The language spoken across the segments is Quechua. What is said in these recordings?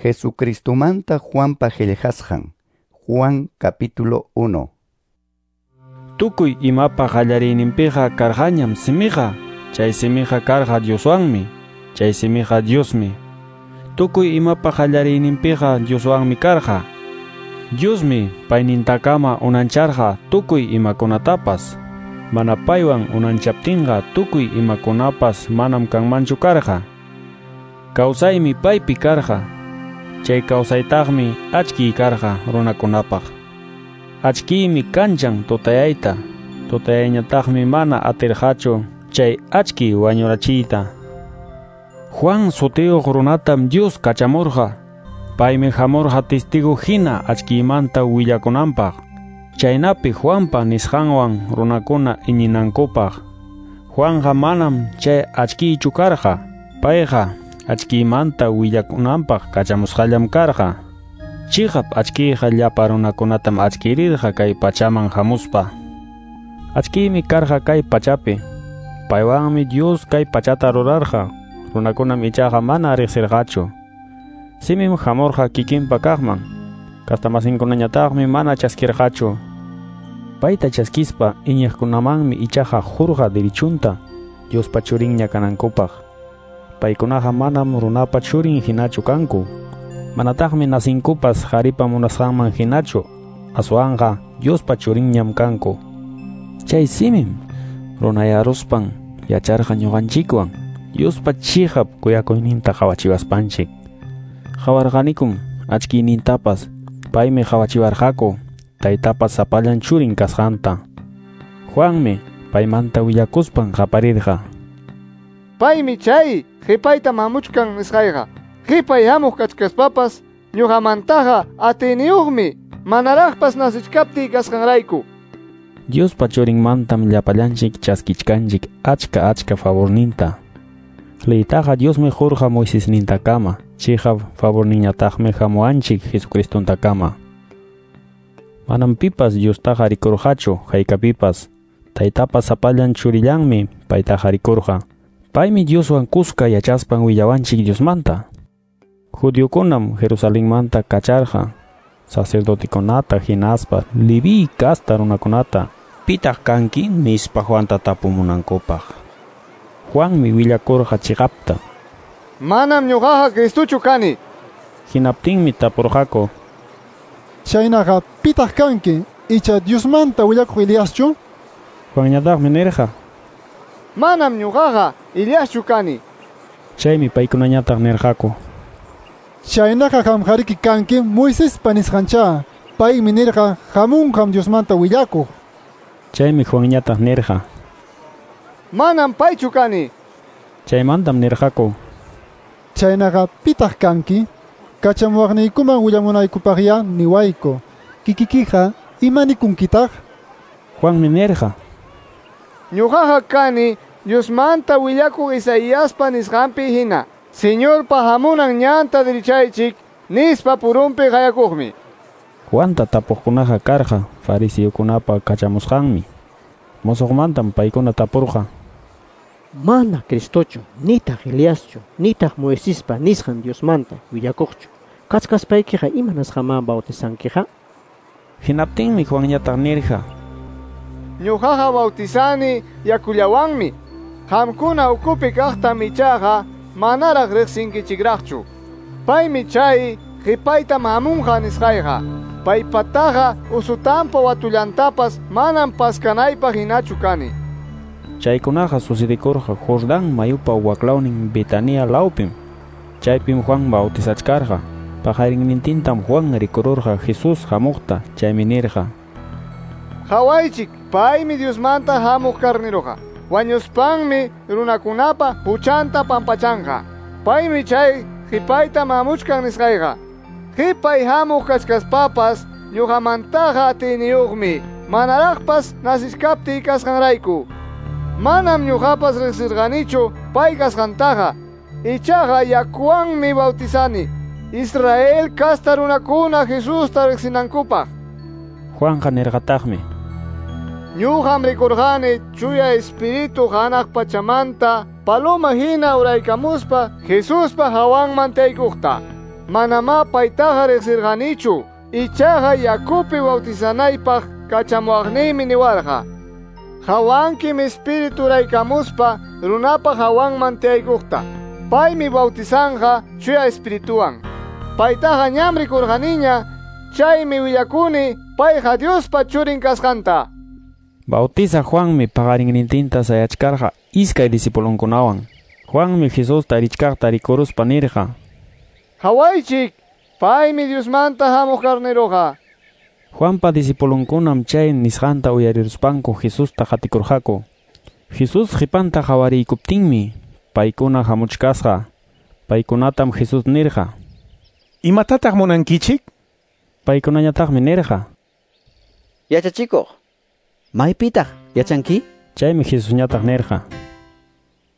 Jesucristomanta Juanpa qillqasqan. Juan capítulo 1. Tukuy imapa qallariyninpiqa karqañam simiqa, chay simiqa karqa Dioswanmi, chay simiqa Diosmi. Tukuy imapa qallariyninpiqa Dioswanmi karqa. Diosmi paynintakama unancharqa tukuy imakunatapas. Mana paywan unanchaptinqa tukuy imakunapas manam kanmanchu karqa. Kawsaymi paypi karqa. Chay kawsaytaqmi achkiy karqa runakunapaq. Achkiymi kanchan tutayayta, tutayayñataqmi mana atirqachu chay achkiy wañurachiyta. Juan sutiyuq runatam Dios kachamurqa. Paymi hamurqa testigo hina achkiymanta willakunanpaq. Chaynapi Juanpa nisqanwan runakuna iñinankupaq. Juanqa manam chay achkiychu karqa. Payqa achkiymanta willakunanpaq kachamusqallam karqa. Chiqap achkiyqa llapa runakunatam achkirirqa kay pachaman hamuspa. Achkiymi karqa kay pachapi. Paywanmi Dios kay pachata rurarqa. Runakunam ichaqa mana riqsirqachu. Simim hamurqa kikinpa kaqman. Kastamasinkunañataqmi mana chaskirqachu. Payta chaskispa iñiqkunamanmi ichaqa hurqa dirichunta Diospa churinña kanankupaq. Paykunaqa manam runapa churin hinachu kanku. Manataqmi nasinkupas qharipa munasqanman hinachu, aswanqa Diospa churinñam kanku. Chay simim runayaruspan yacharqa ñuqanchikwan Diospa chiqap kuyakuyninta qawachiwaspanchik. Qawarqanikum achkiynintapas, paymi qawachiwarqaku taytapas sapallan churin kasqanta. Juanmi paymanta willakuspan qaparirqa. Paymi chay qhipayta mamuchkan nisqayqa. Qhipay hamuq kachkaspapas ñuqamantaqa atiyniyuqmi manaraqpas nasichkaptiy kasqanrayku. Diospa churinmantam llapallanchik chaskichkanchik achka achka favorninta. Leytaqa Diosmi qurqa Moisesnintakama, chiqap favorninñataqmi hamuwanchik Jesucristontakama. Manam pipas Diostaqa rikurqachu haykapipas, taytapas sapallan churillanmi paytaqa rikurqa. Paymi Dioswan kuska yachaspan willawanchik Diosmanta. Judiokunam Jerusalenmanta kacharqa sacerdotekunata hinaspa Leví casta runakunata pitaq kanki nispa Juanta tapumunankupaq. Juanmi willakurqa chiqapta. Manam ñuqaqa Cristochu kani. Hinaptinmi tapurqaku. Chaynaqa pitaq kanki icha Diosmanta willakuq Eliaschu? Juanñataqmi nirqa. Manam ñuqaqa Eliaschu kani. Chaymi paykunañataq nirqaku. Chaynaqa qamqariki kanki Moisespa nisqancha. Paymi nirqa hamunqam Diosmanta willakuq. Chaymi Juanñataq nirqa. Manam paychu kani. Chaymantam nirqaku. Chaynaqa pitaq kanki? Kachamuwaqniykuman willamunaykupaqya niwayku. Kikikiqa imanikunkitaq? Juanmi nirqa. Ñuqaqa kani Diosmanta willakuq Isaiaspa nisqanpi hina. Señorpa hamunan ñanta dirichaychik nispa purunpi qayakuqmi. Juanta tapuqkunaqa karqa fariseokunapa kachamusqanmi. Musuqmantam paykuna tapurqa. Mana Cristochu, nitaq Eliaschu, nitaq Moisespa nisqan Diosmanta willakuqchu. Kachkaspaykiqa imanasqamá bautizankiqa? Hinaptinmi Juanñataq nirqa. Ñuqaqa bautizani yakullawanmi. Qamkuna ukupi kaqtam ichaqa manaraq riqsinkichikraqchu. Paymi chay qhipayta hamunqa nisqayqa. Paypataqa usutampa watullantapas manam paskanaypaq hinachu kani. Chaykunaqa sucedikurqa Jordán mayupa waklawnin Betania lawpim. Chaypim Juan bautizachkarqa. Paqarinnintintam Juan rikururqa Jesús hamuqta, chaymi nirqa. Qhawaychik, paymi Diosmanta hamuq karniruqa. Wañuspanmi runakunapa huchanta pampachanqa. Paymi chay qhipayta mamuchkan nisqayqa. Qhipay hamuq kachkaspapas ñuqamantaqa atiyniyuqmi manaraqpas nasichkaptiy kasqanrayku. Manam ñuqapas riqsirqanichu pay kasqantaqa. Ichaqa yakuwanmi bautizani Israel casta runakuna Jesusta riqsinankupaq. Juanqa nirqataqmi. Ñuqam rikurqani chuya espíritu hanaq pachamanta paloma hina uraykamuspa Jesuspa hawanman taykuqta. Manamá paytaqa riqsirqanichu, ichaqa yakupi bautizanaypaq kachamuwaqniymi niwarqa. Hawankim Espíritu raykamuspa runapa hawanman tiyaykuqta. Paymi bautizanqa Chuya Espirituwan. Paytaqa ñam rikurqaniña, chaymi willakuni payqa Diospa churin kasqanta. Bautiza Juanmi paqarinnintinta sayachkarqa iskay discipulonkunawan. Juanmi Jesusta richkaqta rikuruspa nirqa: Hawaychik, paymi Diosmanta hamuq carneroqa. Juanpa discipulonkunam chay nisqanta uyariruspanku Jesusta qatikurqaku. Jesús qhipanta qhawariykuptinmi paykuna hamuchkasqa. Paykunatam Jesús nirqa: Imatataq munankichik? Paykunañataqmi nirqa: Yachachikuq, maypitaq yachanki? Chaymi Jesusñataq nirqa: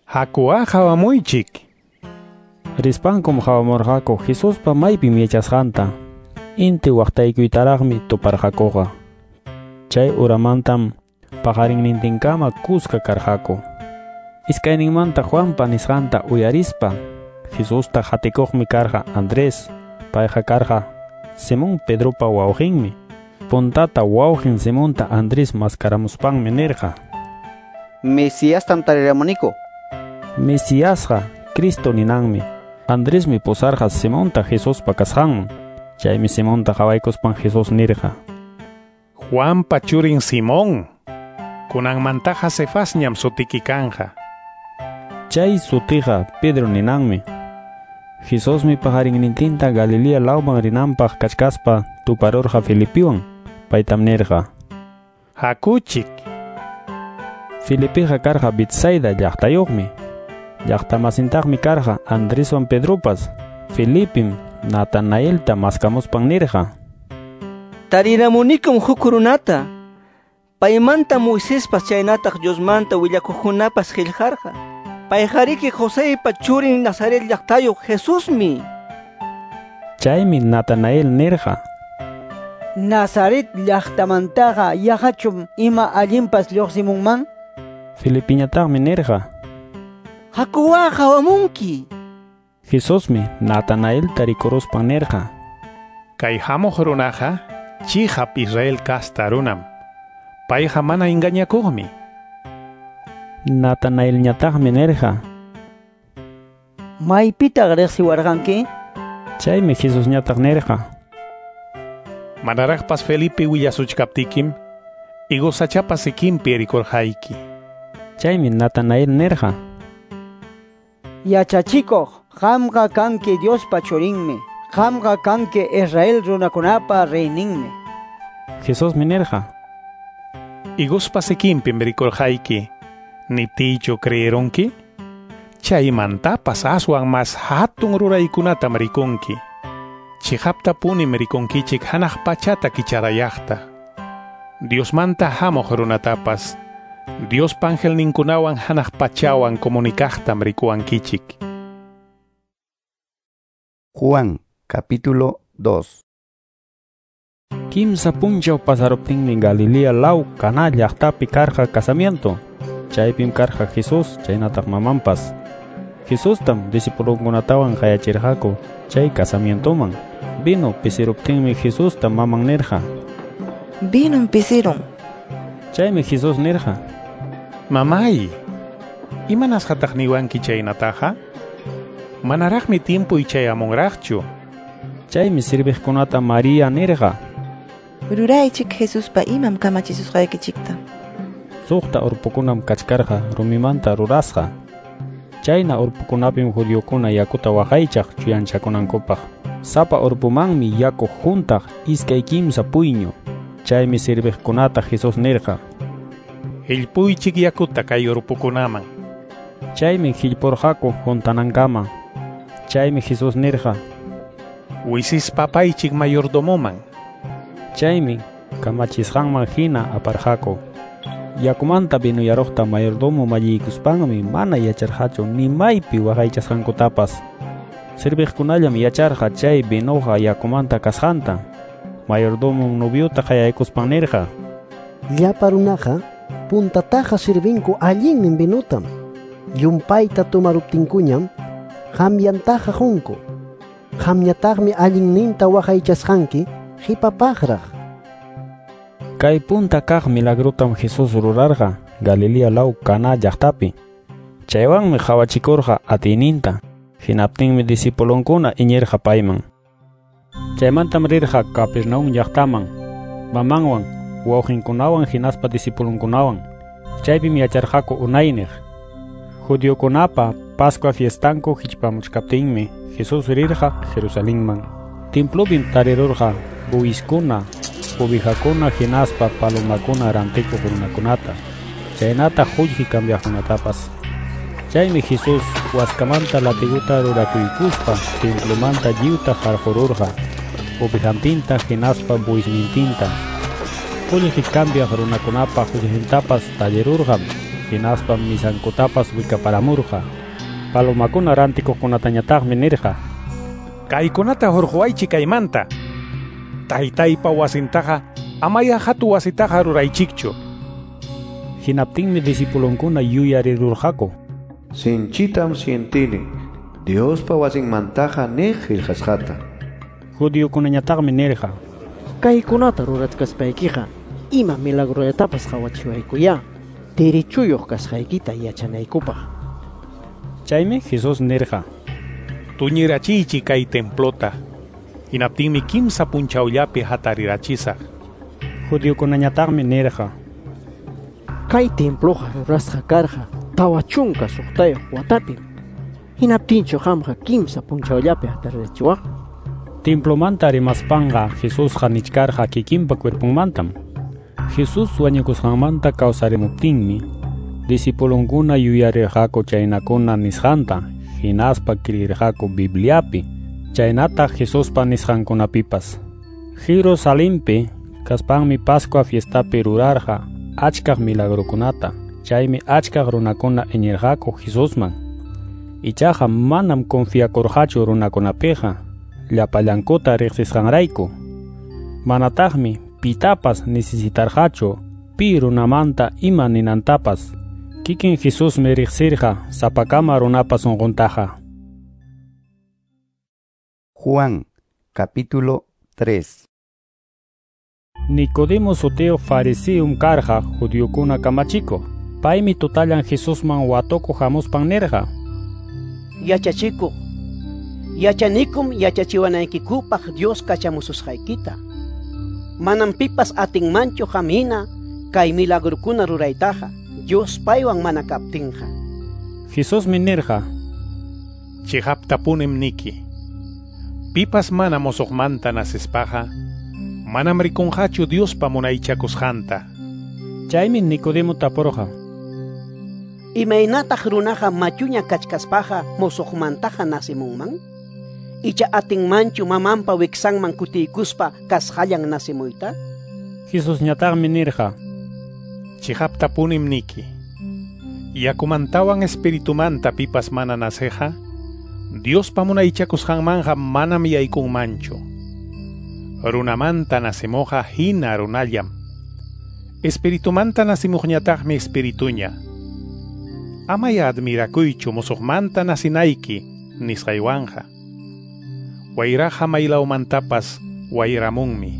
Hakuwa qhawamuychik. Rispankum qhawamurqaku Jesuspa maypim yachasqanta. Inti waqtaykuytaraqmi tuparqakuqa. Chay uramantam paqarinnintinkama kuska karqaku. Iskayninmanta Juanpa nisqanta uyarispa Jesusta qatikuqmi karqa Andrés, payqa karqa Simón Pedropa wawqinmi. Puntata wawqin Simonta Andrés maskaramuspanmi nirqa: Mesiastam tariramuniku. Mesiasqa Cristo ninanmi. Andresmi pusarqa Simonta Jesuspa kasqanman. Chaymi Simonta qhawaykuspan Jesús nirqa: Juanpa churin Simón, kunanmantaqa Cefasñam sutiki kanqa. Chay sutiqa Pedro ninanmi. Jesusmi paqarinnintinta Galilea lawman rinanpaq kachkaspa tuparurqa Felipiwan. Paytam nirqa: Hakuchik. Felipiqa karqa Betsaida llaqtayuqmi. Llaqtamasintaqmi karqa Andreswan Pedropas. Felipim Natanaelta maskamuspan nirqa: Tariramunikum huk runata. Paymanta Moisespas chaynataq Diosmanta willakuqkunapas qillqarqa. Payqariki Joseypa churin Nazaret llaqtayuq Jesusmi. Chaymi Natanael nirqa: Nazaret llaqtamantaqa yaqachum ima allinpas lluqsimunman? Felipiñataqmi nirqa: Hakuwa qhawamunki. Jesusmi Natanaelta rikuruspan nirqa: Kay hamuq runaqa chiqap Israel kasta runam. Payqa mana engañakuqmi. Natanaelñataqmi nirqa: Maypitaq riqsiwarqanki? Chaymi Jesusñataq nirqa: Manaraqpas Felipe willasuchkaptikim, higos sachapa sikinpi rikurqayki. Chaymi Natanael nirqa: Yachachikuq, qamqa kanki Diospa churinmi. Qamqa kanki Israel runakunapa reyninmi. Jesusmi nirqa: Higospa sikinpim rikurqayki, niptiychu creerunki? Chaymantapas aswan mas hatun ruraykunatam rikunki. Chiqaptapunim rikunkichik hanaq pachata kicharayaqta. Diosmanta hamuq runatapas Diospa angelninkunawan hanaq pachawan comunicaqtam rikuwankichik. Juan capítulo 2. Kimsa punchaw pasaruptinmi Galilea law Caná llaqtapi karqa casamiento. Chaypim karqa Jesús chaynataq mamanpas. Jesustam discipulonkunatawan qayachirqaku chay casamientoman. Vino pisiruptinmi Jesusta maman nirqa: Vinom pisirun. Chaymi Jesús nirqa: Mamay, imanasqataq niwanki chaynataqa? Manaraqmi timpuy chayamunraqchu. Chaymi sirviqkunata María nirqa: Ruraychik Jesuspa imam kamachisusqaykichikta. Suqta urpukunam kachkarqa rumimanta rurasqa. Chayna urpukunapim judiokuna yakuta waqaychaq chuyanchakunankupaq. Sapa urpumanmi yaku huntaq 2-3 puyñu. Chaymi sirviqkunata Jesús nirqa: Hillpuychik yakuta kay urpukunaman. Chaymi hillpurqaku huntanankama. Chaymi Jesús nirqa: Wisispa apaychik mayordomoman. Chaymi kamachisqanman hina aparqaku. Yakumanta vinuyaruqta mayordomo malliykuspanmi mana yacharqachu ni maypi waqaychasqankutapas. Sirviqkunallam yacharqa chay vinuqa yakumanta kasqanta. Mayordomo noviota qayaykuspan nirqa: Llapa runaqa puntataqa sirvinku allinnin vinutam. Llumpayta tumaruptinkuñam qamyantaqa qunku. Qamñataqmi allinninta waqaychasqanki qhipapaqraq. Kay punta kaq milagrotam Jesús rurarqa Galilea law Caná llaqtapi. Chaywanmi qawachikurqa atiyninta. Hinaptinmi discipulonkuna iñirqa payman. Chaymantam rirqa Capernaum llaqtaman, mamanwan, wawqinkunawan hinaspa discipulonkunawan. Chaypim yacharqaku unayniq. Judiokunapa Pascua fiestanku hichpamuchkaptinmi Jesús rirqa Jerusalenman. Templopim tarirurqa buiskuna, ovejakuna hinaspa palomakuna rantikuq runakunata, chaynataq qullqi cambiaqkunatapas. Chaymi Jesús waskamanta latiguta rurakuykuspa templomanta lliwta qarqururqa, ovejantinta hinaspa buisnintinta. Qullqi cambiaq runakunapa qullqintapas tallirurqam, hinaspa misankutapas wikaparamurqa. Palomakuna rantikuqkunatañataqmi nirqa: Kaykunata hurquwaychik kaymanta. Taytaypa wasintaqa amaya hatu wasitaqa ruraychikchu. Hinaptinmi discipulonkuna yuyarirurqaku: Sinchitam sientini Diospa wasinmantaqa niq qillqasqata. Judiokunañataqmi nirqa: Kaykunata rurachkaspaykiqa ima milagrollatapas qawachiwaykuyá derechuyuq kasqaykita yachanaykupaq. Chaymi Jesús nirqa: Tuñirachiychik kay templota. Hinaptinmi kimsa punchawllapi hatarirachisaq. Judiokunañataqmi nirqa: Kay temploqa rurasqa karqa 46 watapim. Hinaptinchu qamqa kimsa punchawllapi hatarirachiwaq? Templomanta rimaspanqa Jesusqa nichkarqa kikinpa cuerponmantam. Jesús wañukusqanmanta kawsarimuptinmi discipulonkuna yuyarirqaku chaynakuna nisqanta, hinaspa creirqaku Bibliapi, chaynataq Jesuspa nisqankunapipas. Jerusalenpi kaspanmi Pascua fiestapi rurarqa achkaq milagrokunata, chaymi achkaq runakuna iñirqaku Jesusman. Ichaqa manam confiakurqachu runakunapiqa, llapallankuta riqsisqanrayku. Manataqmi pitapas necesitarqachu pi runamanta ima ninantapas. Kikin Jesusmi riqsirqa sapakama runapa sunquntaqa. Juan, capítulo 3. Nicodemo sutiyuq fariseom karqa judiokuna kamachikuq. Paymi tutallan Jesusman watukuq hamuspan nirqa: Yachachikuq, yachanikum yachachiwanaykikupaq Dios kachamususqaykita. Manam pipas atinmanchu qam hina kay milagrokuna ruraytaqa Dios paywan mana kaptinqa. Jesusmi nirqa: Chiqaptapunim niki, pipas mana mosoqmanta nacespaqa manam rikunqachu Diospa munaychakusqanta. Chaymi Nicodemo tapurqa: Imaynataq runaqa machuña kachkaspaqa mosoqmantaqa nacimunman? Icha atinmanchu mamanpa wiksanman kutiykuspa kasqallan nacimuyta? Jesusñataqmi nirqa: Chiqaptapunim niki, yakumantawan espiritumanta pipas mana naceqa, Diospa munaychakusqanmanqa manam yaykunmanchu. Runamanta nacimuqqa hina runallam. Espiritumanta nacimuqñataqmi espirituña. Amaya admirakuychu musuqmanta nacinayki nisqaywanqa. Wayraqa maylawmantapas wayramunmi.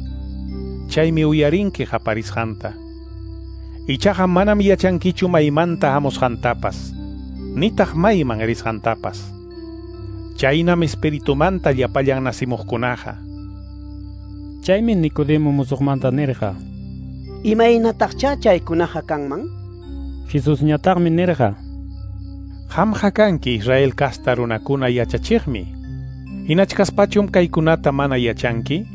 Chaymi uyarinki qaparisqanta. Ichaqa manam yachankichu maymanta hamusqantapas, nitaq mayman risqantapas. Chaynam espiritumanta llapallan nacimuqkunaqa. Chaymi Nicodemo musuqmanta nirqa: Imaynataqcha chaykunaqa kanman? Jesusñataqmi nirqa: Qamqa kanki Israel kasta runakuna yachachiqmi. Hinachkaspachum kaykunata mana yachanki?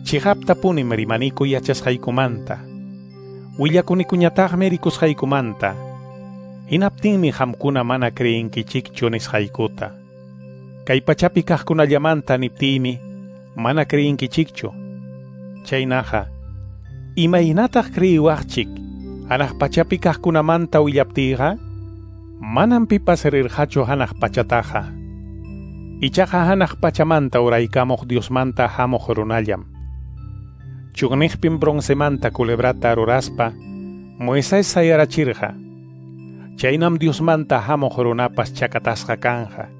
Chiqaptapunim rimaniku yachasqaykumanta. Willakunikuñataqmi rikusqaykumanta. Hinaptinmi qamkuna mana creenkichikchu nisqaykuta. Kay pachapi kaqkunallamanta niptiymi mana creenkichikchu. Chaynaqa, imaynataq creyiwaqchik hanaq pachapi kaqkunamanta willaptiyqa? Manam pipas rirqachu hanaq pachataqa. Ichaqa hanaq pachamanta uraykamuq Diosmanta hamuq runallam. Chugniqpim broncemanta culebrata ruraspa Moisés sayarachirqa. Chaynam Diosmanta hamuq runapas chakatasqa kanja.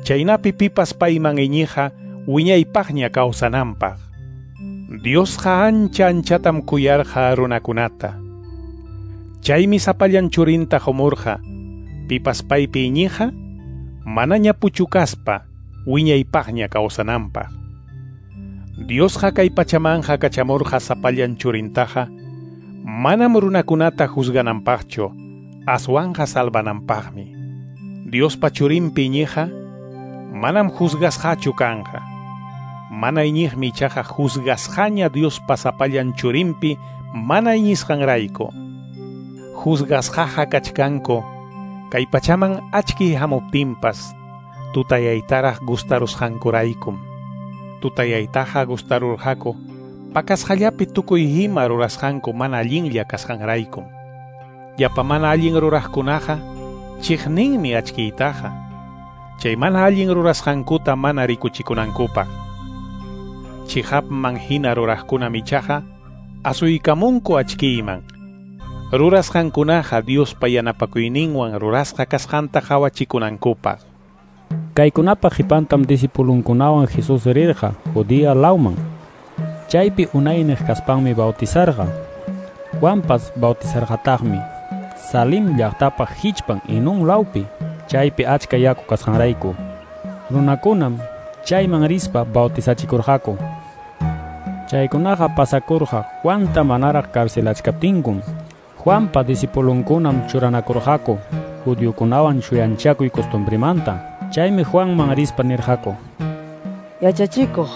Chaynapi pipas payman iñiqqa wiñaypaqña kawsananpaq. Diosqa ancha anchatam kuyarqa runakunata. Chaymi sapallan churinta qumurqa, pipas paypi iñiqqa manaña puchukaspa wiñaypaqña kawsananpaq. Diosqa kay pachamanja kachamurqa sapallan churintaqa manam runakunata juzgananpaqchu, aswanqa salvananpaqmi. Diospa churinpi iñiqqa manam juzgasqachu kanqa. Mana iñiqmi ichaqa juzgasqaña Diospa sapallan churinpi mana iñisqanrayku. Juzgasqaqa kachkanku kay pachaman achki hamuptinpas tutayaytaraq gustarusqankuraykum. Tutayaytaqa gustarurqaku pakasqallapi tukuy ima rurasqanku mana allinlla kasqanraykum. Llapa mana allin ruraqkunaqa chiqninmi achkiytaqa, chay mana allin rurasqankuta mana rikuchikunankupaq. Chiqapman hina ruraqkunam ichaqa asuykamunku achkiyman. Rurasqankunaqa Diospa yanapakuyninwan rurasqa kasqanta qhawachikunankupaq. Kaykunapa qipantam discipulunkunawan Jesús rirqa Judea lawman. Chaypi unayniq kaspanmi bautizarqa. Juanpas bautizarqataqmi Salim llaqtapa hichpan Enón lawpi, chaypi achka yaku kasqanrayku. Runakunam chayman rispa bautizachikurqaku. Chaykunaqa pasakurqa Juanta manaraq carcelachkaptinkum. Juanpa discipulunkunam churanakurqaku judiokunawan chuyanchakuy costumbrimanta. Chaymi Juanman rispa nirqaku: Yachachikuq,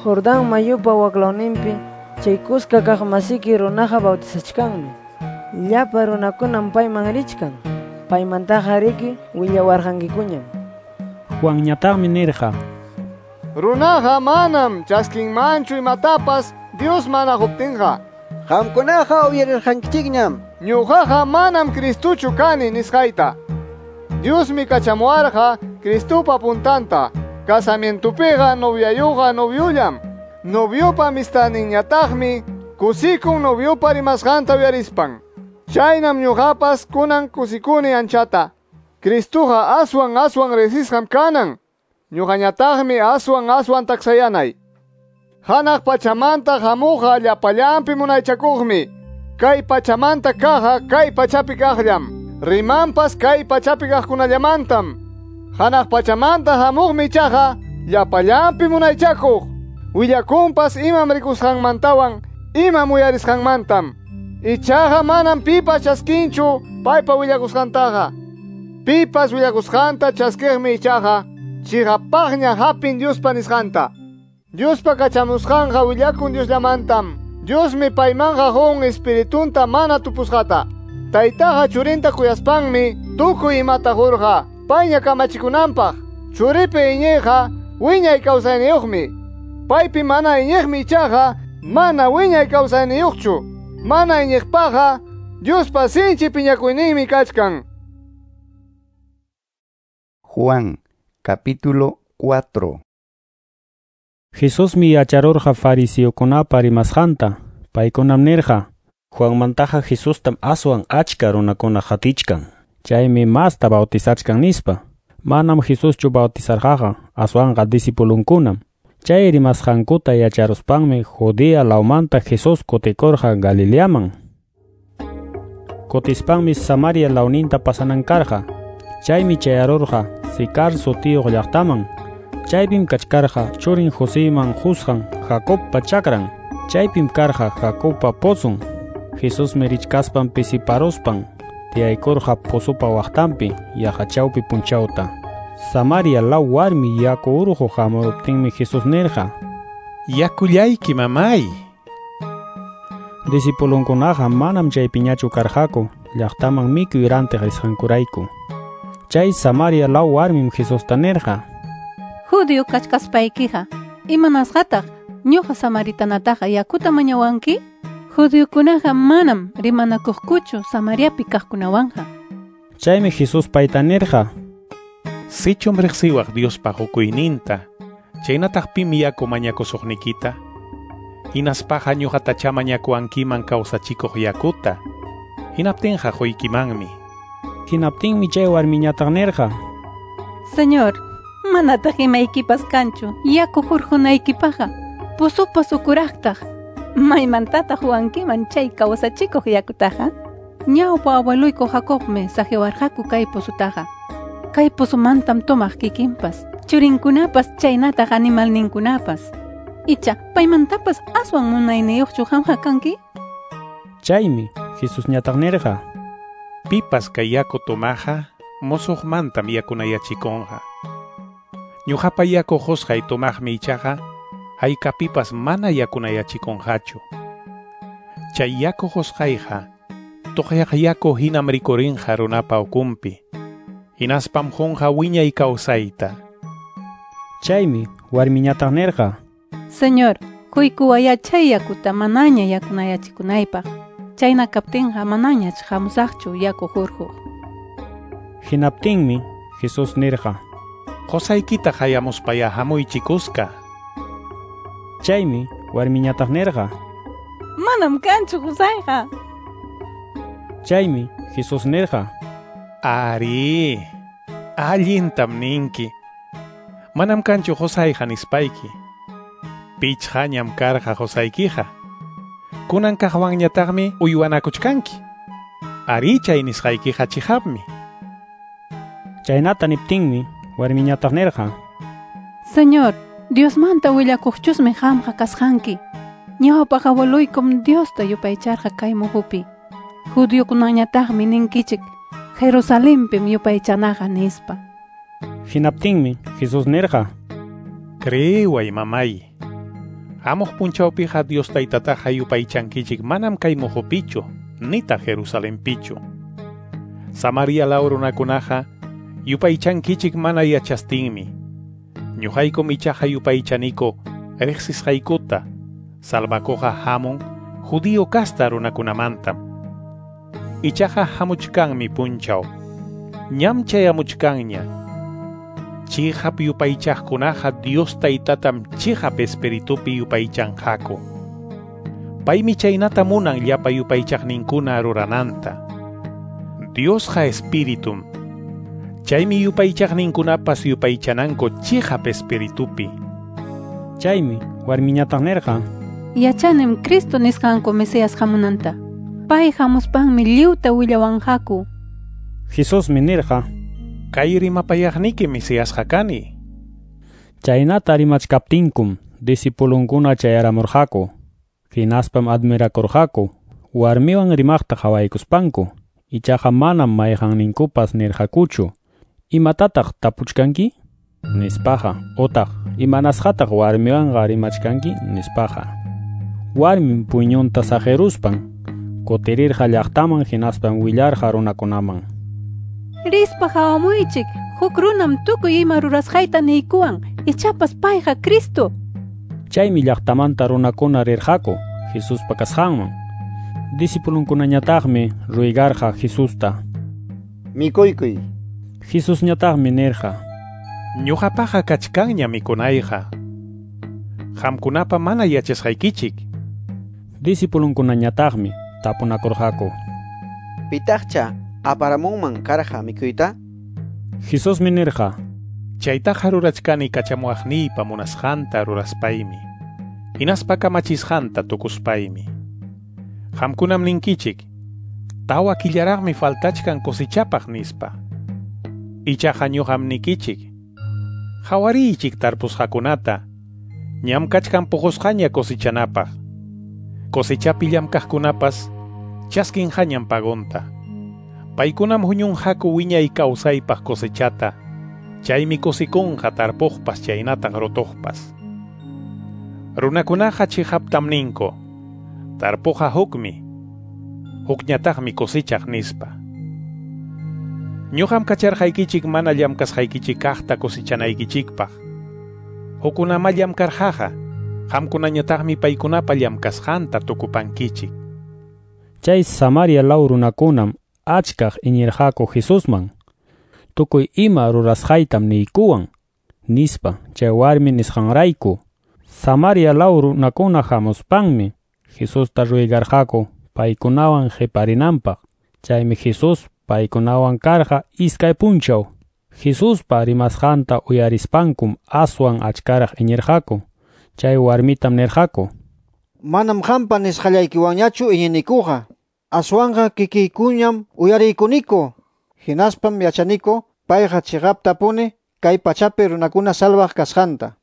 Jordán mayupa waklawninpi chay kuska kaq masiki runaqa bautizachkanmi. Llapa runakunam payman richkan. Paymantaqa riki willawarqankikuñam. Juanñataqmi nirqa: Runaqa manam chaskinmanchu imatapas Dios mana quptinqa. Qamkunaqa uyarirqankichikñam. Ñuqaqa manam Cristuchu kani nisqayta. Diosmi kachamuwarqa Cristupa puntanta. Casamientupiqa noviayuqa noviullam. Noviopa amistadninñataqmi kusikun noviopa rimasqanta uyarispan. Chaynam ñuqapas kunan kusikuni anchata. Cristuqa aswan aswan riqsisqam kanan. Ñuqañataqmi aswan aswan taksayanay. Hanaq pachamanta hamuqqa llapallanpi munaychakuqmi. Kay pachamanta kaqqa kay pachapi kaqllam. Rimanpas kay pachapi kaqkunallamantam. Hanaq pachamanta hamuqmi ichaqa llapallanpi munaychakuq. Willakunpas imam rikusqanmantawan imam uyarisqanmantam. Ichaqa manam pipas chaskinchu paypa willakusqantaqa. Pipas willakusqanta chaskiqmi ichaqa chiqapaqña hapin Diospa nisqanta. Diospa kachamusqanqa willakun Diosllamantam. Diosmi paymanqa qun espiritunta mana tupusqata. Taytaqa churinta kuyaspanmi tukuy imata qurqa payña kamachikunanpaq. Churipi iñiqqa wiñay kawsayniyuqmi. Paypi mana iñiqmi ichaqa mana wiñay kawsayniyuqchu. Mana iñiqpaqqa Diospa sinchi piñakuyninmi kachkan. Juan capítulo 4. Jesusmi yacharurqa fariseokunapa rimasqanta. Paykunam nirqa: Juanmantaqa Jesustam aswan achka runakuna qatichkan. Chaymi masta bautizachkan nispa. Manam Jesuschu bautizarqaqa, aswanqa discipulunkunam. Chay rimasqankuta yacharuspanmi Judea lawmanta Jesús kutikurqa Galileaman. Kutispanmi Samaria lawninta pasanan karqa. Chaymi chayarurqa Sicar sutiyuq llaqtaman. Chaypim kachkarqa churin Joseyman qusqan Jacobpa chakran. Chaypim karqa Jacobpa pozon. Jesusmi richkaspan pisiparuspan tiyaykurqa pozopa waqtanpi yaqa chawpi punchawta. Samaria law warmi yaku urquq hamuruptinmi Jesús nirqa: Yakullayki mamay. Discipulunkunaqa manam chaypiñachu karqaku llaqtaman mikuy rantiq risqankurayku. Chay Samaria law warmim Jesusta nirqa: Judío kachkaspaykiqa, imanasqataq ñuqa samaritanataqa yakuta mañawanki? Judiokunaqa manam rimanakuqkuchu Samariapi kaqkunawanqa. Chaymi Jesús payta nirqa: Sichum riqsiwaq Diospa qukuyninta, chaynataq pim yaku mañakusuqnikita, hinaspaqa ñuqatacha mañakuwankiman kawsachikuq yakuta, hinaptinqa quykimanmi. Hinaptinmi chay warmiñataq nirqa: Señor, Manataq imaykipas kanchu yaku hurqunaykipaqqa, pozopas ukuraqtaq. Maymantataq huwankiman chay kawsachikuq yakutaqa? Ñawpa abueluyku Jacobmi saqiwarqaku kay pozutaqa. Kay pozomantam tomaq kikinpas, churinkunapas chaynataq animalninkunapas. Icha, paymantapas aswan munayniyuqchu qamqa kanki? Chaymi Jesusñataq nirqa: Pipas kay yaku tomaqa musuqmantam yakunayachikunqa. Ñuqapa yaku qusqay tomaqmi ichaqa haykapipas mana yakunayachikunqachu. Chay yaku qusqayqa tuqyaq yaku hinam rikurinqa runapa ukunpi. Hinaspam qunqa wiñay kawsayta. Chaymi warmiñataq nirqa: Señor, quykuwaya chay yakuta manaña yakunayachikunaypaq. Chayna kaptinqa manañach hamusaqchu yaku hurquq. Hinaptinmi Jesús nirqa: Qusaykita hayamuspaya hamuychikuska. Chaymi warmiñataq nirqa: Manam kanchu qusayqa. Chaymi Jesús nirqa: Ari, allintam ninki. Manam kanchu qusayqa nispayki. Pichqañam karqa qusaykiqa. Kunan kaqwanñataqmi uywanakuchkanki. Ari chay nisqaykiqa chiqapmi. Chaynata niptinmi warmiñataq nirqa: Señor, Diosmanta willakuqchusmi qamqa kasqanki. Ñawpaq abueluykum Diosta yupaycharqa kay muhupi. Judiokunañataqmi ninkichik Jerusalenpim yupaychanaqa nispa. Hinaptinmi Jesús nirqa: Creeway mamay. Hamuq punchawpiqa Dios taytataqa yupaychankichik manam kay muhupichu, nitaq Jerusalenpichu. Samaria law runakunaqa yupaychankichik mana yachastinmi. Ñuqaykum ichaqa yupaychaniku riqsisqaykuta, salvakuqa hamun judío casta runakunamantam. Ichaqa hamuchkanmi punchaw, ñam chayamuchkanña. Chiqap yupaychaqkunaqa Dios taytatam chiqap espiritupi yupaychanqaku. Paymi chaynata munan llapa yupaychaqninkuna rurananta. Diosqa espiritum. Chaymi yupaychaqninkunapas yupaychananku chiqap espiritupi. Chaymi warmiñataq nirqa: Yachanim Cristo nisqanku Mesías hamunanta. Pay hamuspanmi lliwta willawanqaku. Jesusmi nirqa: Kay rimapayaqniki Mesíasqa kani. Chaynata rimachkaptinkum discipulunkuna chayaramurqaku. Hinaspam admirakurqaku warmiwan rimaqta qhawaykuspanku. Ichaqa manam mayqanninkupas nirqakuchu: Imatataq tapuchkanki? Nispaqa, otaq imanasqataq warmiwanqa rimachkanki? Nispaqa. Warmin puñunta saqiruspan kutirirqa llaqtaman hinaspam willarqa runakunaman: Rispa hawamuychik, huk runam tukuy ima rurasqayta niykuwan, ichapas payqa Cristo. Chaymi llaqtamanta runakuna rirqaku Jesuspa kasqanman. Discipulunkunañataqmi ruygarqa Jesusta: Mikuykuy. Jesusñataqmi nirqa: Ñuqapaqa kachkanña mikunayqa. Qamkunapa mana yachasqaykichik. Discipulunkunañataqmi tapunakurqaku: Pitaqcha aparamunman karqa mikuyta? Jesusmi nirqa: Chaytaqa rurachkani kachamuwaqniypa munasqanta ruraspaymi, hinaspa kamachisqanta tukuspaymi. Qamkunam ninkichik, tawa killaraqmi faltachkan cosechapaq nispa. Ichaqa ñuqam nikichik, hawariychik tarpusqakunata, ñam kachkan puqusqaña cosechanapaq. Cosechapi llamkaqkunapas chaskinqañam pagonta. Paykunam huñunqaku wiñay kawsaypaq cosechata, chaymi kusikunqa tarpuqpas chaynataq rutuqpas. Runakunaqa chiqaptam ninku, tarpuqa hukmi, hukñataqmi cosechaq nispa. Ñuqam kacharqaykichik mana llamkasqaykichik kaqta cosechanaykichikpaq. Hukkunama llamkarqaqa, qamkunañataqmi paykunapa llamkasqanta tukupankichik. Chay Samaria law runakunam achkaq iñirqaku Jesusman. Tukuy ima rurasqaytam niykuwan, nispa chay warmi nisqanrayku. Samaria law runakuna hamuspanmi Jesusta ruygarqaku paykunawan qiparinanpaq. Chaymi Jesús paykunawan karqa iskay punchaw. Jesuspa rimasqanta uyarispankum aswan achkaraq iñirqaku. Chay warmitam nirqaku: Manam qampa nisqallaykiwanñachu iñinikuqa, aswanqa kikiykuñam uyariykuniku. Hinaspam yachaniku payqa chiqaptapuni kay pachapi runakuna salvaq kasqanta.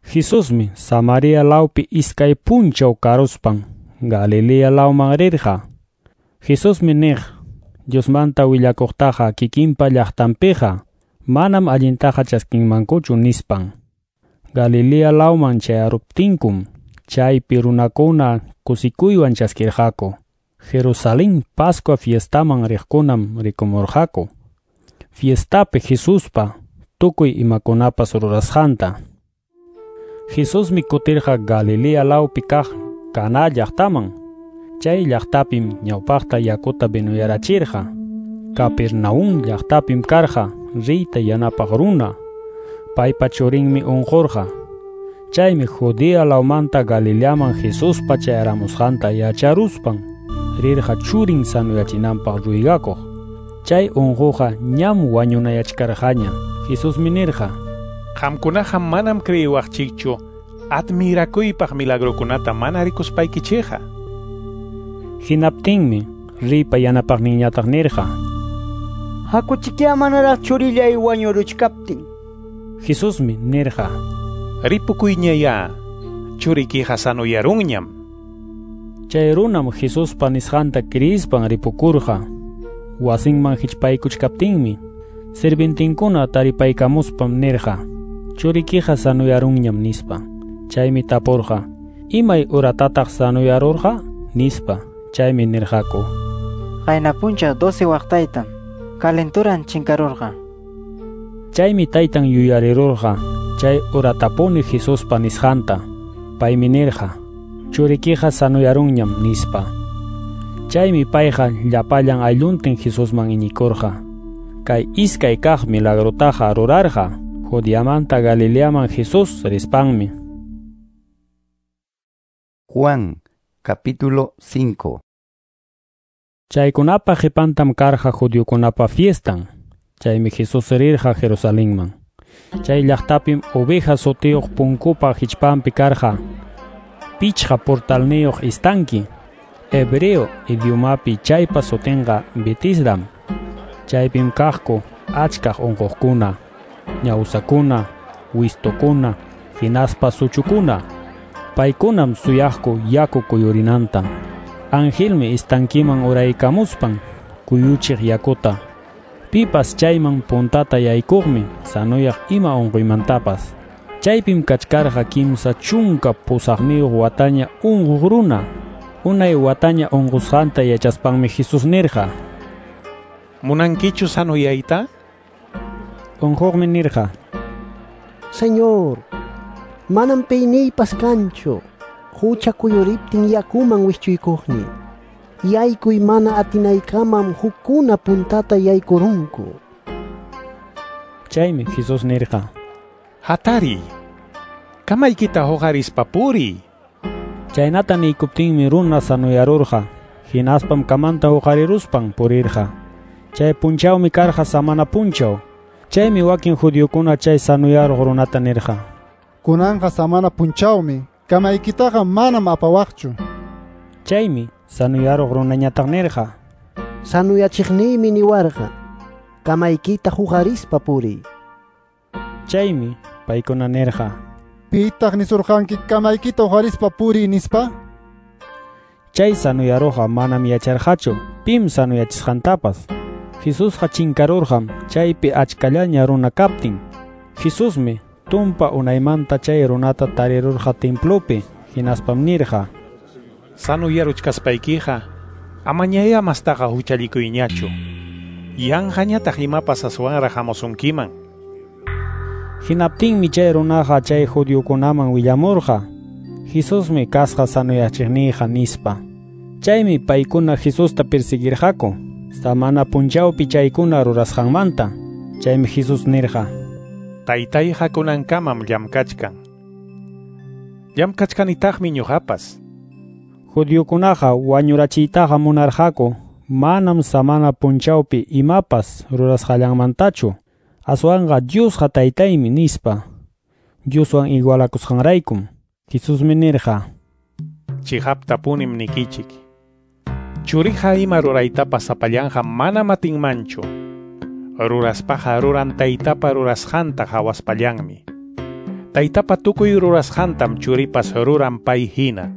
Jesusmi Samaria lawpi iskay punchaw karuspan Galilea lawman rirqa. Jesusmi niq: Diosmanta willakuqtaqa kikinpa llaqtanpiqa manam allintaqa chaskinmankuchu nispan. Galilea lawman chayaruptinkum chaypi runakuna kusikuywan chaskirqaku. Jerusalén Pascua fiestaman riqkunam rikumurqaku. Fiestapi Jesuspa tukuy imakunapas rurasqanta. Jesusmi kutirqa Galilea lawpi kaq Caná llaqtaman. Chay llaqtapim ñawpaqta yakuta vinuyarachirqa. Capernaum llaqtapim karqa riyta yanapaq runa. Paypa churinmi unqurqa. Chaymi Judea lawmanta Galileaman Jesuspa chayaramusqanta yacharuspan rirqa churin sanuyachinanpaq ruygakuq. Chay unquqa ñam wañunayachkarqaña. Jesusmi nirqa: Qamkunaqa manam creyiwaqchikchu admirakuypaq milagrokunata mana rikuspaykichikqa. Hinaptinmi riypa yanapaqninñataq nirqa: Hakuchikya manaraq churillay wañuruchkaptin. Jesusmi nirqa: Ripukuyñayá, churikiqa sanuyarunñam. Chay runam Jesuspa nisqanta kriyispan ripukurqa. Wasinman hichpaykuchkaptinmi sirvientinkuna taripaykamuspam nirqa: Churikiqa sanuyarunñam nispa. Chaymi tapurqa: Imay uratataq sanuyarurqa? Nispa. Chaymi nirqaku: Qayna punchaw 12 waqtaytam calenturan chinkarurqa. Chaymi taytan yuyarirurqa chay uratapuni Jesuspa nisqanta. Paymi nirqa: Churikiqa sanuyarunñam nispa. Chaymi payqa llapallan aylluntin Jesusman iñikurqa. Kay iskay kaq milagrotaqa rurarqa Judeamanta Galileaman Jesús rispanmi. Juan, capítulo 5. Chaykunapa qipantam karqa judiokunapa fiestan. Chaymi Jesús rirqa Jerusalenman. Chay llaqtapim oveja sutiyuq punkupa hichpanpi karqa pichqa portalniyuq estanki. Hebreo idiomapi chaypa sutinqa Betisdam. Chaypim kaqku achkaq unquqkuna, ñawsakuna, wistukuna, hinaspa suchukuna. Paykunam suyaqku yaku kuyurinanta. Angelmi estankiman uraykamuspan kuyuchiq yakuta. Pipas chayman puntata yaykuqmi sanuyaq ima unquymantapas. Chaypim kachkarqa 38 wataña unquq runa. Unay wataña unqusqanta yachaspanmi Jesús nirqa: Munankichu sanuyayta? Unquqmi nirqa: Señor, manam piyniypas kanchu. Hucha kuyuriptin yakuman wischuykuqni. Yaykuy mana atinaykamam hukkuna puntata yaykurunku. Chaymi Jesús nirqa: Hatariy, kamaykita huqarispa puriy. Chaynata niykuptinmi runa sanuyarurqa. Hinaspam kamanta huqariruspan purirqa. Chay punchawmi karqa samana punchaw. Chaymi wakin judiokuna chay sanuyaruq runata nirqa: Kunanqa samana punchawmi, kamaykitaqa manam apawaqchu. Chaymi sanuyaruq runañataq nirqa: Sanuyachiqniymi niwarqa, kamaykita huqarispa puriy. Chaymi paykuna nirqa: Pitaq nisurqanki kamaykita huqarispa puriy nispa? Chay sanuyaruqqa manam yacharqachu pim sanuyachisqantapas. Jesusqa chinkarurqam chaypi achkallaña runa kaptin. Jesusmi tumpa unaymanta chay runata tarirurqa templopi, hinaspam nirqa: Sanuyaruchkaspaykiqa amañayá mastaqa huchallikuyñachu. Yanqañataq imapas aswanraq hamusunkiman. Hinaptinmi chay runaqa chay judiokunaman willamurqa: Jesusmi kasqa sanuyachiqniyqa nispa. Chaymi paykuna Jesusta persiguirqaku samana punchawpi chaykuna rurasqanmanta. Chaymi Jesús nirqa: Taytayqa kunankamam llamkachkan. Llamkachkanitaqmi ñuqapas. Judiokunaqa wañurachiytaqa munarqaku manam samana punchawpi imapas rurasqallanmantachu, Aswanqa Diosqa taytaymi nispa. Dioswan igualakusqanraykum. Jesusmi nirqa: Chiqaptapunim nikichik. Churiqa ima ruraytapas sapallanqa manam atinmanchu. Ruraspaqa ruran taytapa rurasqanta hawaspallanmi. Taytapa tukuy rurasqantam churipas ruran pay hina.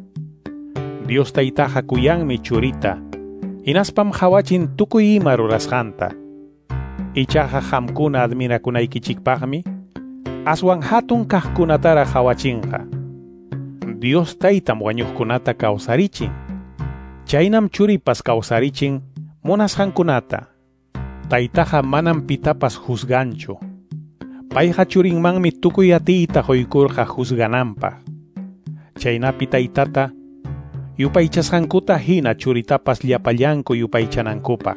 Dios taytaqa kuyanmi churita, hinaspam hawachin tukuy ima rurasqanta. Ichaqa qamkuna admirakunaykichikpaqmi, aswan hatun kaqkunatara hawachinqa. Dios taytam wañuqkunata kawsarichin. Chaynam churipas kawsarichin munasqankunata. Taytaqa manam pitapas juzganchu. Payqa churinmanmi tukuy atiyta quykurqa juzgananpaq. Chaynapi taytata yupaychasqankuta hina churitapas llapallanku yupaychanankupaq.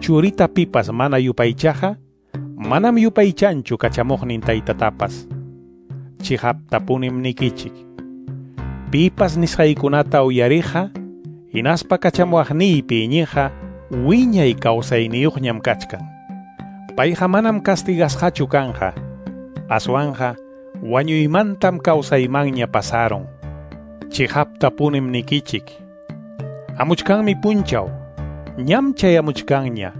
Churita pipas mana yupaychaqa, manam yupaychanchu kachamuqnin taytatapas. Chiqaptapunim nikichik. Pipas nisqaykunata uyariqa, hinaspa kachamuwaqniypi iñiqa, wiñay kawsayniyuqñam kachkan. Payqa manam castigasqachu kanqa, aswanqa wañuymantam kawsaymanña pasaron. Chiqaptapunim nikichik. Amuchkanmi punchaw, ñam chayamuchkanña,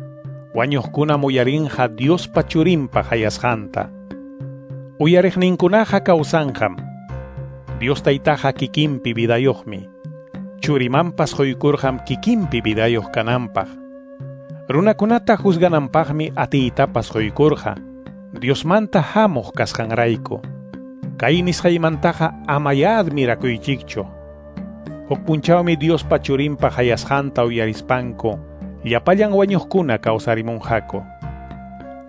wañuqkunam uyarinqa Diospa churinpa hayasqanta. Uyariqninkunaqa kawsanqam. Dios taytaqa kikinpi vidayuqmi. Churimanpas quykurqam kikinpi vidayuq kananpaq. Runakunata juzgananpaqmi atiytapas quykurqa, Diosmanta hamuq kasqanrayku. Kay nisqaymantaqa amaya admirakuychikchu. Huk punchawmi Diospa churinpa hayasqanta uyarispanku, llapallan wañuqkuna kawsarimunqaku.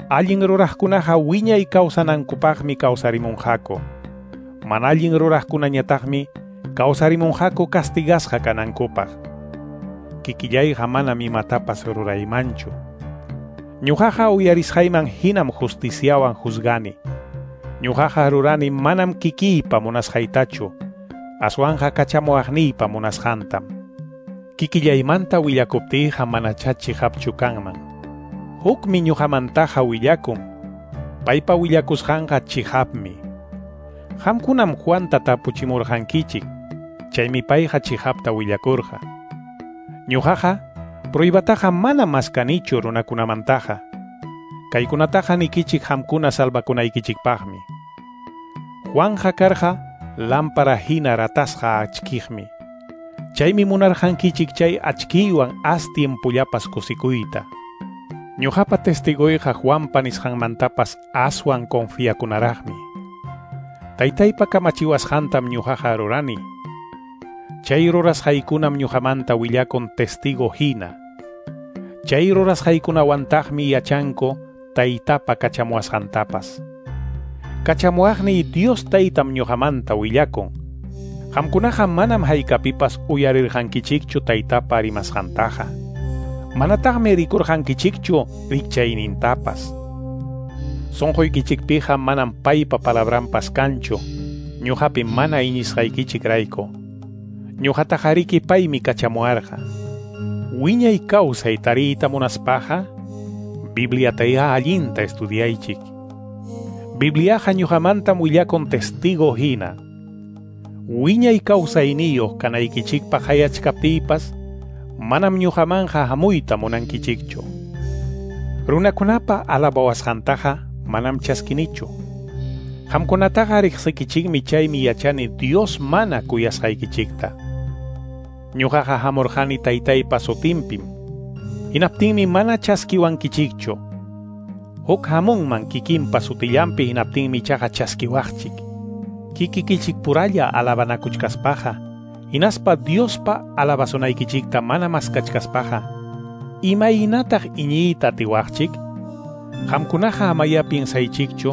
Allin ruraqkunaqa wiñay kawsanankupaqmi kawsarimunqaku. Mana allin ruraqkunañataqmi kawsarimunqaku castigasqa kanankupaq. Kikillayqa manam imatapas ruraymanchu. Ñuqaqa uyarisqayman hinam justiciawan juzgani. Ñuqaqa rurani manam kikiypa munasqaytachu, aswanqa kachamuwaqniypa munasqantam. Kikillaymanta willakuptiyqa manachá chiqapchu kanman. Hukmi ñuqamantaqa willakun, paypa willakusqanqa chiqapmi. Qamkunam Juanta tapuchimurqankichik, chaymi payqa chiqapta willakurqa. Ñuqaqa pruybataqa mana maskanichu runakunamantaqa. Kaykunataqa nikichik qamkuna salvakunaykichikpaqmi. Juanja karqa lámpara hina ratasqa achkiqmi. Chaymi munarqankichik chay achkiywan as tiempullapas kusikuyta. Ñuqapa testigoyqa Juanpa nisqanmantapas aswan confiakunaraqmi. Taytaypa kamachiwasqantam ñuqaqa rurani. Chay rurasqaykunam ñuqamanta willakun testigo hina. Chay rurasqaykunawantaqmi yachanku taytapa kachamuwasqantapas. Kachamuwaqniy Dios taytam ñuqamanta willakun. Qamkunaqa manam haykapipas uyarirqankichikchu taytapa rimasqantaqa. Manataqmi rikurqankichikchu rikchaynintapas. Sunquykichikpiqa manam paypa palabranpas kanchu, ñuqapi mana iñisqaykichikrayku. Ñuqataqariki paymi kachamuwarqa. Wiñay kawsay tariyta munaspaqa, Bibliatayá allinta estudiaychik. Bibliaqa ñuqamantam willakun testigo hina. Wiñay kawsayniyuq kanaykichikpaq hayachkaptiypas, manam ñuqamanqa hamuyta munankichikchu. Runakunapa alabawasqantaqa manam chaskinichu. Qamkunataqa riqsikichikmi chaymi yachani Dios mana kuyasqaykichikta. Ñuqaqa hamurqani taytaypa sutinpim. Hinaptinmi mana chaskiwankichikchu. Huk hamunman kikinpa sutillanpi hinaptinmi ichaqa chaskiwaqchik. Kikikichikpuralla alabanakuchkaspaqa, hinaspa Diospa alabasunaykichikta mana maskachkaspaqa, imaynataq iñiyta atiwaqchik? Qamkunaqa amaya piensaychikchu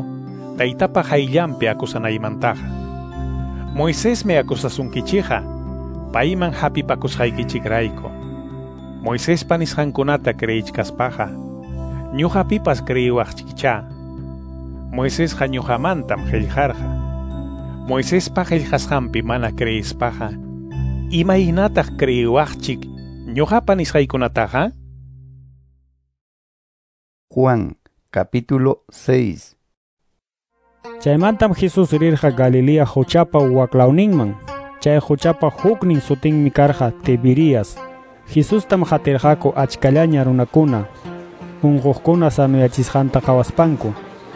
taytapa hayllanpi acusanaymantaqa. Moisesmi acusasunkichikqa, payman hapipakusqaykichikrayku. Moisespa nisqankunata creyichkaspaqa, ñuqapipas creyiwaqchikchá. Moisesqa ñuqamantam qillqarqa. Moisespa qillqasqanpi mana creyispaqa, imaynataq creyiwaqchik ñuqapa nisqaykunataqa? Juan capítulo 6. Chaymantam Jesús rirqa Galilea quchapa waklawninman. Chay quchapa huknin sutinmi karqa Tiberias. Jesustam qatirqaku achkallaña runakuna, unquqkuna sanuyachisqanta qhawaspanku.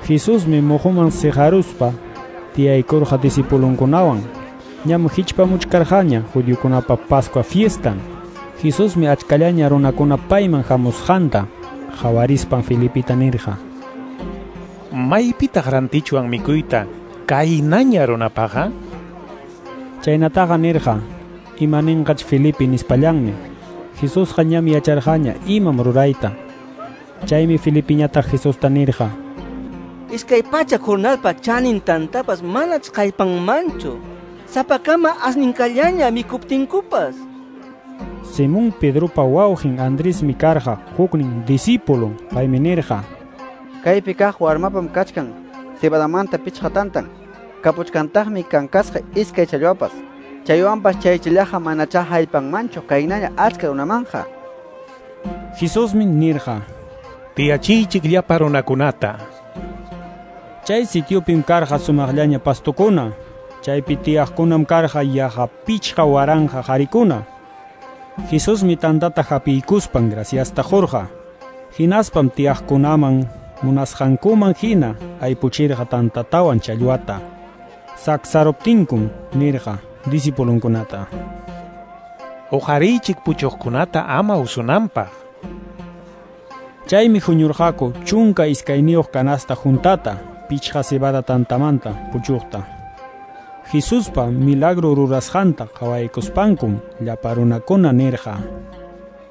Jesusmi muhuman siqaruspa tiyaykurqa discipulunkunawan. Ñam hichpamuchkarqaña judiokunapa Pascua fiestan. Jesusmi achkallaña runakuna payman hamusqanta qhawarispan Felipita nirqa: Maypitaq rantichwan mikuyta kaynaña runapaqa? Chaynataqa nirqa imaninqach Felipe nispallanmi. Jesusqa ñam yacharqaña imam rurayta. Chaymi Felipiñataq Jesusta nirqa: Iskay pachak jornalpa chanin tantapas manach kallpanmanchu. Sapakama asninkallaña mikuptinkupas. Simón Pedropa wawqin Andresmi karqa huknin discípulun. Paymi nirqa: Kaypi kaq warmapam kachkan cebadamanta pichqa tantan, kapuchkantaqmi kankasqa iskay challwapas. Chaywanpas chaychallaqa manachá haypanmanchu kaynaña achka runamanqa. Jesusmi nirqa: Tiyachiychik llapa runakunata. Chay sitiopim karqa sumaqllaña pastukuna. Chaypi tiyaqkunam karqa yaqa 5000 qarikuna. Jesusmi tantata hapiykuspan graciasta qurqa. Hinaspam tiyaqkunaman munasqankuman hina aypuchirqa tantatawan challwata. Saksaruptinkum nirqa discipulunkunata: Uqariychik puchuqkunata ama usunanpaq. Chaymi huñurqaku 12 canasta juntata 5 cebada tantamanta puchuqta. Jesuspa milagro rurasqanta qhawaykuspankum llapa runakuna nirqa: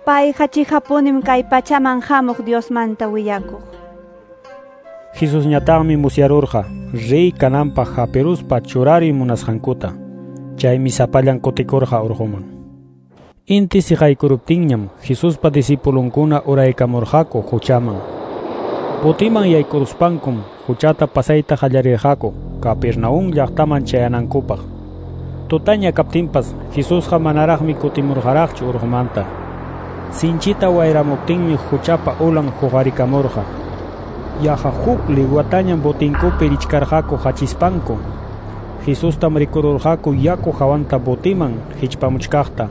Payqa chiqapunim kay pachaman hamuq Diosmanta willakuq. Jesusñataqmi musyarurqa rey kananpaq hapiruspa churariy munasqankuta. Chaymi sapallan kutikurqa urquman. Inti siqaykuruptinñam Jesuspa discipulunkuna uraykamurqaku quchaman. Botiman yaykuruspankum quchata pasayta qallarirqaku Capernaum llaqtaman chayanankupaq. Tutaña kaptinpas Jesusqa manaraqmi kutimurqaraqchu urqumanta. Sinchita wayramuptinmi quchapa ulan huqarikamurqa. Yaqa huk liguatañam botinkupi richkarqaku hachispanku. Jesustam rikururqaku yaku hawanta botiman hichpamuchkaqta.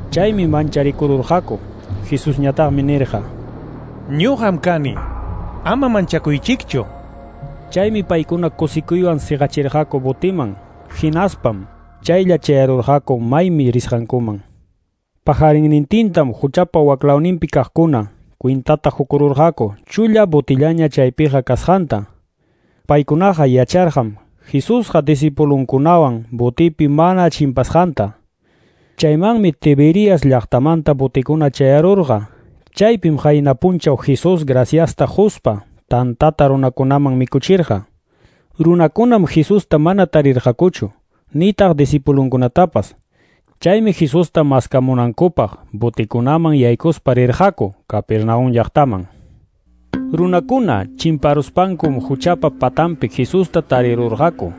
Chaymi mancharikururqaku. Jesusñataqmi nirqa: Ñuqam kani, ama manchakuychikchu. Chaymi paykuna kusikuywan siqachirqaku botiman. Hinaspam chaylla chayarurqaku maymi risqankuman. Pajarinnintintam quchapa waklawninpi kaqkuna kwintata hukururqaku chulla botillaña chaypiqa kasqanta. Paykunaqa yacharqam Jesusqa discipulunkunawan botipi mana chimpasqanta. Chaymanmi Tiberias llaqtamanta botikuna chayarurqa. Chaypim qayna punchaw Jesús graciasta quspa tantata runakunaman mikuchirqa. Runakunam Jesusta mana tarirqakuchu, nitaq discipulunkunatapas. Chaymi Jesusta maskamunankupaq botikunaman yaykuspa rirqaku Capernaum llaqtaman. Runakuna chimparuspankum quchapa patanpi Jesusta tarirurqaku.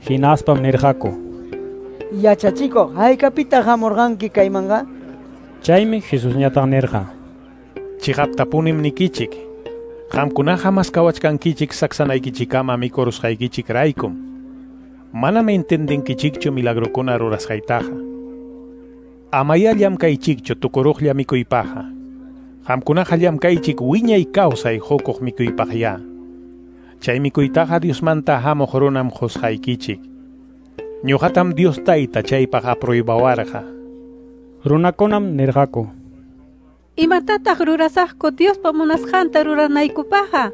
Hinaspam nirqaku: Yachachikuq, haykapitaq hamurqanki kaymanqa? Chaymi Jesusñataq nirqa: Chiqaptapunim nikichik, qamkunaqa maskawachkankichik saksanaykichikama mikurusqaykichik raykum. Manam entendinkichikchu milagrokuna rurasqaytaqa. Amaya llamkaychikchu tukuruqlla mikuypaqqa. Qamkunaqa llamkaychik wiñay kawsay hukuq mikuypaqya. Chay mikuytaqa Diosmanta hamuq runam qusqaykichik. Ñuqatam Dios Tayta chaypaq apruibawarqa. Runakunam nirqaku: Imatataq rurasaqku Diospa munasqanta ruranaykupaqqa?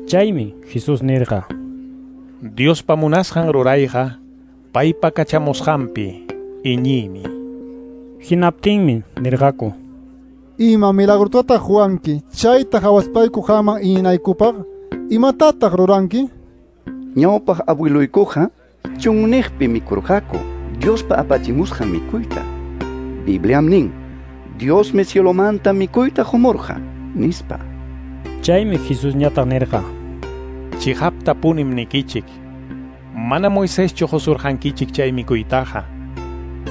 Chaymi Jesús nirqa: Diospa munasqan rurayqa paypa kachamusqanpi iñiymi. Hinaptinmi nirqaku: Ima milagrotataq ruwanki chayta hawaspayku qamman iñinaykupaq? Imatataq ruranki? Ñawpaq abueluykuqa chunniqpi mikurqaku Diospa apachimusqan mikuyta. Bibliam nin: Diosmi cielomanta mikuyta qumurqa, nispa. Chaymi Jesusñataq nirqa: Chiqaptapunim nikichik, mana Moiseschu qusurqankichik chay mikuytaqa.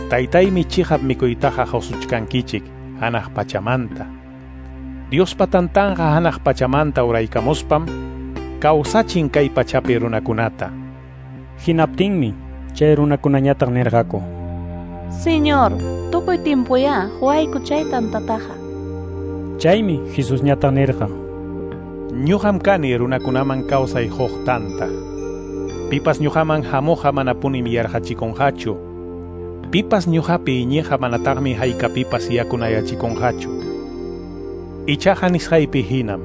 Taytaymi chiqap mikuytaqa qusuchkankichik hanaq pachamanta. Diospa tantanqa hanaq pachamanta uraykamuspam kawsachin kay pachapi runakunata. Hinaptinmi chay runakunañataq nirqaku: Señor, tukuy tiempoyá huayku chay tantataqa. Chaymi Jesusñataq nirqa: Ñuqam kani runakunaman kawsay huq tanta. Pipas ñuqaman hamuqqa manapunim yarqachikunqachu. Pipas ñuqapi iñiqqa manataqmi haykapipas yakunayachikunqachu. Ichaqa nisqaypi hinam,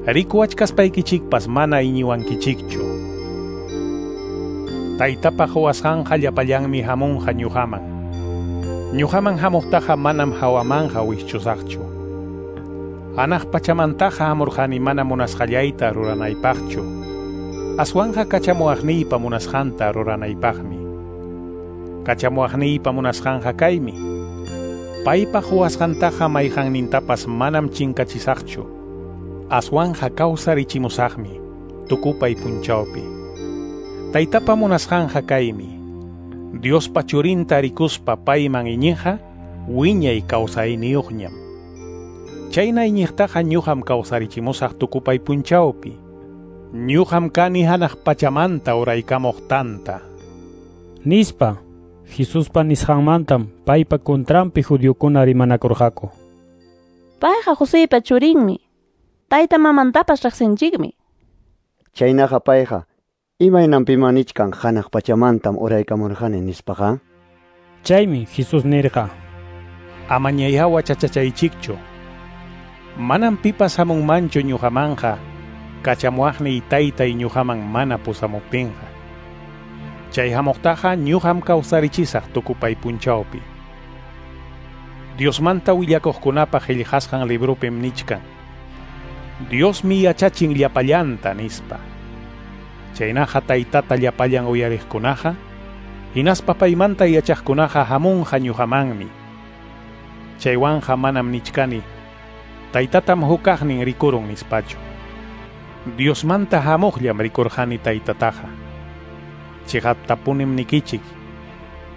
rikuwachkaspaykichikpas mana iñiwankichikchu. Taytapa quwasqanqa llapallanmi hamunqa ñuqaman. Ñuqaman hamuqtaqa manam hawamanqa wischusaqchu. Hanaq pachamantaqa hamurqani mana munasqallayta ruranaypaqchu. Aswanqa kachamuwaqniypa munasqanta ruranaypaqmi. Kachamuwaqniypa munasqanqa kaymi: paypa quwasqantaqa mayqannintapas manam chinkachisaqchu. Aswanqa kawsarichimusaqmi tukupay punchawpi. Taytapa munasqanqa kaymi: Diospa churinta rikuspa payman iñiqqa wiñay kawsayniyuqñam. Chayna iñiqtaqa ñuqam kawsarichimusaq tukupay punchawpi. Ñuqam kani hanaq pachamanta uraykamuq tanta. Nispa Jesuspa nisqanmantam paypa contranpi judiokuna rimanakurqaku. Payqa Joseypa churinmi. Tayta mamantapas riqsinchikmi. Chaynaqa payqa imaynanpima nichkan hanaq pachamantam uraykamurqani nispaqa. Chaymi Jesús nirqa: Amañayá wachachachaychikchu. Manam pipas hamunmanchu ñuqamanqa kachamuwaqniy taytay ñuqaman mana pusamuptinqa. Chay hamuqtaqa ñuqam kawsarichisaq tukupay punchawpi. Diosmanta willakuqkunapa qillqasqan librupim nichkan: Diosmi yachachin llapallanta nispa. Chaynaqa taytata llapallan uyariqkunaqa hinaspa paymanta yachaqkunaqa hamunqa ñuqamanmi. Chaywanqa manam nichkani taytatam hukaqnin rikurun nispachu. Diosmanta hamuqllam rikurqani taytataqa. Chiqaptapunim nikichik,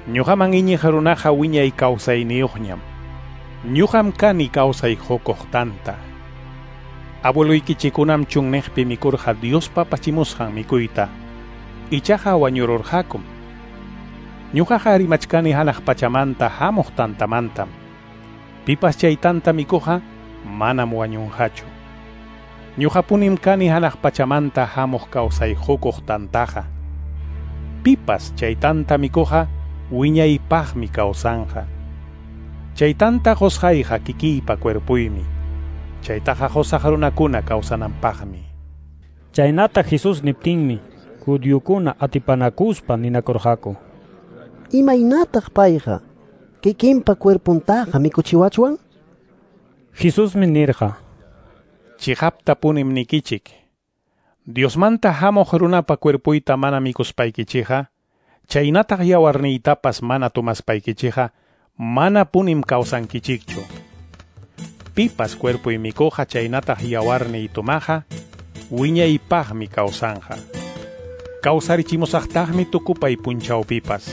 ñuqaman iñiq runaqa wiñay kawsayniyuqñam. Ñuqam kani kawsay qukuq tanta. Abueluykichikunam chunniqpi mikurqa Diospa pachimusqan mikuyta, ichaqa wañururqakum. Ñuqaqa rimachkani hanaq pachamanta hamuq tantamantam. Pipas chay tanta mikuqa manam wañunqachu. Ñuqapunim kani hanaq pachamanta hamuq kawsay qukuq tantaqa. Pipas chay tanta mikuqa wiñaypaqmi kawsanqa. Chay tanta qusqayqa kikiypa cuerpuymi. Chaytaqa qusaq runakuna kawsananpaqmi. Chaynata Jesús niptinmi judiokuna atipanakuspa ninakurqaku: Imaynataq payqa kikinpa cuerpuntaqa mikuchiwachwan? Jesusmi nirqa: Chiqaptapunim nikichik, Diosmanta hamuq runapa cuerpuyta mana mikuspaykichikqa, chaynataq yawarniytapas mana tomaspaykichikqa, manapunim kawsankichikchu. Pipas cuerpuy mikuqa chaynataq yawarniy tomaqa, wiñaypaqmi kawsanqa. Kawsarichimusaqtaqmi tukupay punchawpipas.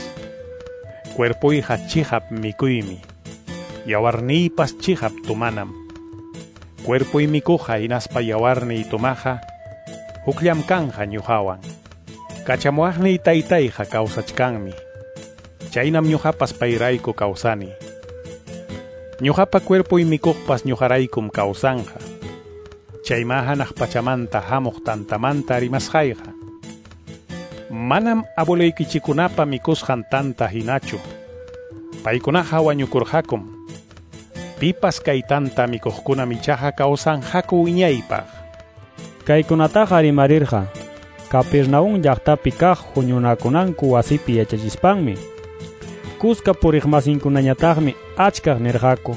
Cuerpuyqa chiqap mikuymi, yawarniypas chiqap tomanam. Cuerpuy mikuqa hinaspa yawarniy tomaqa, hukllam kanqa ñuqawan. Kachamuwaqniy taytayqa kawsachkanmi. Chaynam ñuqapas payrayku kawsani. Ñuqapa cuerpuy mikuqpas ñuqaraykum kawsanqa. Chayma hanaq pachamanta hamuq tantamanta rimasqayqa. Manam abueluykichikunapa mikusqan tanta hinachu. Paykunaqa wañukurqakum. Pipas kay tanta mikuqkunam ichaqa kawsanqaku wiñaypaq. Kaykunataqa rimarirqa Capernaum llaqtapi kaq huñunakunanku wasipi yachachispanmi. Kuska puriqmasinkunañataqmi achkaq nirqaku: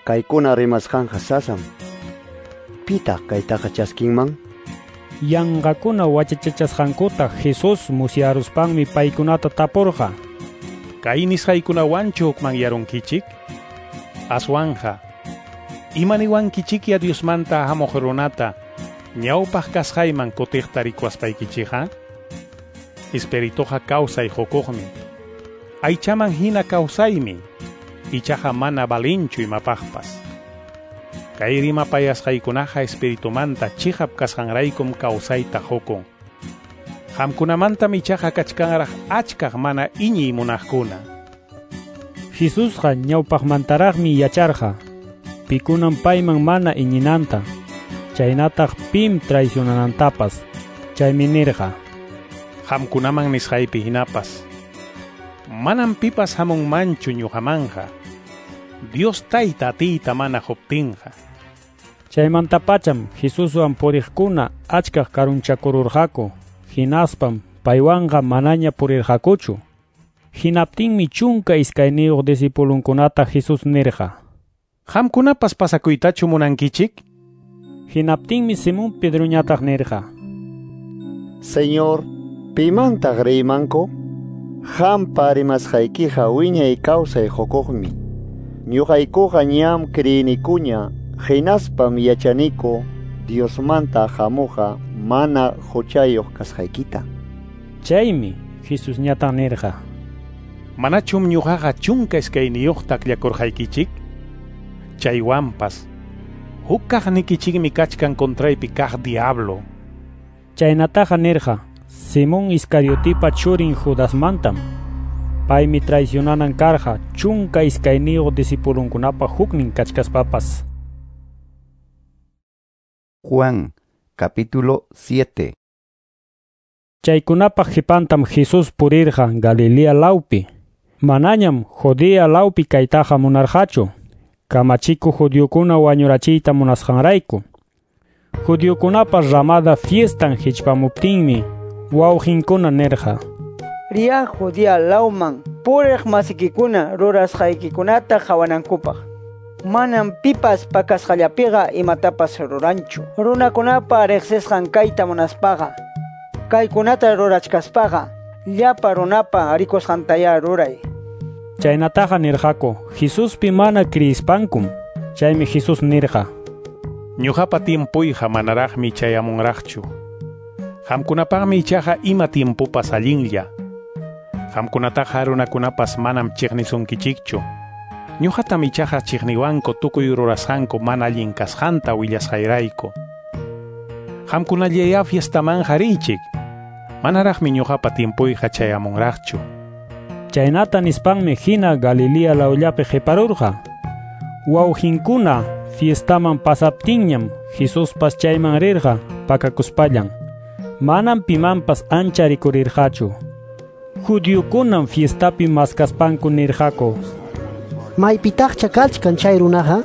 Kaykuna rimasqanqa sasam. Pitaq kaytaqa chaskinman? Yanqakuna wachachachasqankuta Jesús musyaruspanmi paykunata tapurqa: Kay nisqaykunawanchu hukmanyarunkichik? Aswanja, imaniwankichikya Diosmanta hamuq runata ñawpaq kasqayman kutiqta rikuwaspaykichikqa? Espirituqa kawsay qukuqmi. Aychaman hina kawsaymi, ichaqa mana valinchu imapaqpas. Kay rimapayasqaykunaqa espiritumanta chiqap kasqanraykum kawsayta qukun. Qamkunamantam ichaqa kachkanraq achkaq mana iñiy munaqkuna. Jesusqa ñawpaqmantaraqmi yacharqa pikunam payman mana iñinanta, chaynataq pim traicionanantapas. Chaymi nirqa: Qamkunaman nisqaypi hinapas, manam pipas hamunmanchu ñuqamanqa, Dios Tayta atiyta mana quptinqa. Chaymantapacham Jesuswan puriqkuna achkaq karunchakururqaku, hinaspam paywanqa manaña purirqakuchu. Hinaptinmi 12 discipulunkunata Jesús nirqa: Qamkunapas pasakuytachu munankichik? Hinaptinmi Simón Pedroñataq nirqa: Señor, pimantaq riymanku? Qampa rimasqaykiqa wiñay kawsay qukuqmi. Ñuqaykuqa ñam kriyinikuña, hinaspam yachaniku Diosmanta hamuqqa mana huchayuq kasqaykita. Chaymi Jesusñataq nirqa: Manachum ñuqaqa 12 akllakurqaykichik? Chaywanpas huk kaqnikichikmi kachkan contraypi kaq diablo. Chaynataqa nirqa Simón Iscariotipa churin Judasmantam. Paymi traicionanan karqa 12 discipulunkunapa huknin kachkaspapas. Juan, capítulo 7. Chaykunapa qipantam Jesús purirqa Galilea lawpi. Manañam Judea lawpi kaytaqa munarqachu, kamachikuq judiokuna wañurachiyta munasqanrayku. Judiokunapa ramada fiestan hichpamuptinmi wawqinkuna nirqa: Riya Judea lawman puriq masikikuna rurasqaykikunata qhawanankupaq. Manam pipas pakasqallapiqa imatapas ruranchu. Runakunapa riqsisqan kayta munaspaqa, kaykunata rurachkaspaqa, llapa runapa rikusqantayá ruray. Chaynataqa nirqaku Jesuspi mana kriyispankum. Chaymi Jesús nirqa: Ñuqapa tiempuyqa manaraqmi chayamunraqchu. Qamkunapaqmi ichaqa ima tiempupas allinlla. Qamkunataqa runakunapas manam chiqnisunkichikchu. Ñuqatam ichaqa chiqniwanku tukuy rurasqanku mana allin kasqanta willasqayrayku. Qamkunallayá fiestamanqa riychik. Manaraqmi ñuqapa tiempuyqa chayamunraqchu. Chaynata nispanmi hina Galilea lawllapi qiparurqa. Wawqinkuna fiestaman pasaptinñam Jesuspas chayman rirqa pakakuspallan. Manam pimanpas ancha rikurirqachu. Judiokunam fiestapi maskaspanku nirqaku: Maypitaqcha kachkan chay runaqa?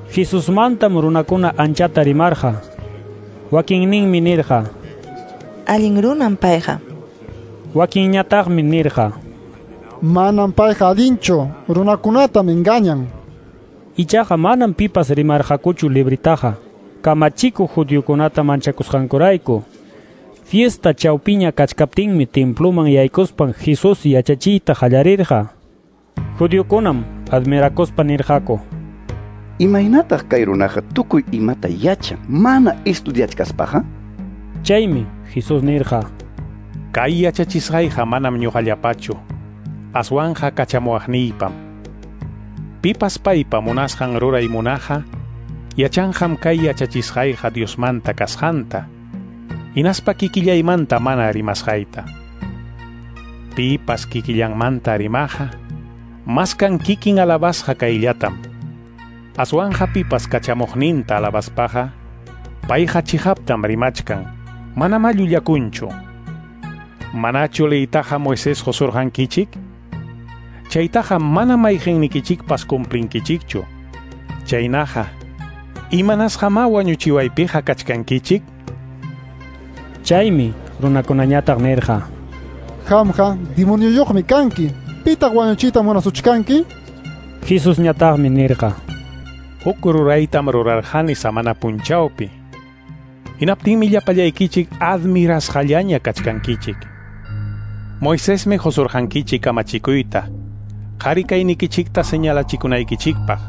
Jesusmantam runakuna anchata rimarqa. Wakinninmi nirqa: Allin runam payqa. Wakinñataqmi nirqa: Manam payqa allinchu, runakunatam engañan. Ichaqa manam pipas rimarqakuchu libritaqa, kamachikuq judiokunata manchakusqankurayku. Fiesta chawpiña kachkaptinmi temploman yaykuspan Jesús yachachiyta qallarirqa. Judiokunam admirakuspa nirqaku: Imaynataq kay runaqa tukuy imata yachan mana estudiachkaspaqa? Chaymi Jesús nirqa: Kay yachachisqayqa manam ñuqallapachu, aswanqa kachamuwaqniypam. Pipas paypa munasqan ruray munaqa, yachanqam kay yachachisqayqa Diosmanta kasqanta, hinaspa kikillaymanta mana rimasqayta. Pipas kikillanmanta rimaqa, maskan kikin alabasqa kayllatam. Aswanja pipas kachamuqninta alabaspaqa, payqa chiqaptam rimachkan, manamá llullakunchu. Manachu leytaqa Moisés qusurqankichik? Chaytaqa mana mayqinnikichikpas cumplinkichikchu. Chaynaqa, imanasqamá wañuchiwaypiqa kachkankichik? Chaymi runakunañataq nirqa: Qamqa demonioyuqmi kanki. Pitaq wañuchiyta munasuchkanki? Jesusñataqmi nirqa: Huk ruraytam rurarqani samana punchawpi. Hinaptinmi llapallaykichik admirasqallaña kachkankichik. Moisesmi qusurqankichik kamachikuyta, qhari kaynikichikta señalachikunaykichikpaq.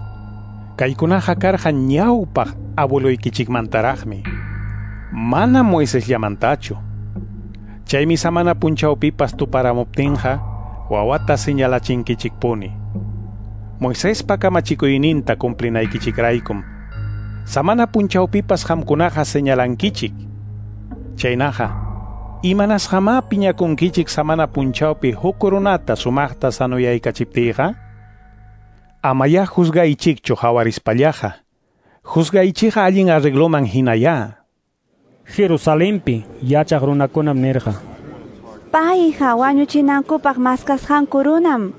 Kaykunaqa karqa ñawpaq abueloykichikmantaraqmi, mana Moisesllamantachu. Chaymi samana punchawpipas tuparamuptinqa wawata señalachinkichikpuni. Moisespa kamachikuyninta cumplinaykichikraykum. Samana punchawpipas qamkunaqa señalankichik. Chaynaqa, imanasqamá piñakunkichik samana punchawpi huk runata sumaqta sanuyaykachiptiyqa? Amayá juzgaychikchu hawarispallaqa. Juzgaychikqa allin arregloman hinayá. Jerusalenpi yachaq runakunam nirqa: Payqa wañuchinankupaq maskasqanku runam.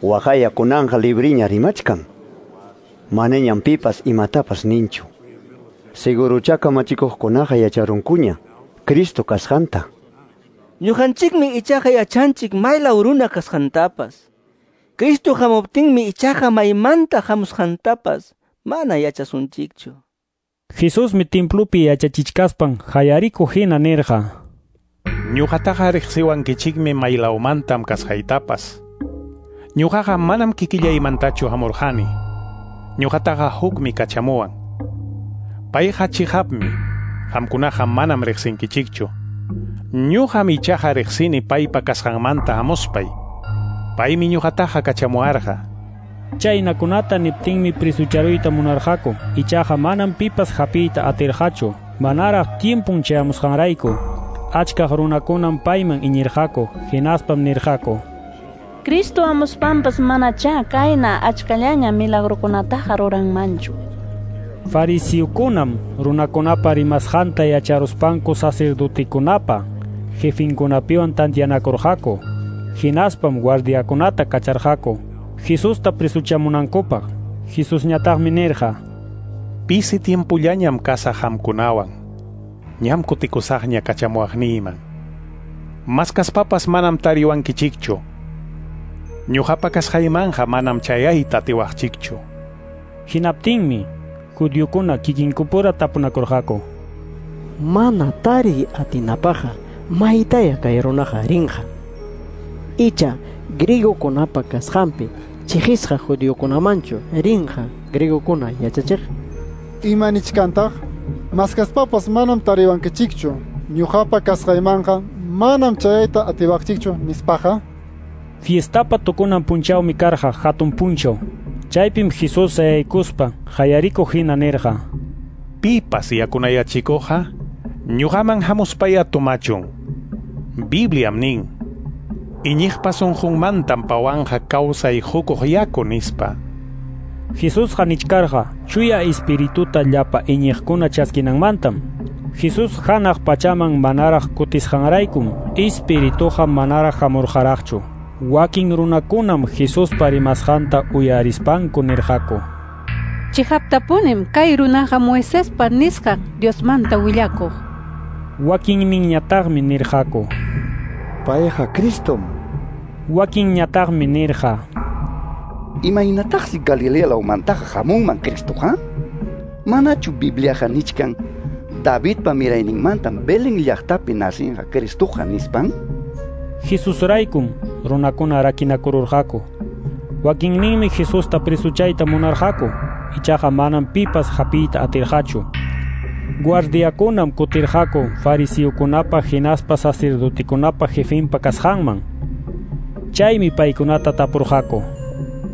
Waqaya kunanqa libriña rimachkan. Manañam pipas imatapas ninchu. Seguruchá kamachikuqkunaqa yacharunkuña Cristo kasqanta. Ñuqanchikmi ichaqa yachanchik maylaw runa kasqantapas. Cristo hamuptinmi ichaqa maymanta hamusqantapas mana yachasunchikchu. Jesusmi templopi yachachichkaspan hayarikuq hina nirqa: Ñuqataqa riqsiwankichikmi maylawmantam kasqaytapas. Ñuqaqa manam kikillaymantachu hamurqani. Ñuqataqa hukmi kachamuwan. Payqa chiqapmi, qamkunaqa manam riqsinkichikchu. Ñuqam ichaqa riqsini paypa kasqanmanta hamuspay. Paymi ñuqataqa kachamuwarqa. Chaynakunata niptinmi prisucharuyta munarqaku, ichaqa manam pipas hapiyta atirqachu, manaraq tiempun chayamusqanrayku. Achkaq runakunam payman iñirqaku, hinaspam nirqaku: Cristo hamuspanpas manachá kayna achkallaña milagrukunataqa ruranmanchu. Fariseokunam runakunapa rimasqanta yacharuspanku sacerdotekunapa jefinkunapiwan tantianakurqaku. Hinaspam guardiakunata kacharqaku Jesusta prisuchamunankupaq. Jesusñataqmi nirqa: Pisi tiempullañam kasaq qamkunawan. Ñam kutikusaqña kachamuwaqniyman. Maskaspapas manam tariwankichikchu. Ñuqapa kasqaymanqa manam chayayta atiwaqchikchu. Hinaptinmi judiokuna kikinkupura tapunakurqaku: Mana tariy atinapaqqa maytaya kay runaqa rinqa. Icha griegokunapa kasqanpi chiqisqa judiokunamanchu rinqa griegokuna yachachiq. Ima nichkantaq? Maskaspapas manam tariwankichikchu. Ñuqapa kasqaymanqa manam chayayta atiwaqchikchu nispaqa. Fiestapa tukunan punchawmi karqa hatun punchaw. Chaypim Jesús sayaykuspa hayarikuq hina nirqa: Pipas yakunayachikuqqa ñuqaman hamuspaya tomachun. Bibliam nin: Iñiqpa sunqunmantam pawanqa kawsay hukuq yaku nispa. Jesusqa nichkarqa chuya espirituta llapa iñiqkuna chaskinanmantam. Jesús hanaq pachaman manaraq kutisqanraykum espirituqa manaraq hamurqaraqchu. Wakin runakunam Jesuspa rimasqanta uyarispanku nirqaku: Chiqaptapunim kay runaqa Moisespa nisqan Diosmanta willakuq. Wakinninñataqmi nirqaku: Payqa Cristom. Wakinñataqmi nirqa: Imaynataqsi Galilea lawmantaqa hamunman Cristoqa? Manachu Bibliaqa nichkan Davidpa mirayninmantam Belén llaqtapi nacinqa Cristoqa nispan? Jesusraykum runakuna rakinakururqaku. Wakinninmi Jesusta prisuchayta munarqaku, ichaqa manam pipas hapiyta atirqachu. Guardiakunam kutirqaku fariseokunapa hinaspa sacerdotekunapa jefinpa kasqanman. Chaymi paykunata tapurqaku: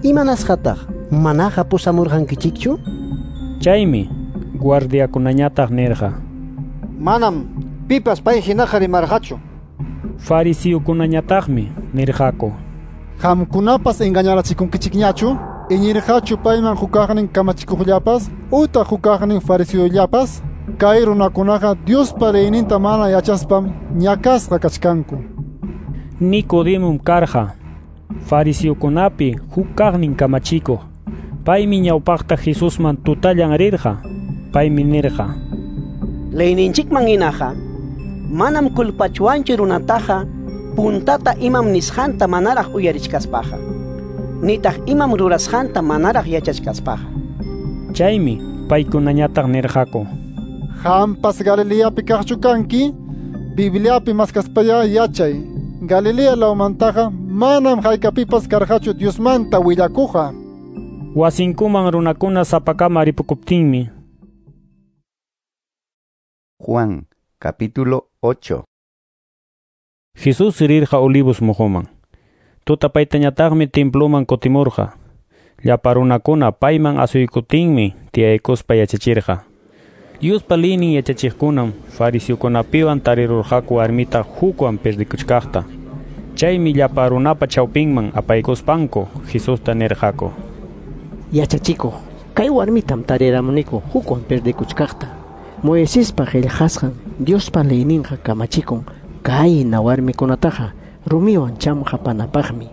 Imanasqataq manaqa pusamurqankichikchu? Chaymi guardiakunañataq nirqa: Manam pipas pay hinaqa rimarqachu. Fariseokunañataqmi nirqaku: Qamkunapas engañarachikunkichikñachu? Iñirqachu payman hukaqnin kamachikuqllapas utaq hukaqnin fariseollapas? Kay runakunaqa Diospa leyninta mana yachaspam ñakasqa kachkanku. Nicodemom karqa fariseokunapi hukaqnin kamachikuq. Paymi ñawpaqta Jesusman tutallan rirqa. Paymi nirqa: Leyninchikman hinaqa manam culpachwanchu runataqa puntata imam nisqanta manaraq uyarichkaspaqa, nitaq imam rurasqanta manaraq yachachkaspaqa. Chaymi paykunañataq nirqaku: Qampas Galileapi kaqchu kanki? Bibliapi maskaspaya yachay. Galilea lawmantaqa manam haykapipas karqachu Diosmanta willakuqqa. Wasinkuman runakuna sapakama ripukuptinmi. Juan, capítulo 8. Jesús rirqa Olivos mojoman. Tutapaytañataqmi temploman kutimurqa. Llapa runakuna payman asuykuptinmi tiyaykuspa yachachirqa. Diospa liynin yachachiqkunam fariseokunapiwan tarirurqaku warmita hukwan perdikuchkaqta. Chaymi llapa runapa chawpinman apaykuspanku Jesusta nirqaku: Yachachikuq, kay warmitam tariramuniku hukwan perdikuchkaqta. Moisespa qillqasqan Diospa leyninqa kamachikun kayna warmikunataqa rumiwan chamqapanapaqmi.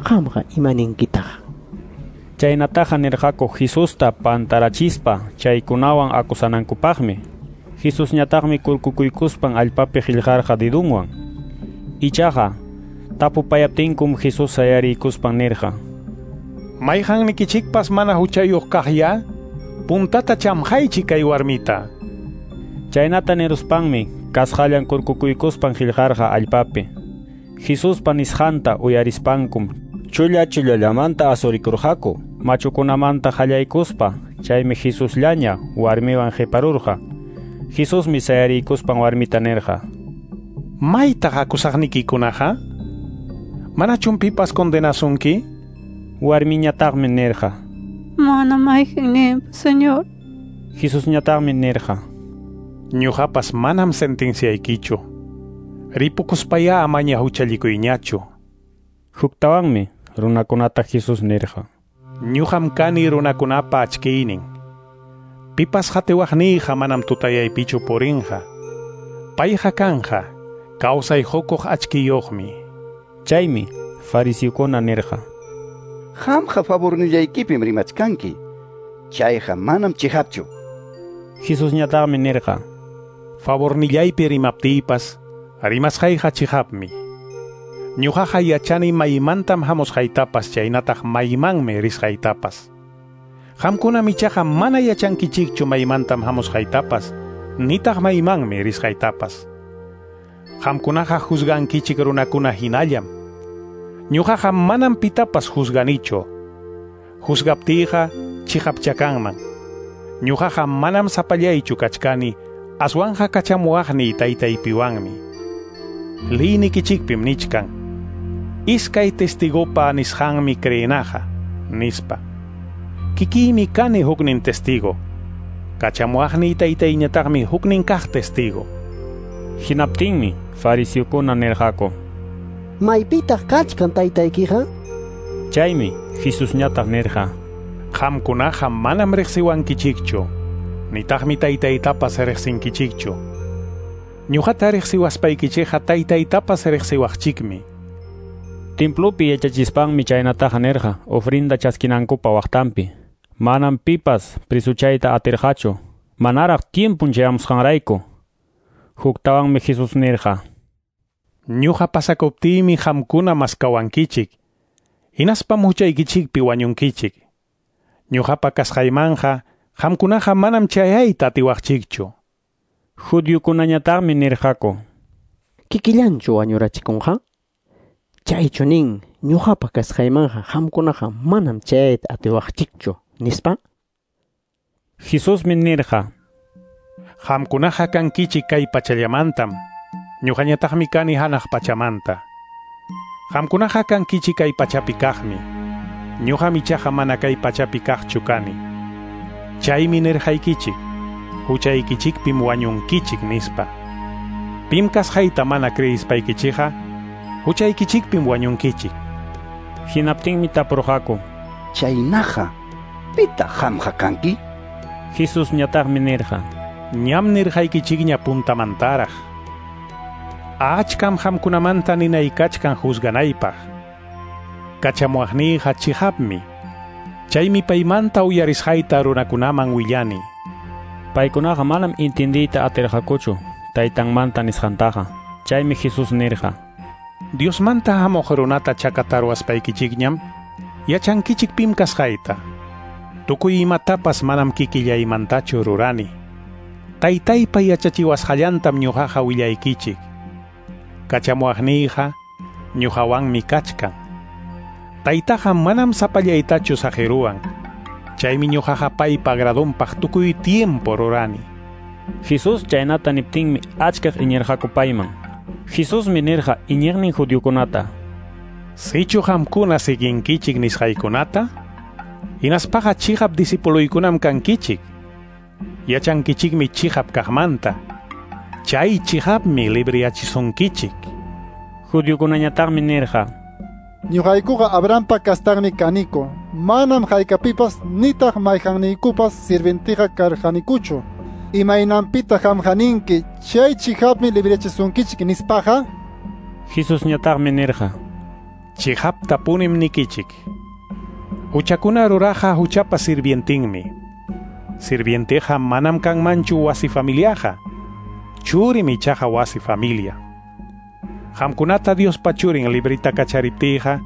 Qamqa imaninkitaq? Chaynataqa nirqaku Jesusta pantarachispa chaykunawan akusanankupaqmi. Jesusñataqmi kurkukuykuspan allpapi qillqarqa didunwan. Ichaqa tapupayaptinkum Jesús sayariykuspan nirqa: Mayqannikichikpas mana huchayuq kaqya, puntata chamqaychik kay warmita. Chaynata niruspanmi kasqallan kurkukuykuspan qillqarqa allpapi. Jesuspa nisqanta uyarispankum chulla chullallamanta asurikurqaku machukunamanta qallaykuspa. Chaymi Jesusllaña warmiwan qiparurqa. Jesusmi sayariykuspan warmita nirqa: Maytaq akusaqnikikunaqa? Manachum pipas condenasunki? Warmiñataqmi nirqa: Mana mayqinninpas, Señor. Jesusñataqmi nirqa: Ñuqapas manam sentenciaykichu. Ripukuspaya amaña huchallikuyñachu. Huktawanmi runakunata Jesús nirqa: Ñuqam kani runakunapa achkiynin. Pipas qatiwaqniyqa manam tutayaypichu purinqa. Payqa kanja kawsay hukuq achkiyuqmi. Chaymi fariseokuna nirqa: Qamqa favornillaykipim rimachkanki. Chayqa manam chiqapchu. Jesusñataqmi nirqa: Favornillaypi rimaptiypas rimasqayqa chiqapmi. Ñuqaqa yachani maymantam hamusqaytapas chaynataq maymanmi risqaytapas. Qamkunam ichaqa mana yachankichikchu maymantam hamusqaytapas nitaq maymanmi risqaytapas. Qamkunaqa juzgankichik runakuna hinallam. Ñuqaqa manam pitapas juzganichu. Juzgaptiyqa chiqapcha kanman. Ñuqaqa manam sapallaychu kachkani, aswanja kachamuwaqniy taytaypiwanmi. Liynikichikpim nichkan: Iskay testigopa nisqanmi creenaqa, nispa. Kikiymi kani huknin testigo. Kachamuwaqniy taytayñataqmi huknin kaq testigo. Hinaptinmi fariseokuna nirqaku: Maypitaq kachkan taytaykiqa? Chaymi Jesusñataq nirqa: Qamkunaqa manam riqsiwankichikchu, nitaqmi taytaytapas riqsinkichikchu. Ñuqata riqsiwaspaykichikqa taytaytapas riqsiwaqchikmi. Templopi yachachispanmi chaynataqa nirqa ofrenda chaskinankupa waqtanpi. Manam pipas prisuchayta atirqachu, manaraq tiempun chayamusqanrayku. Huktawanmi Jesús nirqa: Ñuqa pasakuptiymi qamkuna maskawankichik, hinaspam huchaykichikpi wañunkichik. Ñuqapa kasqaymanqa qamkunaqa manam chayayta atiwaqchikchu. Judiokunañataqmi nirqaku: Kikillanchu wañurachikunqa? Chaychu nin ñuqapa kasqaymanqa qamkunaqa manam chayayta atiwaqchikchu, nispa? Jesusmi nirqa: Qamkunaqa kankichik kay pachallamantam, ñuqañataqmi kani hanaq pachamanta. Qamkunaqa kankichik kay pachapi kaqmi, ñuqam ichaqa mana kay pachapi kaqchu kani. Chaymi nirqaykichik: huchaykichikpim wañunkichik, nispa. Pim kasqayta mana creyispaykichikqa huchaykichikpim wañunkichik. Hinaptinmi tapurqaku: Chaynaqa, pitaq qamqa kanki? Jesusñataqmi nirqa: Ñam nirqaykichikña puntamantaraq. Achkam qamkunamanta ninaykachkan juzganaypaq. Kachamuwaqniyqa chiqapmi. Chaymi paymanta uyarisqayta runakunaman willani. Paykunaqa manam intindiyta atirqakuchu taytanmanta nisqantaqa. Chaymi Jesús nirqa: Diosmanta hamuq runata chakataruwaspaykichikñam yachankichik pim kasqayta. Tukuy imatapas manam kikillaymantachu rurani. Taytaypa yachachiwasqallantam ñuqaqa willaykichik. Kachamuwaqniyqa ñuqawanmi kachkan. Taytaqa manam sapallaytachu saqiruwan. Chaymi ñuqaqa paypa agradonpaq tukuy tiempo rurani. Jesús chaynata niptinmi achkaq iñirqaku payman. Jesusmi nirqa iñiqnin judiokunata: Sichu qamkuna siguinkichik nisqaykunata, Hinaspaqa chiqap disipuluykunam kankichik. Yachankichikmi chiqap kaqmanta. Chay chiqapmi libriyachisunkichik. Judiokunañataqmi nirqa: Ñuqaykuqa Abrahampa kastanmi kaniko. Manam haykapipas nitaq mayqanniykupas sirvientiqa karqanikuchu. Imaynanpitaq qamqa ninki chay chiqapmi libriyachisunkichik nispaqa? Jesusñataqmi nirqa: Chiqaptapunim nikichik. Huchakuna ruraqa huchapa sirvientinmi. Sirvienteqa manam kanmanchu wasi familiaqa. Churim ichaqa wasi familia. Qamkunata Diospa churin librita kachariptiyqa,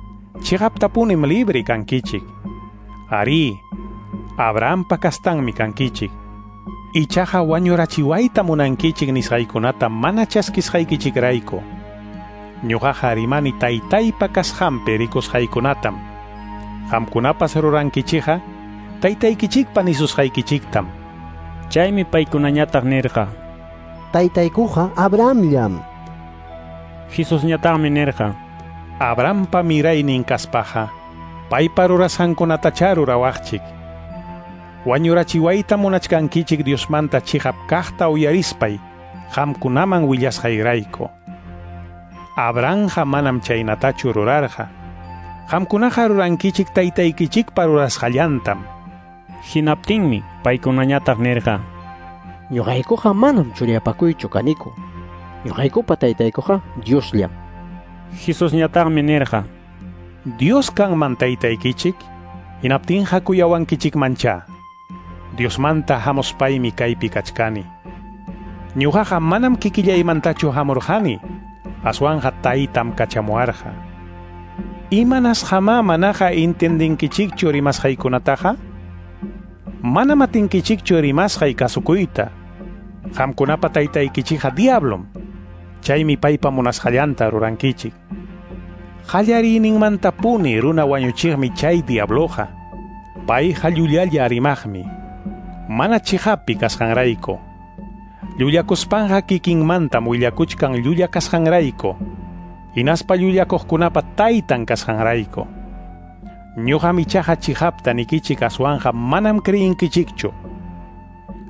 chiqaptapunim libri kankichik. Arí, Abrahampa kastanmi kankichik. Ichaqa wañurachiwayta munankichik nisqaykunata mana chaskisqaykichikrayku. Ñuqaqa rimani taytaypa kasqanpi rikusqaykunatam. Qamkunapas rurankichikqa taytaykichikpa nisusqaykichiktam. Chaymi paykunañataq nirqa: Taytaykuqa Abrahamllam. Jesusñataqmi nirqa: Abrahampa miraynin kaspaqa paypa rurasqankunatachá rurawaqchik. Wañurachiwayta munachkankichik Diosmanta chiqap kaqta uyarispay qamkunaman willasqayrayku. Abrahamqa manam chaynatachu rurarqa. Qamkunaqa rurankichik taytaykichikpa rurasqallantam. Hinaptinmi paykunañataq nirqa: Ñuqaykuqa manam churiyapakuychu kaniku. Ñuqaykupa taytaykuqa Diosllam. Jesusñataqmi nirqa: Dios kanman taytaykichik, hinaptinqa kuyawankichikmanchá. Diosmanta hamuspaymi kaypi kachkani. Ñuqaqa manam kikillaymantachu hamurqani, aswanqa taytam kachamuwarqa. Imanasqamá manaqa intendinkichikchu rimasqaykunataqa? Manam atinkichikchu rimasqay kasukuyta. Qamkunapa taytaykichikqa diablom. Chaymi paypa munasqallanta rurankichik. Qallariyninmantapuni runa wañuchiqmi chay diabloqa. Payqa llullalla rimaqmi. Mana chiqapi kasqanrayku. Llullakuspanqa kikinmantam willakuchkan llulla kasqanrayku. Hinaspa llullakuqkunapa taytan kasqanrayku. Ñuqam ichaqa chiqapta nikichik aswanqa manam creyinkichikchu.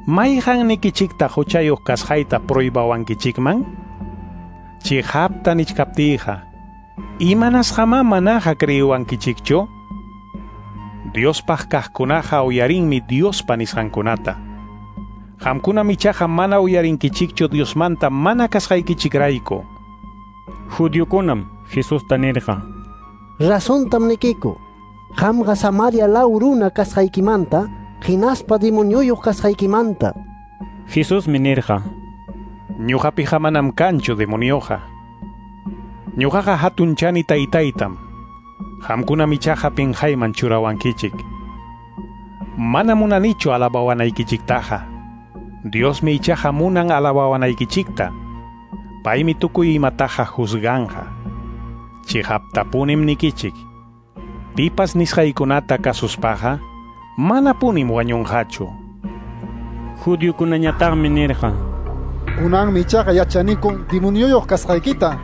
Mayqan nikichikta huchayuq kasqayta pruibawankichikman? Chiqapta nichkaptiyqa, imanasqamá manaqa creyiwankichikchu? Diospaq kaqkunaqa uyarinmi Diospa nisqankunata. Qamkunam ichaqa mana uyarinkichikchu Diosmanta mana kasqaykichikrayku. Judiokunam Jesusta nirqa: Razontam nikiku. Qamqa Samaria law runa kasqaykimanta, hinaspa demonioyuq kasqaykimanta. Jesusmi nirqa: Ñuqapiqa manam kanchu demonioqa. Ñuqaqa hatunchani taytaytam. Qamkunam ichaqa pinqayman churawankichik. Mana munanichu alabawanaykichiktaqa. Diosmi ichaqa munan alabawanaykichikta. Paymi tukuy imataqa juzganqa. Chiqaptapunim nikichik. Pipas nisqaykunata kasuspaqa manapunim wañunqachu. Judiokunañataqmi nirqa: Kunanmi ichaqa yachaniku demonioyuq kasqaykita.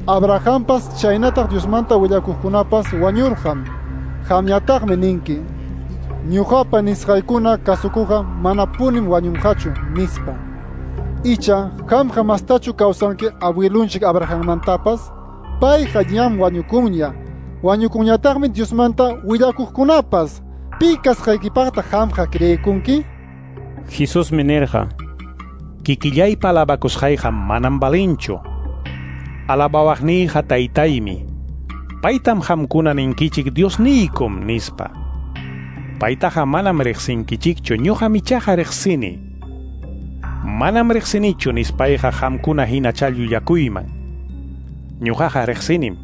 Abrahampas chaynataq Diosmanta willakuqkunapas wañurqam. Qamñataqmi ninki: Ñuqapa nisqaykuna kasukuqa manapunim wañunqachu, nispa. Icha qamqa mastachu kawsanki abuelunchik Abrahammantapas? Payqa ñam wañukunña. Wañukunñataqmi Diosmanta willakuqkunapas. Pi kasqaykipaqta qamqa creekunki? Jesusmi nirqa: Kikillaypa alabakusqayqa manam valinchu. Alabawaqniyqa taytaymi. Paytam qamkuna ninkichik Diosniykum nispa. Paytaqa manam riqsinkichikchu, ñuqam ichaqa riqsini. Manam riqsinichu nispayqa qamkuna hinachá llullakuyman. Ñuqaqa riqsinim.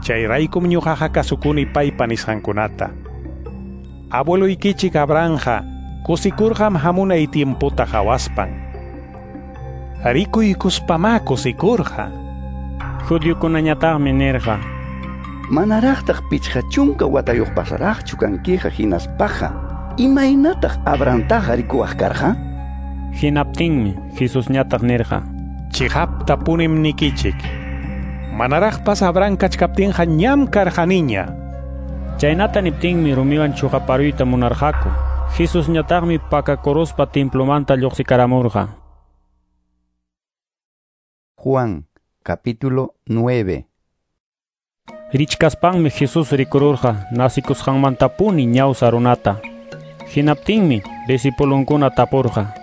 Chayraykum ñuqaqa kasukuni paypa nisqankunata. Abueluykichik Abrahamqa kusikurqam hamunay tiemputa qhawaspan. Rikuykuspamá kusikurqa. Judiokunañataqmi nirqa: Manaraqtaq 50 watayuq pasaraqchu kankiqa hinaspaqa, imaynataq Abrahamtaqa rikuwaq karqa? Hinaptinmi Jesusñataq nirqa: Chiqaptapunim nikichik. Manaraqpas Abraham kachkaptinqa ñam karqaniña. Chaynata niptinmi rumiwan chuqaparuyta munarqaku. Jesusñataqmi pakakuruspa templomanta lluqsikaramurqa. Juan, capítulo 9. Richkaspanmi Jesús rikururqa nasikusqanmantapuni ñawsa runata. Hinaptinmi discipulunkuna tapurqa: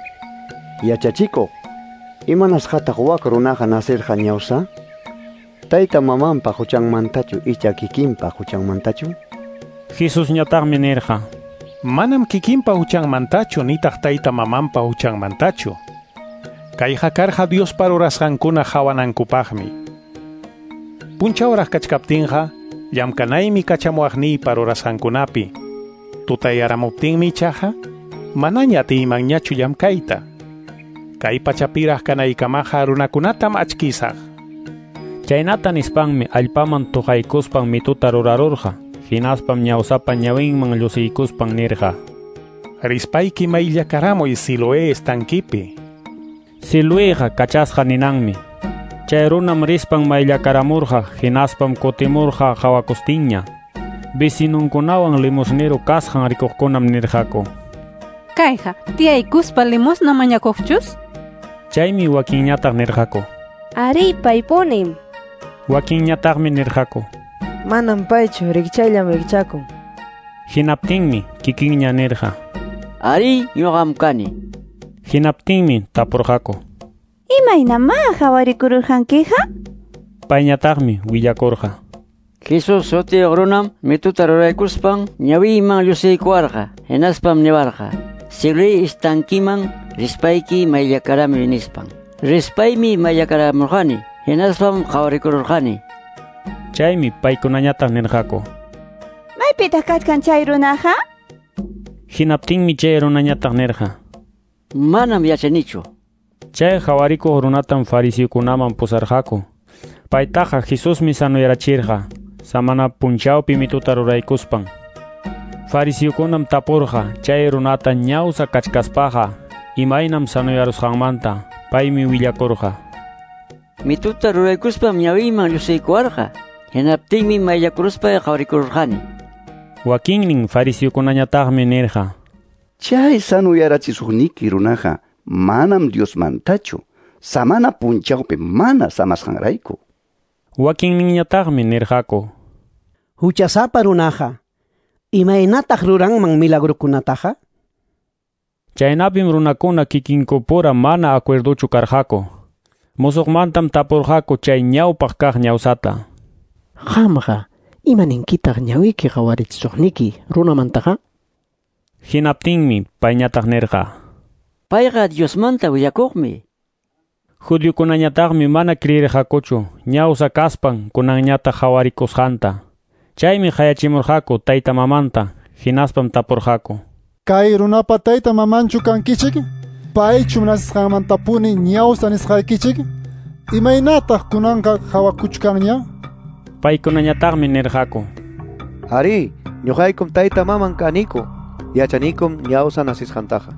Yachachikuq, imanasqataq wak runaqa nasirqa ñawsa? Tayta mamanpa huchanmantachu icha kikinpa huchanmantachu? Jesusñataqmi nirqa: Manam kikinpa huchanmantachu nitaq tayta mamanpa huchanmantachu. Kayqa karqa Diospa rurasqankuna hawanankupaqmi. Punchawraq kachkaptinqa llamkanaymi kachamuwaqniypa rurasqankunapi. Tutayaramuptinmi ichaqa manaña atiymanñachu llamkayta. Kay pachapiraq kanaykamaqa runakunatam achkisaq. Chaynata nispanmi allpaman tuqaykuspan mituta rurarurqa. Hinaspam ñawsapa ñawinman llusiykuspan nirqa: Rispayki mayllakaramuy Siloé estankipi. Siloéqa kachasqa ninanmi. Chay runam rispan mayllakaramurqa, hinaspam kutimurqa qawakustinña. Vecinunkunawan limosnero kasqan rikuqkunam nirqaku: Kayqa tiyaykuspa limosna mañakuqchus? Chaymi wakinñataq nirqaku: Ari, paypunim. Wakinñataqmi nirqaku: Manam paychu, rikchayllam rikchakun. Hinaptinmi kikinña nirqa: Ari, ñuqam kani. Hinaptinmi tapurqaku: Imaynamá qhawarikururqankiqa? Payñataqmi willakurqa: Jesús sutiyuq runam mituta ruraykuspan ñawiyman llusiykuwarqa, hinaspam niwarqa: Siloé estankiman rispayki mayllakaramuy nispan. Rispaymi mayllakaramurqani, hinaspam qhawarikururqani. Chaymi paykunañataq nirqaku: Maypitaq kachkan chay runaqa? Hinaptinmi chay runañataq nirqa: Manam yachanichu. Chay hawarikuq runatam fariseokunaman pusarqaku. Paytaqa Jesusmi sanuyarachirqa samana punchawpi mituta ruraykuspan. Fariseokunam tapurqa chay runata ñawsa kachkaspaqa imaynam sanuyarusqanmanta. Paymi willakurqa: Mituta ruraykuspam ñawiyman llusiykuwarqa. Hinaptinmi mayllakuruspay qhawarikururqani. Wakinnin fariseokunañataqmi nirqa: Chay sanuyarachisuqniki runaqa manam Diosmantachu, samana punchawpi mana samasqanrayku. Wakinninñataqmi nirqaku: Huchasapa runaqa, imaynataq ruranman milagrukunataqa? Chaynapim runakuna kikinkupura mana acuerdochu karqaku. Musuqmantam tapurqaku chay ñawpaq kaq ñawsata: Qamqa, imaninkitaq ñawiyki qhawarichisuqniki runamantaqa? Hinaptinmi payñataq nirqa: Payqa Diosmanta willakuqmi. Judiokunañataqmi mana creirqakuchu ñawsa kaspan kunanñataq qhawarikusqanta. Chaymi qayachimurqaku tayta mamanta, hinaspam tapurqaku: Kay runapa tayta mamanchu kankichik? Paychum nasisqanmantapuni ñawsa nisqaykichik? Imaynataq kunanqa qhawakuchkanña? Paykunañataqmi nirqaku: Ari, ñuqaykum tayta maman kaniku, yachanikum ñawsa nasisqantaqa.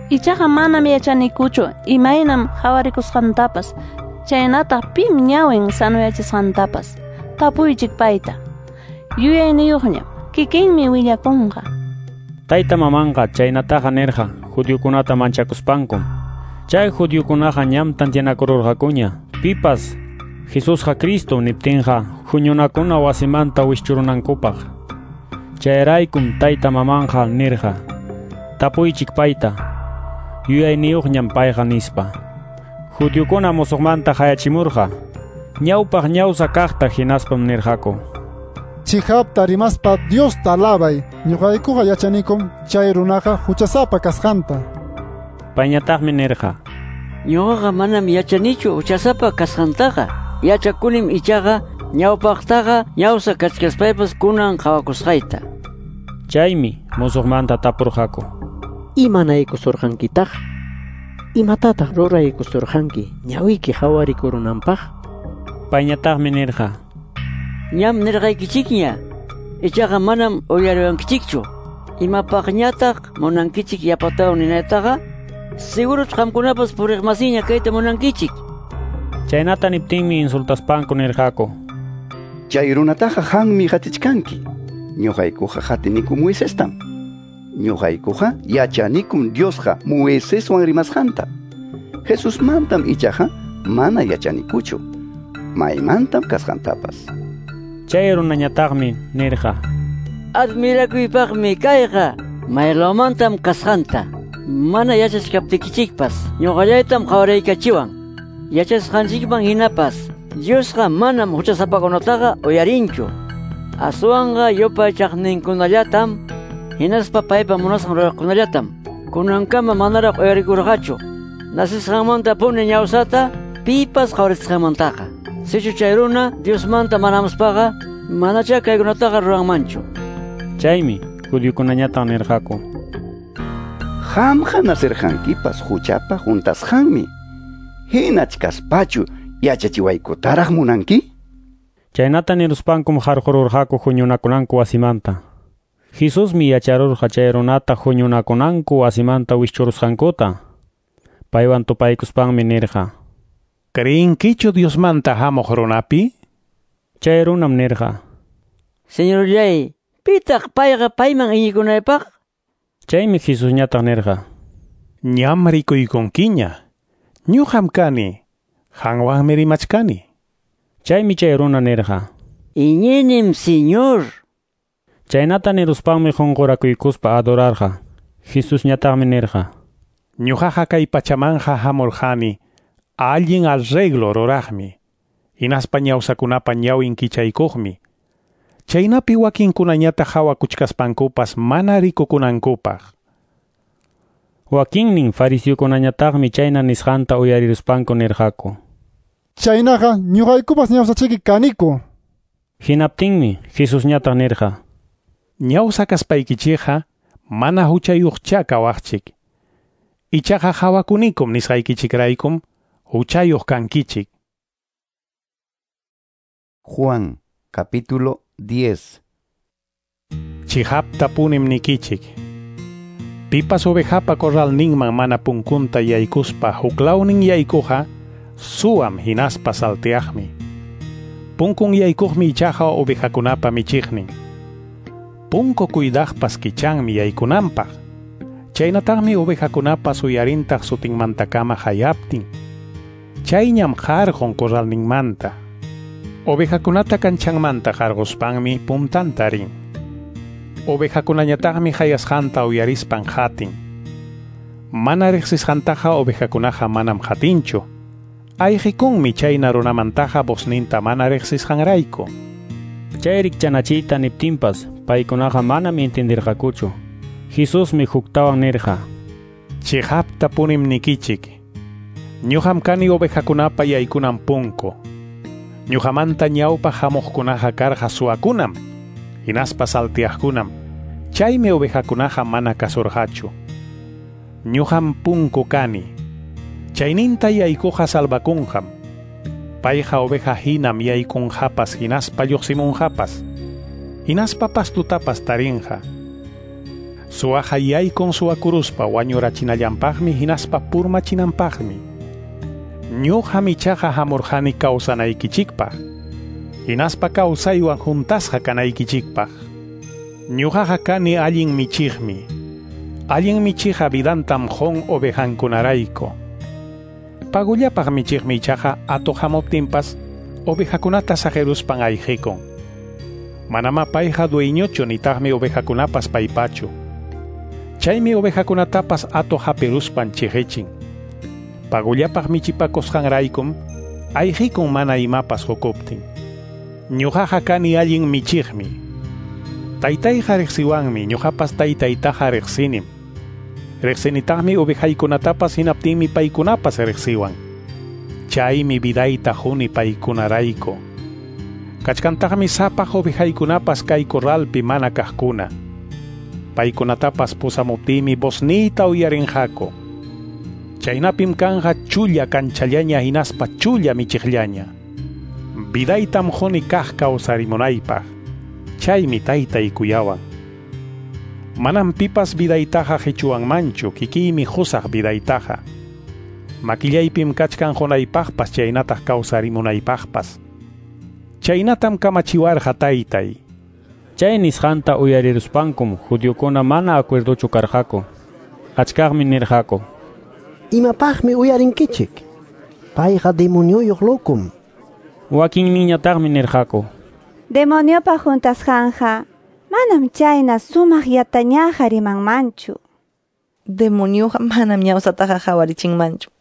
Ichaqa manam yachanikuchu imaynam qhawarikusqantapas, chaynataq pim ñawin sanuyachisqantapas. Tapuychik payta. Yuyayniyuqñam, kikinmi willakunqa. Tayta mamanqa chaynataqa nirqa judiokunata manchakuspankum. Chay judiokunaqa ñam tantianakururqakuña pipas Jesusqa Cristo niptinqa huñunakuna wasimanta wischurunankupaq. Chayraykum tayta mamanqa nirqa: Tapuychik payta, yuyayniyuqñam payqa nispa. Judiokuna musuqmanta qayachimurqa ñawpaq ñawsa kaqta, hinaspam nirqaku: Chihapta rimaspa Diosta alabay, ñuqaykuqa yachanikum chay runaqa huchasapa kasqanta. Payñataqmi nirqa: Ñuqaqa manam yachanichu huchasapa kasqantaqa. Yachakunim ichaqa ñawpaqtaqa ñawsa kachkaspaypas kunan qhawakusqayta. Chaymi musuqmanta tapurqaku: Imanaykusurqankitaq? Imatataq ruraykusurqanki ñawiyki qhawarikurunanpaq? Payñataqmi nirqa: Ñam nirqaykichikña, ichaqa manam uyariwankichikchu. Imapaqñataq munankichik yapatawan ninaytaqa? Seguruch qamkunapas puriqmasiña kayta munankichik. Chaynata niptinmi insultaspanku nirqaku: Chay runataqa qammi qatichkanki. Ñuqaykuqa qatiniku Moisestam. Ñuqaykuqa yachanikum Diosqa Moiseswan rimasqanta. Jesusmantam ichaqa mana yachanikuchu. Maymantam kasqantapas. Chay runañataqmi nirqa: Admirakuypaqmi kayqa, maylawmantam kasqanta. Mana yachachkaptikichikpas, ñuqallaytam qawaraykachiwan. Yachasqanchikman hinapas, Diosqa manam huchasapakunataqa uyarinchu. Aswanqa yupaychaqninkunallatam, hinaspa paypa munasqan ruraqkunallatam. Kunankama manaraq uyarikurqachu. Nasisqanmantapuni ñawsata pipas qawarisqanmantaqa. Sichu chay runa Diosmanta manamuspaqa, manachá kaykunataqa ruranmanchu. Chaymi judiokunañataq nirqaku: Qamqa nasirqankipas huchapa juntasqanmi. Hinachkaspachu yachachiwaykutaraq munanki? Chaynata niruspankum qarqururqaku huñunakunanku wasimanta. Jesusmi yacharurqa chay runata huñunakunanku wasimanta wischurusqankuta. Paywan tupaykuspanmi nirqa: ¿Creenkichu Diosmanta hamuq runapi? Chay runam nirqa: Señorllay, pitaq payqa payman iñikunaypaq? Chaymi Jesusñataq nirqa: Ñam rikuykunkiña. Ñuqam kani. Qanwanmi rimachkani. Chaymi chay runa nirqa: Iñinim, Señor. Chaynata niruspanmi qunqurakuykuspa adorarqa. Jesusñataqmi nirqa: Ñuqaqa kay pachamanja hamurqani allin arreglo ruraqmi, hinaspa ñawsakunapa ñawin kichaykuqmi. Chaynapi wakinkunañataq hawakuchkaspankupas mana rikukunankupaq. Wakinnin fariseokunañataqmi chayna nisqanta uyariruspanku nirqaku: Chaynaqa ñuqaykupas ñawsachiki kaniku. Hinaptinmi Jesusñataq nirqa: Ñawsa kaspaykichikqa mana huchayuqcha kawaqchik. Ichaqa hawakunikum nisqaykichikraykum huchayuq kankichik. Juan, capítulo 10. Chihapta punim nikichik. Pipas ovejapa corralninman mana punkunta yaykuspa huklawnin yaykuqa suwam hinaspa salteaqmi. Punkun yaykuqmi ichaqa ovejakunapa michiqnin. Punku cuidaqpas kichanmi yaykunanpaq. Chaynataqmi ovejakunapas uyarintaq sutinmantakama hayaptin. Chayñam qarqun corralninmanta. Ovejakunata kanchanmanta qarquspanmi puntanta rin. Ovejakunañataqmi hayasqanta uyarispan qatin. Mana riqsisqantaqa ovejakunaqa manam qatinchu. Ayqikunmi chayna runamantaqa vozninta mana riqsisqanrayku. Chay rikchanachiyta niptinpas paykunaqa manam entendirqakuchu. Jesusmi huktawan nirqa: Chihapta punim nikichik. Ñuqam kani ovejakunapa yaykunan punku. Ñuqamanta ñawpa hamuqkunaqa karqa suwakunam, hinaspa salteaqkunam. Chaymi ovejakunaqa mana kasurqachu. Ñuqam punku kani. Chayninta yaykuqa salvakunqam. Payqa oveja hinam yaykunqapas hinaspa lluqsimunqapas. Hinaspa pastutapas tarinqa. Suwaqa yaykun suwakuruspa wañurachinallanpaqmi hinaspa purmachinanpaqmi. Ñuqam ichaqa hamurqani kawsanaykichikpaq, hinaspa kawsaywan juntasqa kanaykichikpaq. Ñuqaqa kani allin michiqmi. Allin michiqa vidantam qun ovejankunarayku. Pagullapaq michiqmi ichaqa atuq hamuptinpas ovejakunata saqiruspan ayqikun. Manama payqa dueñochu nitaqmi ovejakunapas paypachu. Chaymi ovejakunatapas atuq hapiruspan chiqichin. Pagullapaq michipakusqanraykum ayqikun mana imapas hukuptin. Ñuqaqa kani allin michiqmi. Taytayqa riqsiwanmi, ñuqapas taytaytaqa riqsinim. Riqsinitaqmi ovejaykunatapas hinaptinmi paykunapas riqsiwan. Chaymi vidayta quni paykunarayku. Kachkantaqmi sapaq ovejaykunapas kay corralpi mana kaqkuna. Paykunatapas pusamuptiymi vozniyta uyarinqaku. Chaynapim kanja chulla kanchallaña hinaspa chulla michiqllaña. Vidaytam quni kaq kawsarimunaypaq. Chaymi taytay kuyawan. Manam pipas vidaytaqa qichuwanmanchu, kikiymi qusaq vidaytaqa. Makillaypim kachkan qunaypaqpas chaynataq kawsarimunaypaqpas. Chaynatam kamachiwarqa taytay. Chay nisqanta uyariruspankum judiokuna mana acuerdochu karqaku. Achkaqmi nirqaku: Imapaqmi uyarinkichik? Payqa demonioyuq lokum. Wakinninñataqmi nirqaku: Demoniopa juntasqanqa manam chayna sumaq yatañaqa rimanmanchu. Demonioqa manam ñawsataqa qawarichinmanchu.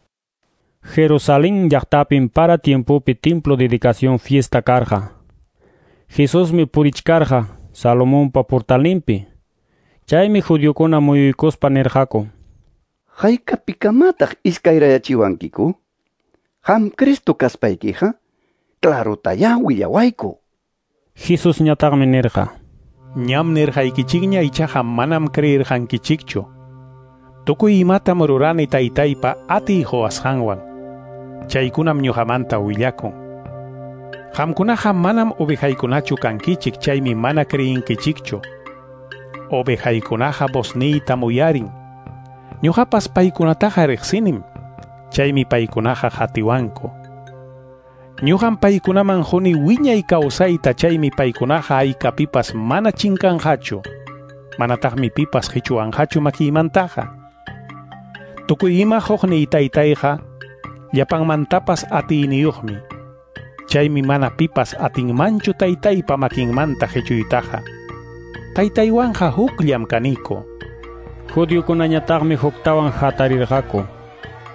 Jerusalén llaqtapim para tiempopi templo dedicación fiesta karqa. Jesusmi purichkarqa Salomonpa portalninpi. Chaymi judiokuna muyuykuspa nirqaku: Haykapikamataq iskayrayachiwankiku? Qam Cristo kaspaykiqa, clarotayá willawayku. Jesusñataqmi nirqa: Ñam nirqaykichikña ichaqa manam creerqankichikchu. Tukuy imatam rurani taytaypa atiy quwasqanwan. Chaykunam ñuqamanta willakun. Qamkunaqa manam ovejaykunachu kankichik, chaymi mana creyinkichikchu. Ovejaykunaqa vozniytam uyarin. Ñuqapas paykunataqa riqsinim, chaymi paykunaqa qatiwanku. Ñuqam paykunaman quni wiñay kawsayta, chaymi paykunaqa haykapipas mana chinkanqachu. Manataqmi pipas qichuwanqachu makiymantaqa. Tukuy ima quqniy taytayqa llapanmantapas atiyniyuqmi. Chaymi mana pipas atinmanchu taytaypa makinmanta qichuytaqa. Taytaywanqa hukllam kaniku. Judiokunañataqmi huktawan hatarirqaku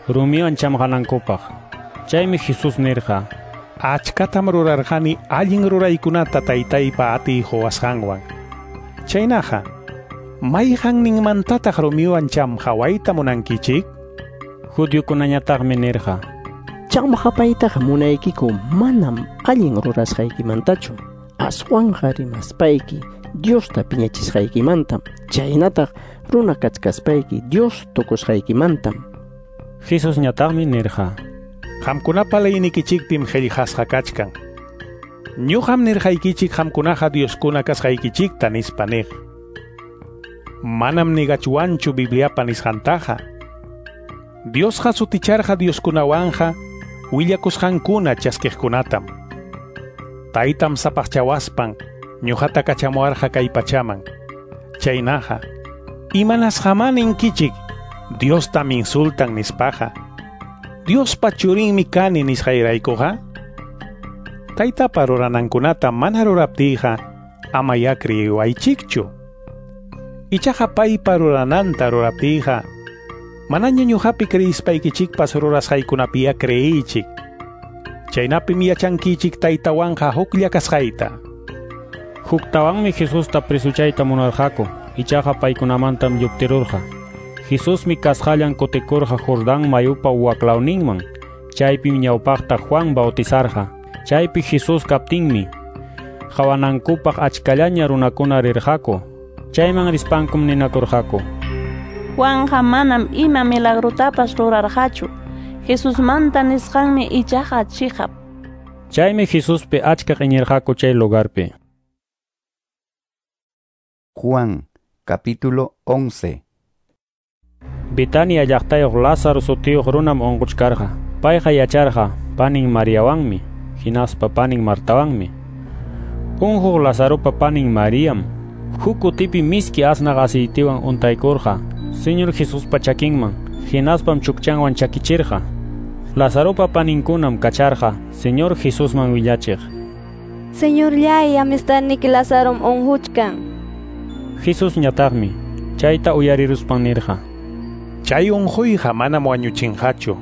rumiwan chamqanankupaq. Chaymi Jesús nirqa: Achkatam rurarqani allin ruraykunata taytaypa atiy quwasqanwan. Chaynaqa, mayqanninmantataq rumiwan chamqawayta munankichik? Judiokunañataqmi nirqa: Chamqapaytaqa munaykiku manam allin rurasqaykimantachu, aswanqa rimaspayki Diosta piñachisqaykimantam, chaynataq runa kachkaspayki Dios tukusqaykimantam. Jesusñataqmi nirqa: Qamkunapa leynikichikpim qillqasqa kachkan. Ñuqam nirqaykichik qamkunaqa dioskuna kasqaykichikta nispa niq. Manam nigachwanchu Bibliapa nisqantaqa. Diosqa suticharqa dioskunawanqa willakusqankuna chaskiqkunatam. Taytam sapaqchawaspan ñuqata kachamuwarqa kay pachaman. Chaynaqa, imanasqaman ninkichik Diostam insultan nispaqa? Diospa churinmi kani nisqayraykuqa? Taytapa ruranankunata mana ruraptiyqa amayá creyiwaychikchu. Ichaqa paypa rurananta ruraptiyqa manaña ñuqapi creyispaykichikpas rurasqaykunapiyá creyiychik. Chaynapim yachankichik taytawanqa huklla kasqayta. Huktawanmi Jesusta presuchayta munarqaku, ichaqa paykunamantam lluptirurqa. Jesusmi kasqallan kutikurqa Jordán mayupa waklawninman. Chaypim ñawpaqta Juan bautizarqa. Chaypi Jesús kaptinmi qawanankupaq achkallaña runakuna rirqaku. Chayman rispankum ninakurqaku: Juanqa manam ima milagrotapas rurarqachu. Jesusmanta nisqanmi ichaqa chiqap. Chaymi Jesuspi achka iñirqaku chay lugarpi. Juan, capítulo 11. Betania llaqtayuq Lázaro sutiyuq runam unquchkarqa. Payqa yacharqa panin Mariawanmi, hinaspa panin Martawanmi. Unquq Lazaropa panin Mariam huk kutipi miski asnaq aceitewan untaykurqa Señor Jesuspa chakinman, hinaspam chukchanwan chakichirqa. Lazaropa paninkunam kacharqa Señor Jesusman willachiq: Señorllay, amistadniki Lazarom unquchkan. Jesusñataqmi chayta uyariruspan nirqa: Chay unquyqa manam wañuchinqachu,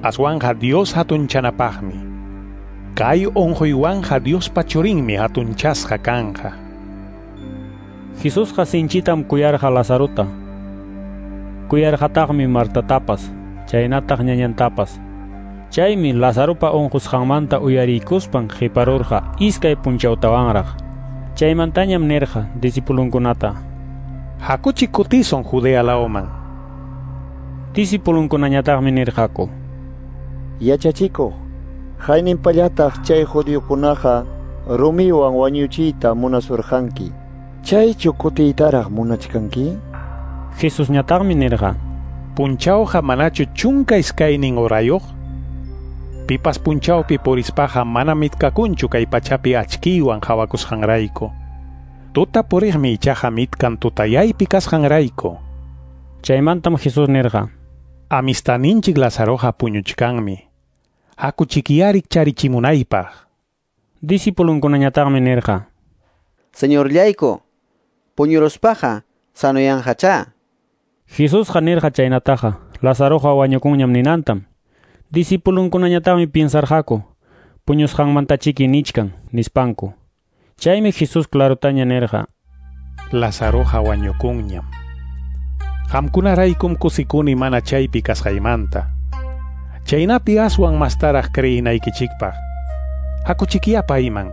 aswanqa Dios hatunchanapaqmi. Kay unquywanqa Diospa churinmi hatunchasqa kanqa. Jesusqa sinchitam kuyarqa Lazarota. Kuyarqataqmi Martatapas, chaynataq ñañantapas. Chaymi Lazaropa unqusqanmanta uyariykuspan qiparurqa iskay punchawtawanraq. Chaymantañam nirqa discipulunkunata: Hakuchik kutisun Judea lawman. Discipulunkunañataqmi nirqaku: Yachachikuq, hayninpallataq chay judiokunaqa rumiwan wañuchiyta munasurqanki. Chaychu kutiytaraq munachkanki? Jesusñataqmi nirqa: Punchawqa manachu 12 horayuq? Pipas punchawpi purispaqa mana mitkakunchu kay pachapi achkiywan qawakusqanrayku. Tuta puriqmi ichaqa mitkan tutayaypi kasqanrayku. Chaymantam Jesús nirqa: Amistaninchik Lazaroqa puñuchkanmi. Hakuchikyari charichimunaypaq. Discipulunkunañataqmi nirqa: Señorllayku, puñuruspaqa sanoyanqachá. Jesusqa nirqa chaynataqa Lazaroqa wañukunñam ninantam. Discipulunkunañataqmi piensarqaku puñusqanmantachiki nichkan nispanku. Chaymi Jesús clarutaña nirqa: Lazaroqa wañukunñam. Qamkunaraykum kusikuni mana chaypi kasqaymanta. Chaynapi aswan mastaraq creyinaykichikpaq. Hakuchikiya payman.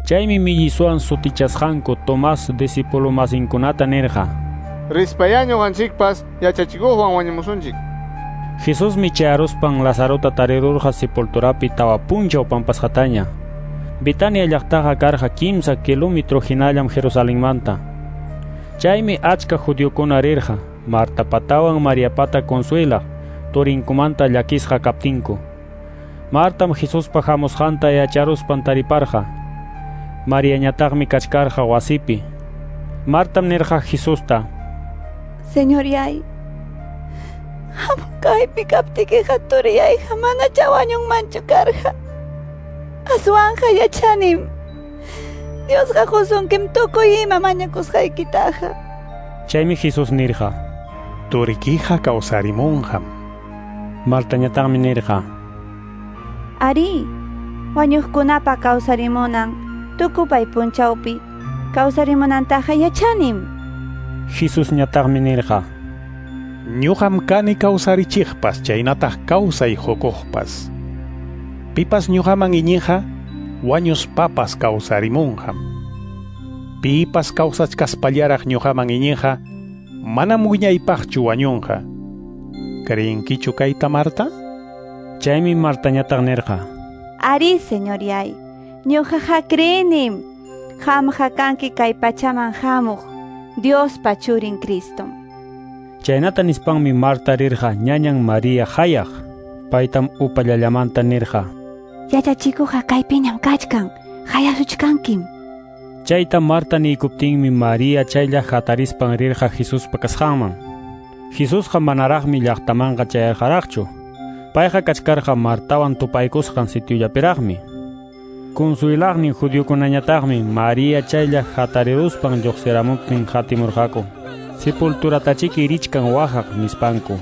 Chaymi millisuan sutichasqanku Tomás discipulumasinkunata nirqa: Rispaya ñuqanchikpas yachachikuqwan wañumusunchik. Jesusmi chayaruspan Lazarota tarirurqa sepulturapi tawa punchaw pampasqataña. Betania llaqtaqa karqa 3 kilómetro hinallam Jerusalenmanta. Chaymi achka judiokuna rirqa Martapatawan Mariapata consuelaq turinkumanta llakisqa kaptinku. Martam Jesuspa hamusqanta yacharuspan tariparqa. Mariañataqmi kachkarqa wasipi. Martam nirqa Jesusta: Señoryay, kaypi kaptikiqa turiyayqa manachá wañunmanchu karqa. Aswanqa yachanim. Diosqa qusunkim tukuy ima mañakusqaykitaqa. Chaymi Jesús nirqa: Turikiqa kawsarimunqam. Martañataqmi nirqa: Ari, wañuqkunapa kawsarimunan tukupay punchawpi kawsarimunantaqa yachanim. Jesusñataqmi nirqa: Ñuqam kani kawsarichiqpas chaynataq kawsay hukuqpas. Pipas ñuqaman iñiqa wañuspapas kawsarimunqam. Pipas kawsachkaspallaraq ñuqaman iñiqa manam wiñaypaqchu wañunqa. Creenkichu kayta, Marta? Chaymi Martañataq nirqa: Ari, señoryay, ñuqaqa creenim. Qamqa kanki kay pachaman hamuq Diospa churin Cristom. Chaynata nispanmi Marta rirqa ñañan María hayaq. Paytam upallallamanta nirqa: Yachachikuqa kaypiñam kachkan, hayasuchkankim. Chayta Marta niykuptinmi María chaylla hatarispan rirqa Jesuspa kasqanman. Jesusqa manaraqmi llaqtamanqa chayarqaraqchu. Payqa kachkarqa Martawan tupaykusqan sitiollapiraqmi. Consuelaqnin judiokunañataqmi María chaylla hatariruspan lluqsiramuptin hatimurqaku. Sepulturatachiki richkan waqaq nispanku.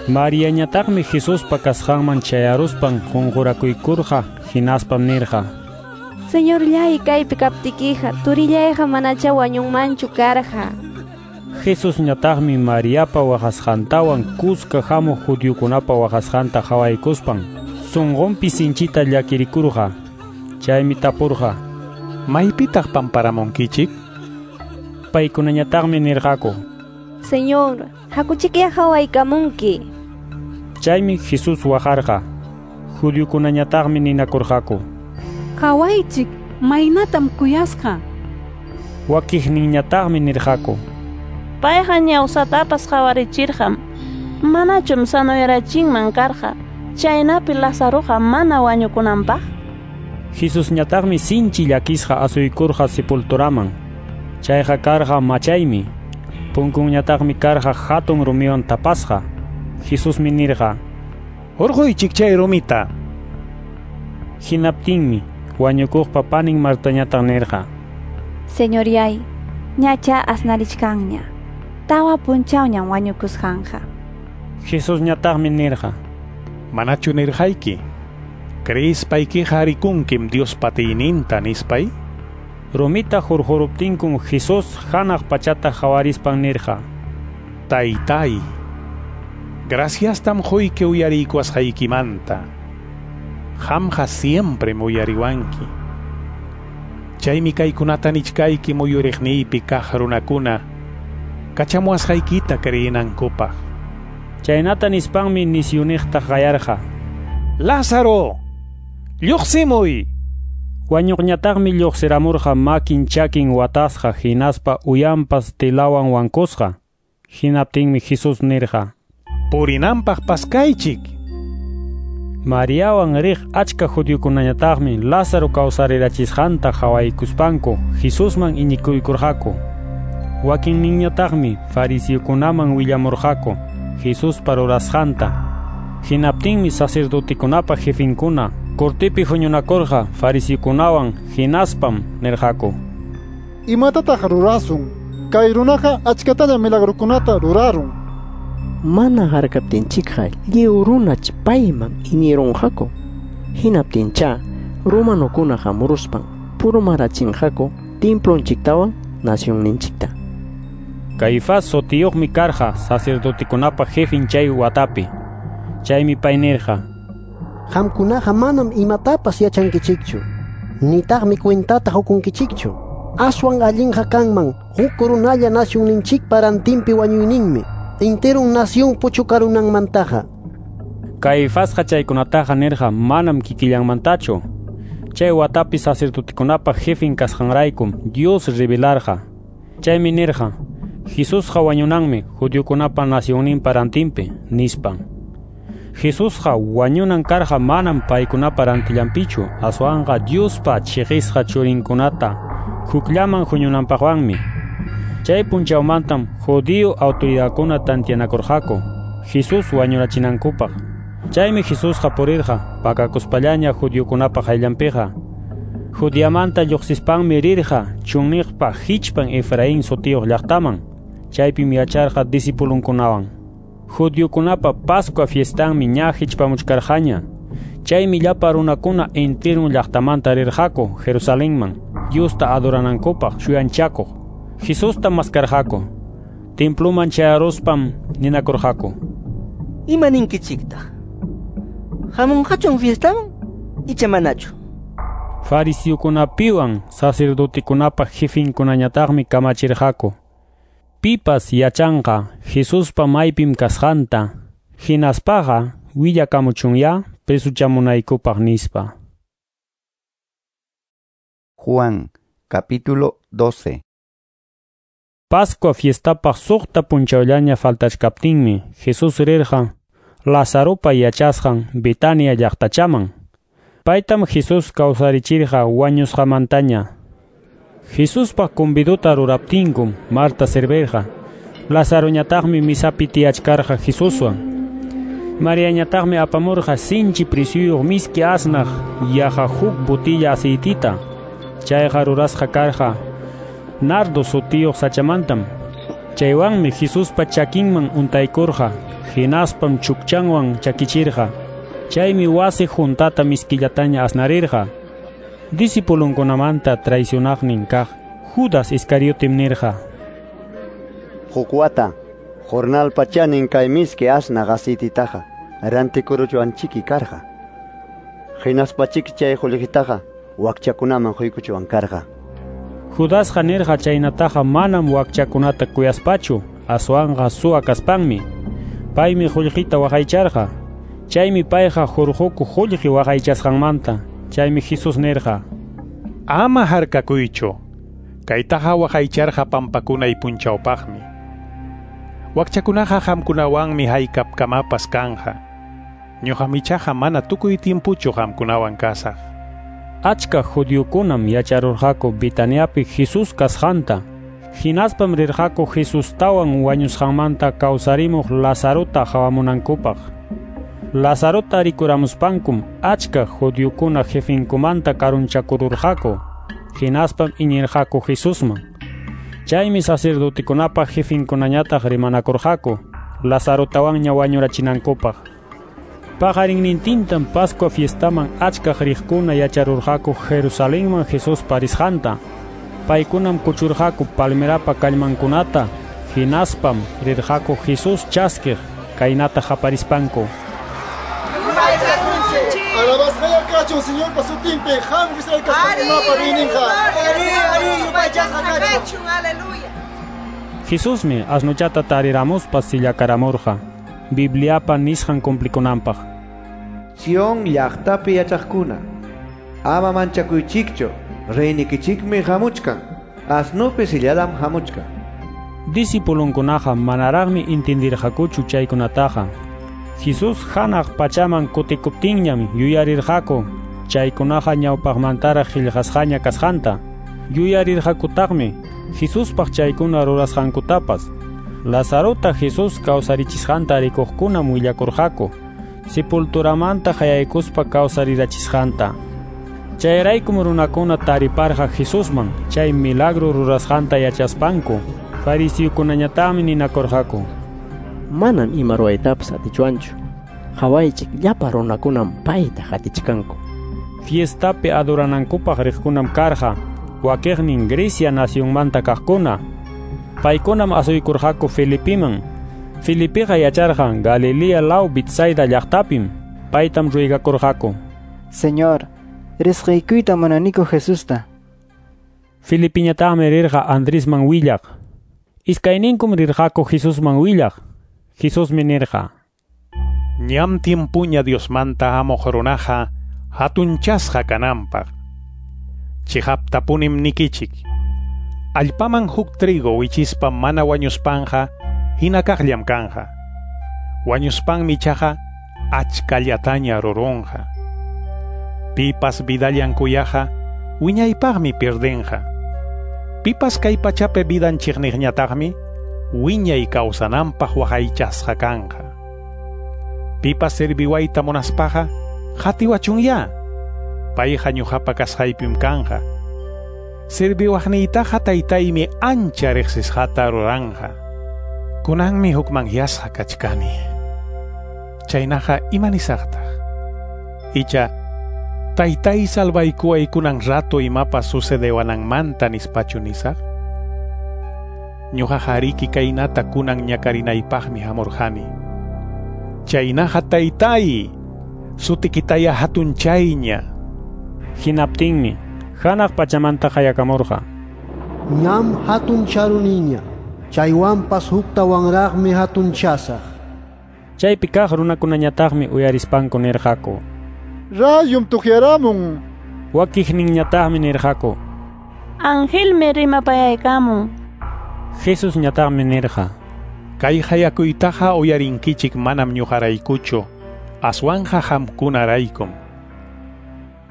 Mariañataqmi Jesuspa kasqanman chayaruspan qunqurakuykurqa hinaspam nirqa: Señorllay, kaypi kaptikiqa turillayqa manachá wañunmanchu karqa. Jesusñataqmi Mariapa waqasqantawan kuska hamuq judiokunapa waqasqanta qhawaykuspan sunqunpi sinchita llakirikurqa. Chaymi tapurqa: Maypitaq pamparamunkichik? Paykunañataqmi nirqaku: Señor, hakuchikya qhawaykamunki. Chaymi Jesús waqarqa. Judiokunañataqmi ninakurqaku: Qhawaychik, maynatam kuyasqa. Wakiqninñataqmi nirqaku: Payqa ñawsatapas qhawarichirqam. Manachum sanoyarachinman karqa, chaynapi Lazaroqa mana wañukunanpaq. Jesusñataqmi sinchi llakisqa asuykurqa sepulturaman. Chayqa karqa machaymi. Punkunñataqmi karqa hatun rumiwan tapasqa. Jesusmi nirqa: Hurquychik chay rumita. Hinaptinmi wañukuqpa panin Martañataq nirqa: Señoryay, ñacha asnarichkanña. Tawa punchawñam wañukusqanqa. Jesusñataqmi nirqa: Manachu nirqayki? Creespaykiqa rikunkim Diospa atiyninta nispay. Rumita hurquruptinkum Jesús hanaq pachata qawarispan nirqa: Taytay, graciastam quyki uyariykuwasqaykimanta. Qamqa siempre uyariwanki. Chaymi kaykunata nichkayki muyuriqniypi kaq runakuna kachamuwasqaykita creyinankupaq. Chaynata nispanmi nisyuniqta qayarqa: Lázaro, lluqsimuy. Wañuqñataqmi lluqsiramurqa makin chakin watasqa hinaspa uyanpas telawan wankusqa. Hinaptinmi Jesús nirqa: Purinanpaq paskaychik. Mariawan riq achka judiokunañataqmi Lázaro kawsarirachisqanta qhawaykuspanku Jesusman iñikuykurqaku. Wakinninñataqmi fariseokunaman willamurqaku Jesuspa rurasqanta. Hinaptinmi sacerdotekunapa jefinkuna cortepi huñunakurqa fariseokunawan hinaspam nirqaku: Imatataq rurasun? Kay runaqa achkataña milagrukunata rurarun. Mana harkaptinchikqa lliw runach payman iñirunqaku. Hinaptincha romanokuna hamuruspan purmarachinqaku templonchiktawan nacionninchikta. Caifás sutiyuqmi karqa sacerdotekunapa jefin chay watapi. Chaymi pay nirqa: Qamkunaqa manam imatapas yachankichikchu, nitaqmi cuentata hukunkichikchu. Aswan allinqa kanman huk runalla nacionninchikpa rantinpi wañuyninmi, enteron nación puchukarunanmantaqa. Caifasqa chaykunataqa nirqa manam kikillanmantachu. Chay watapi sacerdotekunapa jefin kasqanraykum Dios revelarqa. Chaymi nirqa: Jesusqa wañunanmi judiokunapa nacionninpa rantinpi, nispan. Jesusqa wañunan karqa manam paykunapa rantillanpichu, aswanqa Diospa chiqisqa churinkunata hukllaman huñunanpaqwanmi. Chay punchawmantam judío autoridadkuna tantianakurqaku Jesús wañurachinankupaq. Chaymi Jesusqa purirqa pakakuspallaña judiokunapa qayllanpiqa. Judiamanta lluqsispanmi rirqa chunniqpa hichpan Efraín sutiyuq llaqtaman. Chaypim yacharqa discipulunkunawan. Judiokunapa Pascua fiestanmi ña hichpamuchkarqaña. Chaymi llapa runakuna enterun llaqtamanta rirqaku Jerusalenman Diosta adoranankupaq shuyanchakuq. Jesusta maskarqaku. Templuman chayaruspam ninakurqaku: Ima ninkichiktaq? Hamunqachun fiestaman icha manachu? Fariseokunapiwan sacerdotekunapa jefinkunañataqmi kamachirqaku: Pipas yachanqa Jesuspa maypim kasqanta, hinaspaqa willakamuchunya presuchamunaykupaq nispa. Juan, capítulo 12. Pascua fiestapaq suqta punchawllaña faltachkaptinmi Jesús rirqa Lazaropa yachasqan Betania llaqtachaman. Paytam Jesús kawsarichirqa wañusqamantaña. Jesuspa convidota ruraptinkum Marta servirqa. Lazaroñataqmi misapi tiyachkarqa Jesuswan. Mariañataqmi apamurqa sinchi presyuyuq miski asnaq yaqa huk botella aceitita. Chayqa rurasqa karqa nardo sutiyuq sachamantam. Chaywanmi Jesuspa chakinman untaykurqa, hinaspam chukchanwan chakichirqa. Chaymi wasi juntata miskillataña asnarirqa. Discipulunkunamanta traicionaqnin kaq Judas Iscariotem nirqa: Huk wata jornalpa chanin kay miski asnaq aceititaqa rantikuruchuanchiki karqa. Hinaspachiki chay qullqitaqa wakchakunaman quykuchuan karqa. Judasqa nirqa chaynataqa manam wakchakunata kuyaspachu, aswanqa suwa kaspanmi. Paymi qullqita waqaycharqa. Chaymi payqa hurquku qullqi waqaychasqanmanta. Chaymi Jesús nirqa: Ama harkakuychu. Kaytaqa waqaycharqa pampakunay punchawpaqmi. Wakchakunaqa qamkunawanmi haykapkamapas kanja. Ñuqam ichaqa mana tukuy tiempuchu qamkunawan kasaq. Achka judiokunam yacharurqaku Betaniapi Jesús kasqanta. Hinaspam rirqaku Jesustawan wañusqanmanta kawsarimuq Lazarota qawamunankupaq. Lazarota rikuramuspankum achka judiokuna jefinkumanta karunchakururqaku. Hinaspam iñirqaku Jesusman. Chaymi sacerdotekunapa jefinkunañataq rimanakurqaku Lazarotawanña wañurachinankupaq. Paqarinnintintam Pascua fiestaman achkaq riqkuna yacharurqaku Jerusalenman Jesús parisqanta. Paykunam kuchurqaku palmerapa kallmankunata, hinaspam rirqaku Jesús chaskiq kaynata qaparispanku: Alabasqaya kachun Señorpa sutinpi, hamuq Israel kastakunapa riyninqa. Jesusmi asnuchata tariramuspa sillakaramurqa Bibliapa nisqan cumplikunanpaq. Sion llaqtapi yachaqkuna, ama manchakuychikchu, reynikichikmi hamuchkan, asnupi silladam hamuchkan. Discipulunkunaqa manaraqmi entendirqakuchu chaykunataqa. Jesús hanaq pachaman kutikuptinñam yuyarirqaku chaykunaqa ñawpaqmantaraq qillqasqaña kasqanta. Yuyarirqakutaqmi Jesuspaq chaykuna rurasqankutapas. Lazarota Jesús kawsarichisqanta rikuqkunam willakurqaku sepulturamanta qayaykuspa kawsarirachisqanta. Chayraykum runakuna tariparqa Jesusman chay milagro rurasqanta yachaspanku. Fariseokunañataqmi ninakurqaku: Manam ima ruwaytapas atichwanchu. Qhawaychik, llapa runakunam payta qatichkanku. Fiestapi adoranankupaq riqkunam karqa wakiqnin Grecia nacionmanta kaqkuna. Paykunam asuykurqaku Felipiman. Felipiqa yacharqa Galilea law Betsaida llaqtapim. Paytam ruegakurqaku: Señor, risqaykuyta munaniku Jesusta. Felipiñataqmi rirqa Andresman willaq. Iskayninkum rirqaku Jesusman willaq. Jesusmi nirqa: Ñam tiempuña Diosmanta hamuq runaqa hatunchasqa kananpaq. Chiqaptapunim nikichik. Allpaman huk trigo wichispa mana wañuspanqa hina kaqllam kanja. Wañuspanmi ichaqa achkallataña rurunqa. Pipas vidallan kuyaqa wiñaypaqmi pierdenqa. Pipas kay pachapi vidan chiqniqñataqmi wiñay kawsananpaq waqaychasqa kanqa. Pipas serviwayta munaspaqa qatiwachunya. Payqa ñuqapa kasqaypim kanja. Serviwaqniytaqa taytaymi ancha riqsisqata ruranja. Kunanmi hukmanyasqa kachkani. Chaynaqa imanisaqtaq? Icha taytay salvaykuway kunan rato imapas sucedewananmanta nispachu nisaq? Ñuqaqa ariki kaynata kunan ñakarinaypaqmi hamurqani. Chaynaqa taytay, sutikitaya hatunchayña. Hinaptinmi hanaq pachamanta qayakamurqa: Ñam hatuncharuniña, chaywanpas huktawanraqmi hatunchasaq. Chaypi kaq runakunañataqmi uyarispanku nirqaku: Rayum tuqyaramun. Wakiqninñataqmi nirqaku: Angelmi rimapayaykamun. Jesusñataqmi nirqa: Kay hayakuytaqa uyarinkichik manam ñuqaraykuchu, aswanqa qamkunaraykum.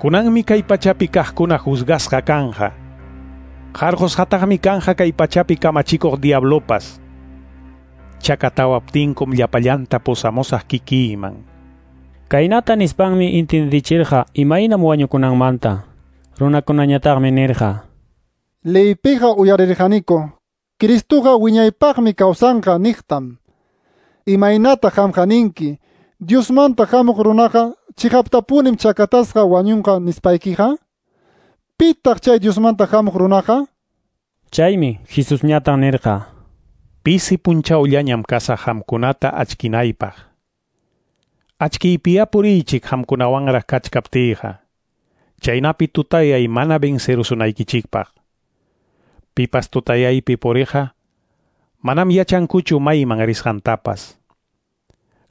Kunanmi kay pachapi kaqkuna juzgasqa kanja. Qarqusqataqmi kanja kay pachapi kamachikuq diablopas. Chakatawaptinkum llapallanta pusamusaq kikiyman. Kaynata nispanmi intindichirqa imaynam wañukunanmanta. Runakunañataqmi nirqa: Leypiqa uyarirqaniku, Cristoqa wiñaypaqmi kawsanqa niqtam. Imaynata qamqa ninki, Diosmanta hamuq runaqa chiqaptapunim chakatasqa wañunqa nispaykiqa? Pitaq chay Diosmanta hamuq runaqa? Chaymi Jesusñataq nirqa: Pisi punchawllañam kasaq qamkunata achkinaypaq. Achkiypiya puriychik qamkunawanraq kachkaptiyqa. Chaynapi tutayay mana vencerusunaykichikpaq. Pipas tutayaypi puriqa manam yachankuchu mayman risqantapas.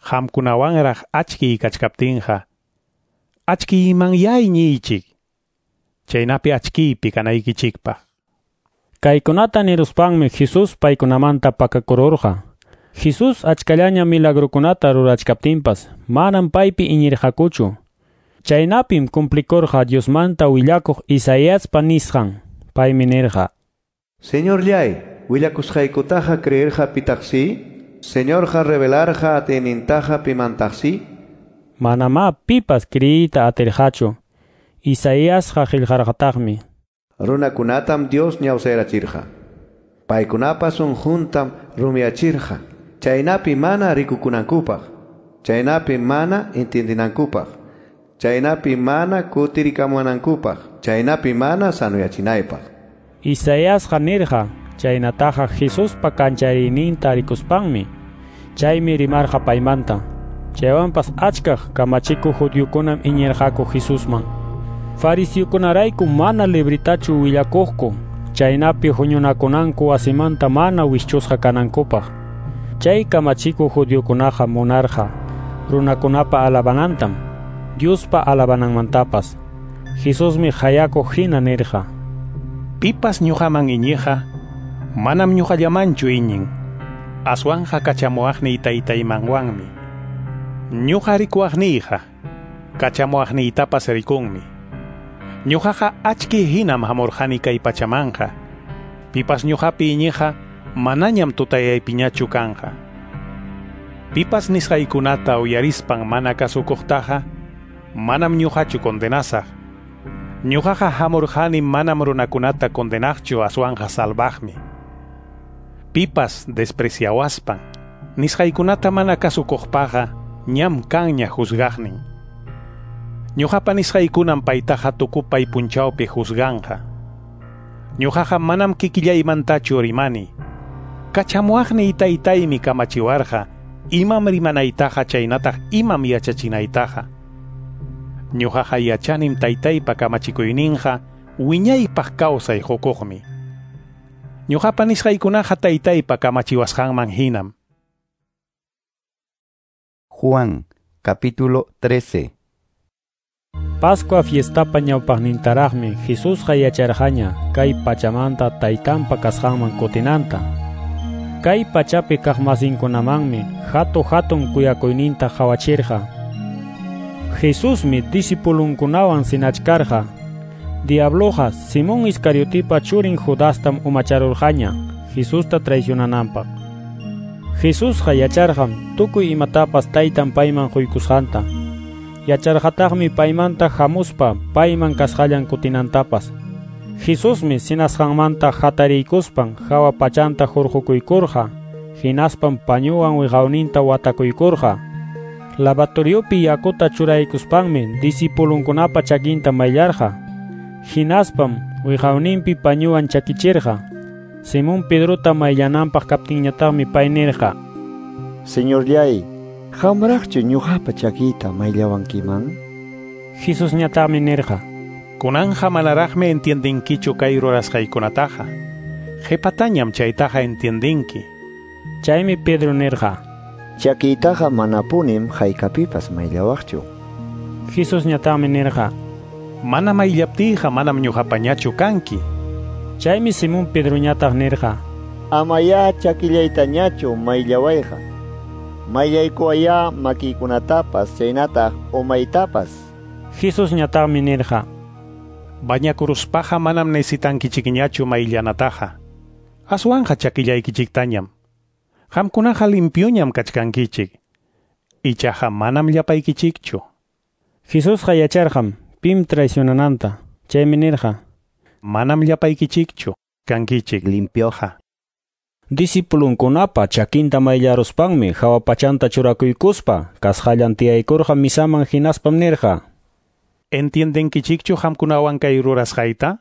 Qamkunawanraq achkiy kachkaptinqa achkiymanyá iñiychik, chaynapi achkiypi kanaykichikpaq. Kaykunata niruspanmi Jesús paykunamanta pakakururqa. Jesús achkallaña milagrokunata rurachkaptinpas manam paypi iñirqakuchu. Chaynapim cumplikurqa Diosmanta willakuq Isaíaspa nisqan. Paymi nirqa: Señorllay, willakusqaykutaqa creerqa pitaqsi? Señorqa revelarqa atiynintaqa pimantaqsi? Manamá pipas creeyta atirqachu. Isaíasqa qillqarqataqmi: Runakunatam Dios ñawsayrachirqa. Paykunapas sunquntam rumiyachirqa. Chaynapi mana rikukunankupaq, chaynapi mana entiendinankupaq, chaynapi mana kutirikamunankupaq, chaynapi mana sanuyachinaypaq. Isaíasqa nirqa chaynataqa Jesuspa kanchariyninta rikuspanmi. Chaymi rimarqa paymanta. Chaywanpas achkaq kamachikuq judiokunam iñirqaku Jesusman. Fariseokunarayku mana libritachu willakuqku, chaynapi huñunakunanku wasimanta mana wischusqa kanankupaq. Chay kamachikuq judiokunaqa munarqa runakunapa alabanantam, Diospa alabananmantapas. Jesusmi hayakuq hina nirqa: Pipas ñuqaman iñiqa, manam ñuqallamanchu iñin, aswanqa kachamuwaqniy taytaymanwanmi. Ñuqa rikuwaqniyqa, kachamuwaqniytapas rikunmi. Ñuqaqa achki hinam hamurqani kay pachamanqa. Pipas ñuqapi iñiqa manañam tutayaypiñachu kanqa. Pipas nisqaykunata uyarispan mana kasukuqtaqa, manam ñuqachu condenasaq. Ñuqaqa hamurqani manam runakunata condenaqchu, aswanqa salvaqmi. Pipas despreciawaspan, nisqaykunata mana kasukuqpaqa, ñam kanña juzgaqnin. Ñuqapa nisqaykunam paytaqa tukupay punchawpi juzganqa. Ñuqaqa manam kikillaymantachu rimani. Kachamuwaqniy taytaymi kamachiwarqa, imam rimanaytaqa chaynataq imam yachachinaytaqa. Ñuqaqa yachanim taytaypa kamachikuyninqa wiñaypaq kawsay qukuqmi. Ñuqapa nisqaykunaqa taytaypa kamachiwasqanman hinam. Juan, capítulo 13. Pascua fiestapa ñawpaqnintaraqmi Jesusqa yacharqaña kay pachamanta taytanpa kasqanman kutinanta. Kay pachapi kaqmasinkunamanmi hatu-hatun kuyakuyninta qhawachirqa. Jesusmi discipulunkunawan sinachkarqa. Diabloqa Simón Iscariotipa churin Judastam umacharurqaña Jesusta traicionananpaq. Jesusqa yacharqam tukuy imatapas taytan payman quykusqanta. Yacharqataqmi paymanta hamuspa payman kasqallan kutinantapas. Jesusmi sinasqanmanta hatariykuspan hawa pachanta hurqukuykurqa, hinaspam pañuwan wiqawninta watakuykurqa. Lavatoriopi yakuta churaykuspanmi discipulunkunapa chakinta mayllarqa. Hinaspam wiqawninpi pañuwan chakichirqa. Simón Pedrota mayllananpaq kaptinñataqmi pay nirqa: Señorllay, qamraqchu ñuqapa chakiyta mayllawankiman? Jesusñataqmi nirqa: Kunanja manaraqmi entiendinkichu kay rurasqaykunataqa. Qhipatañam chaytaqa entiendinki. Chaymi Pedro nirqa: Chakiytaqa manapunim haykapipas mayllawaqchu. Jesusñataqmi nirqa: Mana mayllaptiyqa manam ñuqapañachu kanki. Chaymi Simón Pedroñataq nirqa: Amayá chakillaytañachu mayllawayqa. Mayllaykuwayá makiykunatapas chaynataq umaytapas. Jesusñataqmi nirqa: Bañakuruspaqa manam necesitankichikñachu mayllanataqa. Aswanqa chakillaykichiktañam. Qamkunaqa limpioñam kachkankichik. Ichaqa manam llapaykichikchu. Jesusqa yacharqam pim traicionananta. Chaymi nirqa: Manam llapaykichikchu kankichik limpioqa. Discipulunkunapa chakinta mayllaruspanmi hawa pachanta churakuykuspa kasqallan tiyaykurqa misaman, hinaspam nirqa: ¿Entiendenkichikchu qamkunawan kay rurasqayta?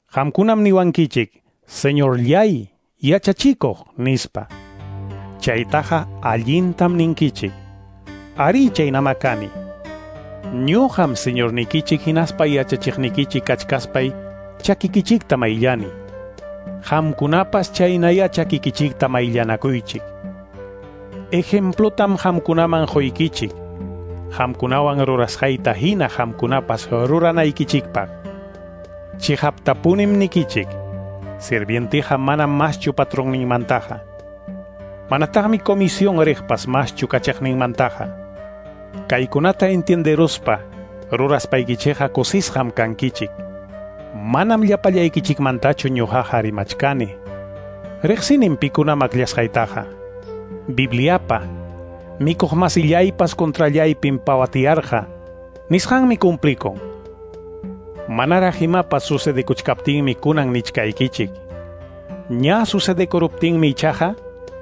Qamkunam niwankichik, Señorllay, yachachikuq, nispa. Chaytaqa allintam ninkichik. Ari chaynama kani. Ñuqam Señornikichik hinaspa yachachiqnikichik kachkaspay chakikichikta mayllani. Qamkunapas chaynaya chakikichikta mayllanakuychik. Ejemplotam qamkunaman quykichik. Qamkunawan rurasqayta hina qamkunapas ruranaykichikpaq. Chiqaptapunim nikichik. Sirvienteqa manam maschu patronninmantaqa. Manataqmi comisión riqpas maschu kachaqninmantaqa. Kaykunata entienderuspa ruraspaykichikqa kusisqam kankichik. Manam llapallaykichikmantachu ñuqaqa rimachkani. Riqsinim pikunam akllasqaytaqa. Bibliapa mikuq masillaypas contrallaypim pawatiyarqa nisqanmi cumplikun. Manaraq imapas sucedekuchkaptinmi kunan nichkaykichik. Ña sucedekuruptinmi ichaqa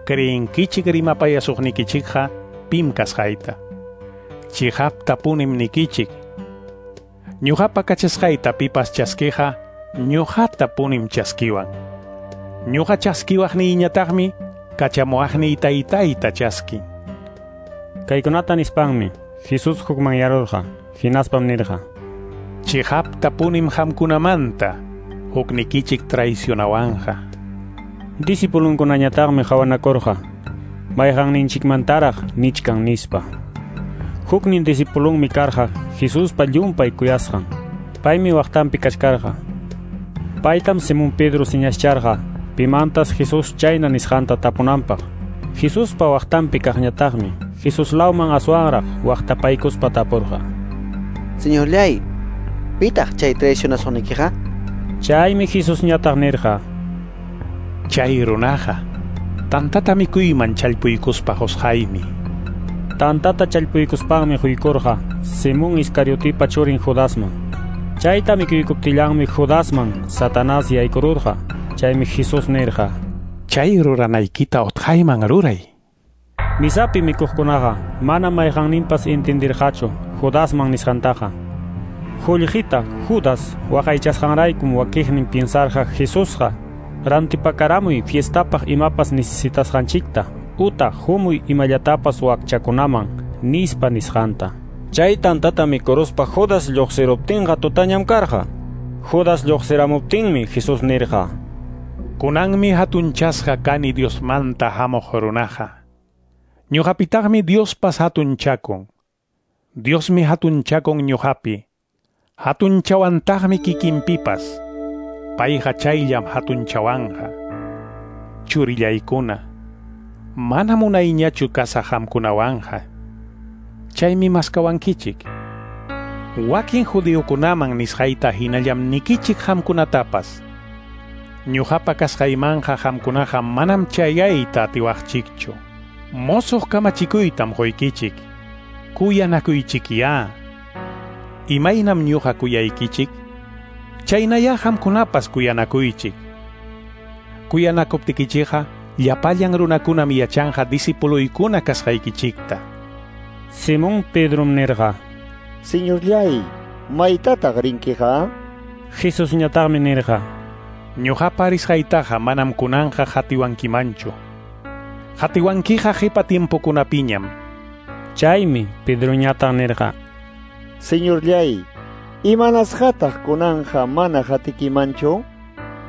creenkichik rimapayasuqnikichikqa pim kasqayta. Chiqaptapunim nikichik. Ñuqapa kachasqayta pipas chaskiqa ñuqatapunim chaskiwan. Ñuqa chaskiwaqniyñataqmi kachamuwaqniy taytayta chaskin. Kaykunata nispanmi Jesús hukmanyarurqa, hinaspam nirqa: Chiqaptapunim qamkunamanta huknikichik traicionawanqa. Discipulunkunañataqmi qhawanakurqa, mayqanninchikmantaraq nichkan nispa. Huknin discipulunmi karqa Jesuspa llumpay kuyasqan. Paymi waqtanpi kachkarqa. Paytam Simón Pedro señascharqa pimantas Jesús chayna nisqanta tapunanpaq. Jesuspa waqtanpi kaqñataqmi Jesus lawman aswanraq waqtapaykuspa tapurqa. Señorllay, pitaq chay traicionasuqnikiqa? Chaymi Jesusñataq nirqa: Chay runaqa tantata mikuyman challpuykuspa qusqaymi. Tantata challpuykuspanmi quykurqa Simón Iscariotipa churin Judasman. Chayta mikuykuptillanmi Judasman Satanás yaykururqa. Chaymi Jesús nirqa: Chay ruranaykita utqayman ruray. Misapi mikuqkunaqa mana mayqanninpas entendirqachu Judasman nisqantaqa. Qullqita Judas waqaychasqanraykum wakiqnin piensarqa Jesusqa rantipakaramuy fiestapaq imapas necesitasqanchikta utaq humuy imallatapas wakchakunaman nispa nisqanta. Chay tantata mikuruspa Judas lluqsiruptinqa tutañam karqa. Judas lluqsiramuptinmi Jesús nirqa: Kunanmi hatunchasqa kani Diosmanta hamuq runaqa. Ñuqapitaqmi Diospas hatunchakun. Diosmi hatunchakun ñuqapi. Hatunchawantaqmi kikinpipas. Payqa chayllam hatunchawanqa. Churillaykuna, mana munayñachu kasaq qamkunawanqa. Chaymi maskawankichik. Wakin judiokunaman nisqayta hinallam nikichik qamkunatapas. Ñuqapa kasqaymanqa qamkunaqa manam chayayta atiwaqchikchu. Mosoq kamachikuytam quykichik. Kuyanakuychikyá. Imaynam ñuqa kuyaykichik, chaynayá qamkunapas kuyanakuychik. Kuyanakuptikichikqa llapallan runakunam yachanqa disipuluykuna kasqaykichikta. Simón Pedrom nirqa: Señorllay, maytataq rinkiqa? Jesusñataqmi nirqa: Ñuqapa risqaytaqa manam kunanqa qatiwankimanchu. Qatiwankiqa qipa tiempokunapiñam. Chaymi Pedroñataq nirqa: Señorllay, imanasqataq kunanqa mana qatikimanchu?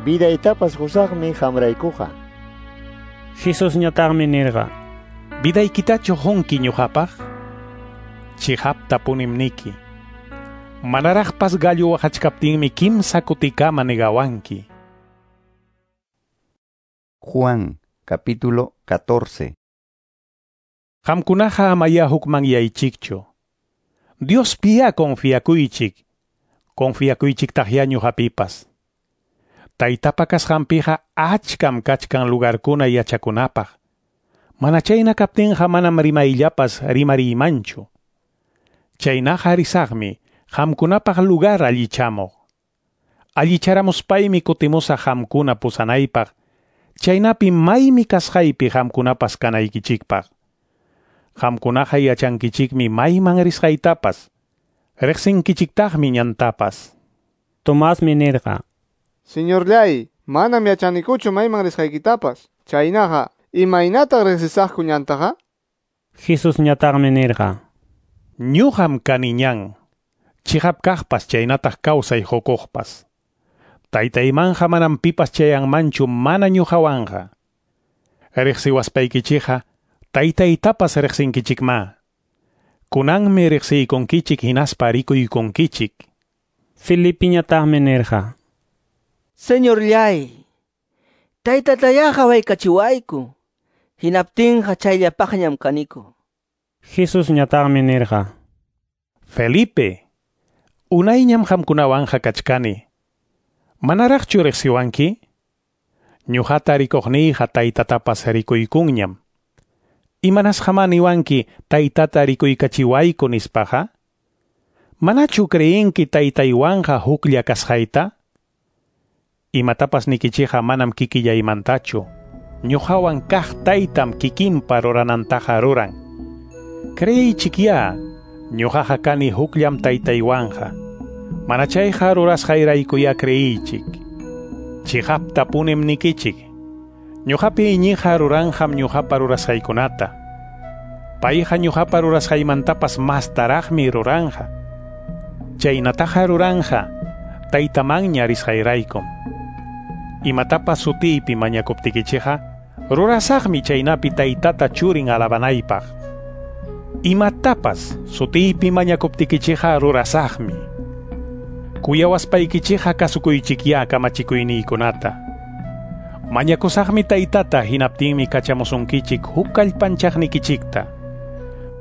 Vidaytapas qusaqmi qamraykuqa. Jesusñataqmi nirqa: Vidaykitachu qunki ñuqapaq? Chiqaptapunim niki. Manaraqpas gallo waqachkaptinmi kimsa kutikama negawanki. Juan, capítulo 14. Qamkunaqa amaya hukmanyaychikchu. Diospiyá confiakuychik. Confiakuychiktaqyá ñuqapipas. Taytapa kasqanpiqa achkam kachkan lugarkuna yachakunapaq. Mana chayna kaptinqa manam rimayllapas rimariymanchu. Chaynaqa risaqmi qamkunapaq lugar allichamuq. Allicharamuspaymi kutimusaq qamkuna pusanaypaq. Chaynapi maymi kasqaypi qamkunapas kanaykichikpaq. Qamkunaqa yachankichikmi mayman risqaytapas, riqsinkichiktaqmi ñantapas. Tomasmi nirqa: Señorllay, manam yachanikuchu mayman risqaykitapas. Chaynaqa, imaynataq riqsisaqku ñantaqa? Jesusñataqmi nirqa: Ñuqam kani ñan, chiqap kaqpas chaynataq kawsay qukuqpas. Taytaymanja manam pipas chayanmanchu mana ñuqawanqa. Riqsiwaspaykichikqa taytaytapas riqsinkichikma. Kunanmi riqsiykunkichik hinaspa rikuykunkichik. Felipiñataqmi nirqa: Señorllay, taytatayá qawaykachiwayku. Hinaptinqa chayllapaqñam kaniku. Jesusñataqmi nirqa: Felipe, unayñam qamkunawanqa kachkani. Manaraqchu riqsiwanki? Ñuqata rikuqniyqa taytatapas rikuykunñam. Imanasqamá niwanki taytata rikuykachiwayku nispaqa? Manachu creenki taytaywanqa huklla kasqayta? Imatapas nikichikqa manam kikillaymantachu. Ñuqawan kaq taytam kikinpa ruranantaqa ruran. Creeychikyá, ñuqaqa kani hukllam taytaywanqa. Mana chayqa rurasqayraykuya creeychik. Chiqaptapunim nikichik. Ñuqapi iñiqa ruranqam ñuqapa rurasqaykunata. Payqa ñuqapa rurasqaymantapas mastaraqmi ruranqa. Chaynataqa ruranqa taytamanña risqayraykum. Imatapas sutiypi mañakuptikichikqa rurasaqmi chaynapi taytata churin alabanaypaq. Imatapas sutiypi mañakuptikichikqa rurasaqmi. Kuyawaspaykichikqa kasukuychikyá kamachikuyniykunata. Mañakusaqmi taytata hinaptinmi kachamusunkichik huk kallpanchaqnikichikta.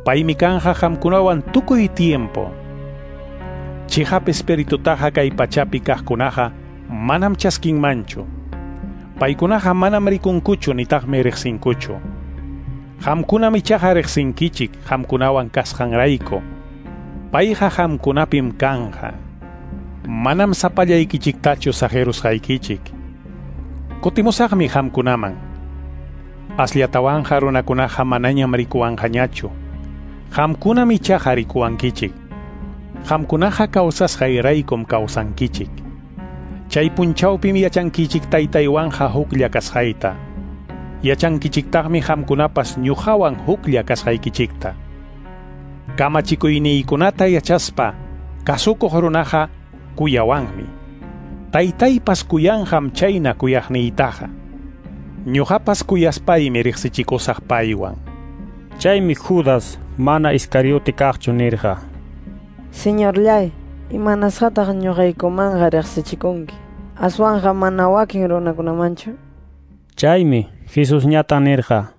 Paymi kanqa qamkunawan tukuy tiempo. Chiqap Espiritutaqa kay pachapi kaqkunaqa manam chaskinmanchu. Paykunaqa manam rikunkuchu nitaqmi riqsinkuchu. Qamkunam ichaqa riqsinkichik qamkunawan kasqanrayku. Payqa qamkunapim kanqa. Manam sapallaykichiktachu saqirusqaykichik. Kutimusaqmi qamkunaman. Asllatawanqa runakunaqa manañam rikuwanqañachu. Qamkunam ichaqa rikuwankichik. Qamkunaqa kawsasqayraykum kawsankichik. Chay punchawpim yachankichik taytaywanqa huklla kasqayta. Yachankichiktaqmi qamkunapas ñuqawan huklla kasqaykichikta. Kamachikuyniykunata yachaspa kasukuq runaqa kuyawanmi. Taytaypas kuyanqam chayna kuyaqniytaqa. Ñuqapas kuyaspaymi riqsichikusaq paywan. Chaymi Judas mana Iscariote kaqchu nirqa: Señorllay, imanasqataq ñuqaykumanqa riqsichikunki? Aswanqa mana wakin runakunamanchu? Chaymi Jesusñata nirqa: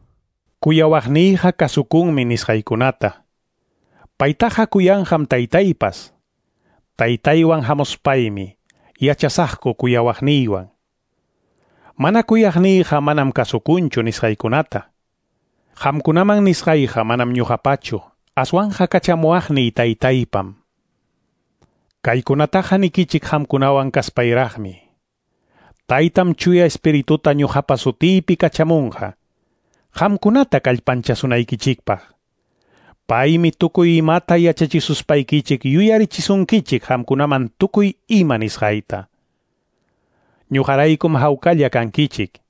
Kuyawaqniyqa kasukunmi nisqaykunata. Paytaqa kuyanqam taytaypas. Taytaywan hamuspaymi yachasaqku kuyawaqniywan. Mana kuyaqniyqa manam kasukunchu nisqaykunata. Qamkunaman nisqayqa manam ñuqapachu, aswanqa kachamuwaqniy taytaypam. Kaykunataqa nikichik qamkunawan kaspayraqmi. Taytam chuya espirituta ñuqapa sutiypi kachamunqa, qamkunata kallpanchasunaykichikpaq. Paymi tukuy imata yachachisuspaykichik yuyarichisunkichik qamkunaman tukuy ima nisqayta. Ñuqaraykum hawkalla kankichik.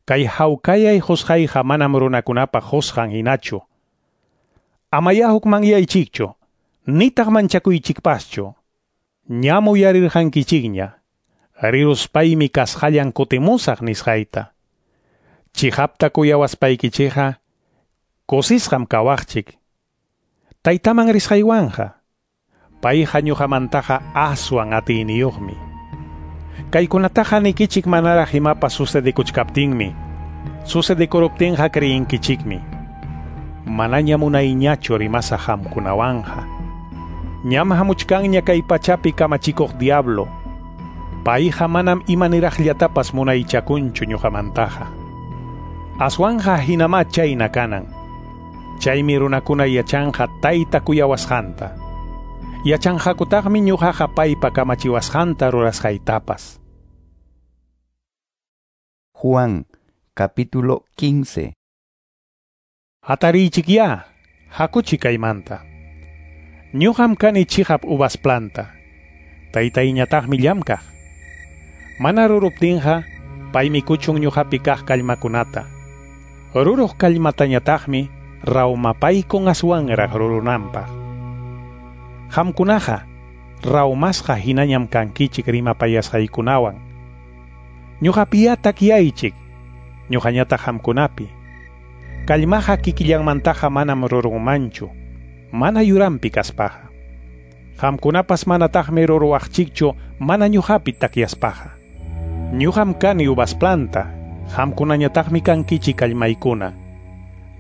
Kay hawkayay qusqayqa manam runakunapa qusqan hinachu. Amaya hukmanyaychikchu, nitaq manchakuychikpaschu. Ñam uyarirqankichikña, riruspaymi kasqallan kutimusaq nisqayta. Chiqapta kuyawaspaykichikqa kusisqam kawaqchik. Taytaman risqaywanqa, payqa ñuqamantaqa aswan atiyniyuqmi. Kaykunataqa nikichik manaraq imapas sucedekuchkaptinmi. Sucedekuruptinqa creyinkichikmi. Manaña munayñachu rimasaq qamkunawanqa. Ñam hamuchkanña kay pachapi kamachikuq diablo. Payqa manam imaniraqllatapas munaychakunchu ñuqamantaqa. Aswanqa hinamá chayna kanan. Chaymi runakuna yachanqa tayta kuyawasqanta. Yachanqakutaqmi ñuqaqa paypa kamachiwasqanta rurasqaytapas. Juan, capítulo 15. Hatariychikyá, hakuchik kaymanta. Ñuqam kani chiqap uvas planta. Taytayñataqmi llamkaq. Mana ruruptinqa, paymi kuchun ñuqapi kaq kallmakunata. Ruruq kallmatañataqmi rawmapaykun aswanraq rurunanpaq. Qamkunaqa rawmasqa hinañam kankichik rimapayasqaykunawan. Ñuqapiyá takyaychik, ñuqañataq qamkunapi. Kallmaqa kikillanmantaqa manam rurunmanchu, mana yuranpi kaspaqa. Qamkunapas manataqmi ruruwaqchikchu mana ñuqapi takyaspaqa. Ñuqam kani uvas planta, qamkunañataqmi kankichik kallmaykuna.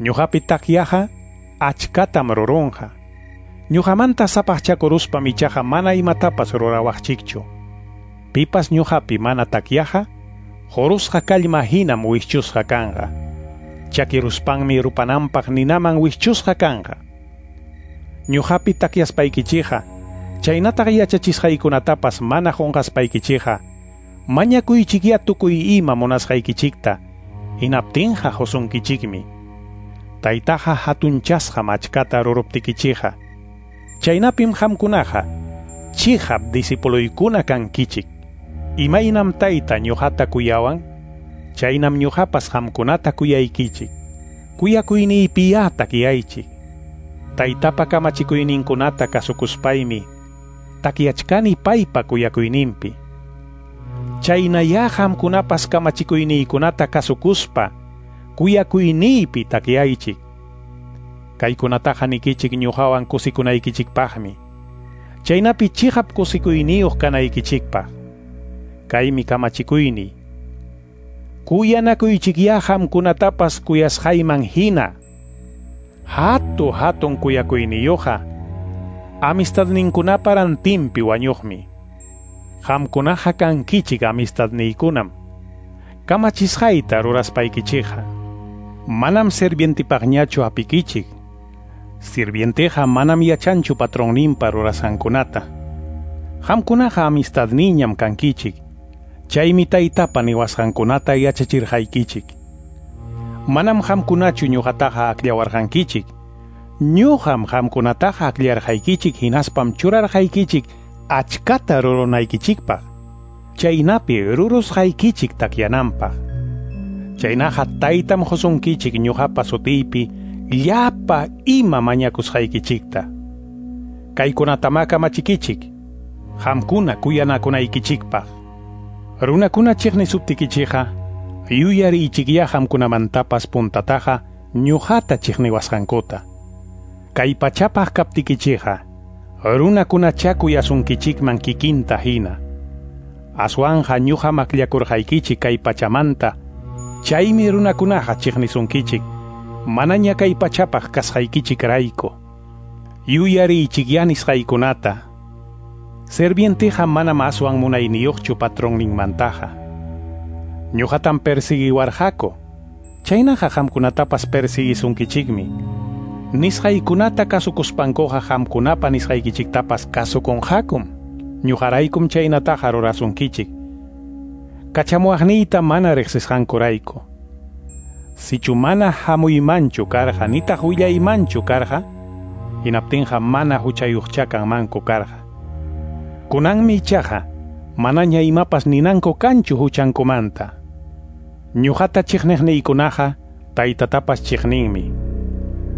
Ñuqapi takyaqa achkatam rurunqa. Ñuqamanta sapaqchakuruspam ichaqa mana imatapas rurawaqchikchu. Pipas ñuqapi mana takyaqa, qurusqa kallma hinam wischusqa kanqa. Chakiruspanmi rupananpaq ninaman wischusqa kanqa. Ñuqapi takyaspaykichikqa, chaynataq yachachisqaykunatapas mana qunqaspaykichikqa, mañakuychikyá tukuy ima munasqaykichikta, hinaptinqa qusunkichikmi. Taytaqa hatunchasqam achkata ruruptikichikqa. Chaynapim qamkunaqa chiqap discipuloykuna kankichik. Imaynam tayta ñuqata kuyawan, chaynam ñuqapas qamkunata kuyaykichik. Kuyakuyniypiyá takyaychik. Taytapa kamachikuyninkunata kasukuspaymi takyachkani paypa kuyakuyninpi. Chaynayá qamkunapas kamachikuyniykunata kasukuspa kuyakuyniypi takyaychik. Kaykunataqa nikichik ñuqawan kusikunaykichikpaqmi. Chaynapi chiqap kusikuyniyuq kanaykichikpaq. Kaymi kamachikuyniy. Kuyanakuychikyá qamkunatapas kuyasqayman hina. Hatu hatun kuyakuyniyuqqa amistadninkunapa rantinpi wañuqmi. Qamkunaqa kankichik amistadniykunam. Kamachisqayta ruraspaykichikqa manam sirvientipaqñachu hapikichik. Sirvienteqa manam yachanchu patronninpa rurasqankunata. Qamkunaqa amistadniñam kankichik. Chaymi taytapa niwasqankunata yachachirqaykichik. Manam qamkunachu ñuqataqa akllawarqankichik. Ñuqam qamkunataqa akllarqaykichik hinaspam churarqaykichik achkata rurunaykichikpaq. Chaynapi rurusqaykichik takyananpaq. Chaynaqa taytam qusunkichik ñuqapa sutiypi llapa ima mañakusqaykichikta. Kaykunatamá kamachikichik, qamkuna kuyanakunaykichikpaq. Runakuna chiqnisuptikichikqa yuyariychikyá qamkunamantapas puntataqa ñuqata chiqniwasqankuta. Kay pachapaq kaptikichikqa runakunachá kuyasunkichikman kikinta hina. Aswanqa ñuqam akllakurqaykichik kay pachamanta, chaymi runakunaqa chiqnisunkichik, manaña kay pachapaq kasqaykichikrayku. Yuyariychikyá nisqaykunata. Sirvienteqa manam aswan munayniyuqchu patronninmantaqa. Ñuqatam persiguiwarqaku, chaynaqa qamkunatapas persiguisunkichikmi. Nisqaykunata kasukuspankuqa qamkunapa nisqaykichiktapas kasukunqakum. Ñuqaraykum chaynataqa rurasunkichik. Kachamuwaqniyta mana riqsisqankurayku. Sichu mana hamuymanchu karqa nitaq willaymanchu karqa, hinaptinqa mana huchayuqcha kanmanku karqa. Kunanmi ichaqa manaña imapas ninanku kanchu huchankumanta. Ñuqata chiqniqniykunaqa taytatapas chiqninmi.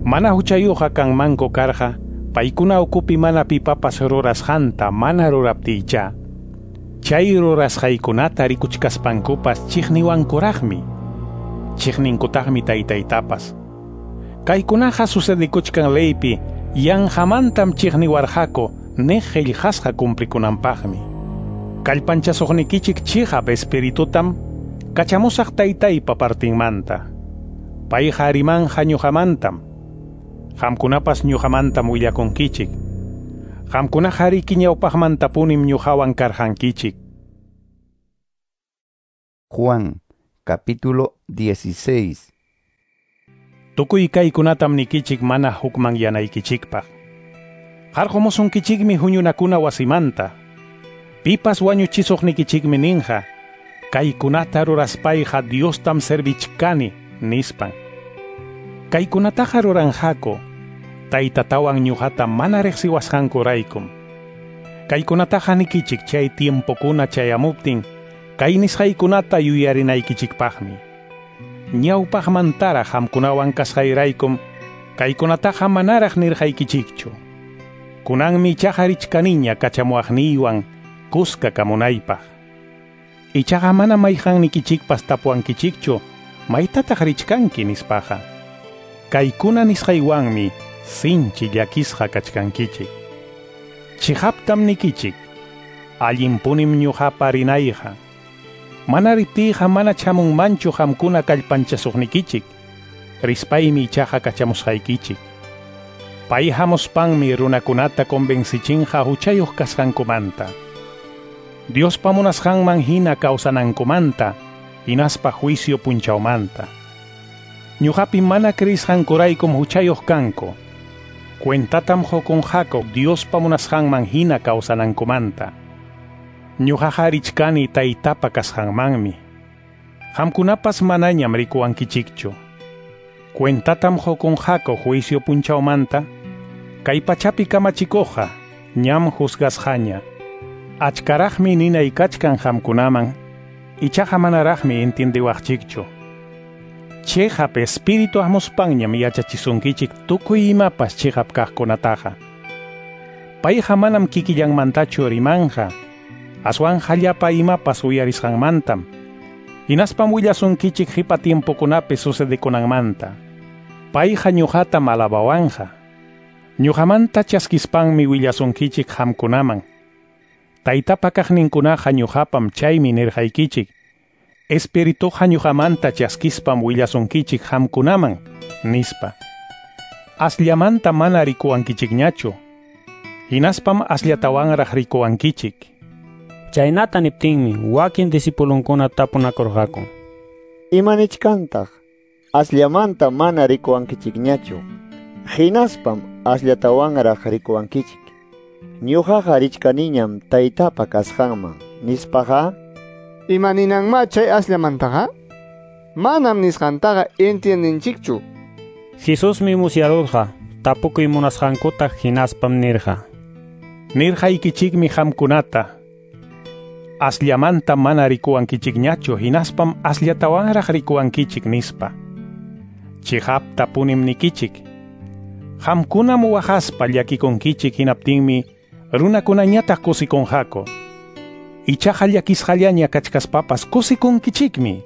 Mana huchayuqqa kanmanku karqa, paykuna ukupi mana pipapas rurasqanta mana ruraptiycha. Chay rurasqaykunata rikuchkaspankupas chiqniwankuraqmi. Chiqninkutaqmi taytaytapas. Kaykunaqa sucedikuchkan leypi yanqamantam chiqniwarqaku niq qillqasqa cumplikunanpaqmi. Kallpanchasuqnikichik chiqap espiritutam kachamusaq taytaypa partinmanta. Payqa rimanqa ñuqamantam. Qamkunapas ñuqamantam willakunkichik. Qamkunaqa riki ñawpaqmantapunim ñuqawan karqankichik. Juan, capítulo 16. Tukuy kaykunatam nikichik mana hukmanyanaykichikpaq. Qarqumusunkichikmi huñunakuna wasimanta. Pipas wañuchisuqnikichikmi ninqa, kaykunata ruraspayqa Diostam servichkani, nispan. Kaykunataqa ruranqaku, taytatawan ñuqata mana riqsiwasqankuraykum. Kaykunataqa nikichik chay tiempokuna chayamuptin, kay nisqaykunata yuyarinaykichikpaqmi. Ñawpaqmantaraq qamkunawan kasqayraykum, kaykunataqa manaraq nirqaykichikchu. Kunanmi ichaqa richkaniña kachamuwaqniywan kuska kamunaypaq. Ichaqa mana mayqannikichikpas tapuwankichikchu, maytataq richkanki nispaqa. Kaykuna nisqaywanmi sinchi llakisqa kachkankichik. Chiqaptam nikichik, allinpunim ñuqapa rinayqa. Mana riptiyqa mana chamunmanchu qamkuna kallpanchasuqnikichik, rispaymi ichaqa kachamusqaykichik. Pay hamuspanmi runakunata convencichinqa huchayuq kasqankumanta, Diospa munasqanman hina kawsanankumanta, hinaspa juicio punchawmanta. Ñuqapi mana creisqankuraykum huchayuq kanku. Cuentatam qukunqaku Diospa munasqanman hina kawsanankumanta. Ñuqaqa richkani taytapa kasqanmanmi. Qamkunapas manañam rikuwankichikchu. Cuentatam qukunqaku juicio punchawmanta, kay pachapi kamachikuqqa ñam juzgasqaña. Achkaraqmi ninay kachkan qamkunaman, ichaqa manaraqmi entiendiwaqchikchu. Chiqap espíritu hamuspanñam yachachisunkichik tukuy imapas chiqap kaqkunataqa. Payqa manam kikillanmantachu rimanqa, aswanqa llapa imapas uyarisqanmantam. Hinaspam willasunkichik qipa tiempokunapi sucedekunanmanta. Payqa ñuqatam alabawanqa. Ñuqamanta chaskispanmi willasunkichik qamkunaman. Taytapa kaqninkunaqa ñuqapam chaymi nirqaykichik. Espirituqa ñuqamanta chaskispam willasunkichik qamkunaman, nispa. Asllamanta mana rikuwankichikñachu. Hinaspam asllatawanraq rikuwankichik. Chaynata niptinmi wakin disipulunkuna tapunakurqaku. Imanichkantaq asllamanta mana rikuwankichikñachu. Hinaspam asllatawanraq rikuwankichik. Ñuqaqa richkaniñam taytapa kasqanman nispaqa. Imaninanma chay asllamantaqa? Manam nisqantaqa entiendinchikchu. Jesusmi musyarurqa tapukuy munasqankuta hinaspam nirqa. Nirqaykichikmi qamkunata. Asllamanta mana rikuwankichikñachu hinaspam asllatawanraq rikuwankichik nispa. Chiqaptapunim nikichik. Qamkunam waqaspa llakikunkichik hinaptinmi runakunañataq kusikunqaku. Ichaqa llakisqallaña kachkaspapas kusikunkichikmi.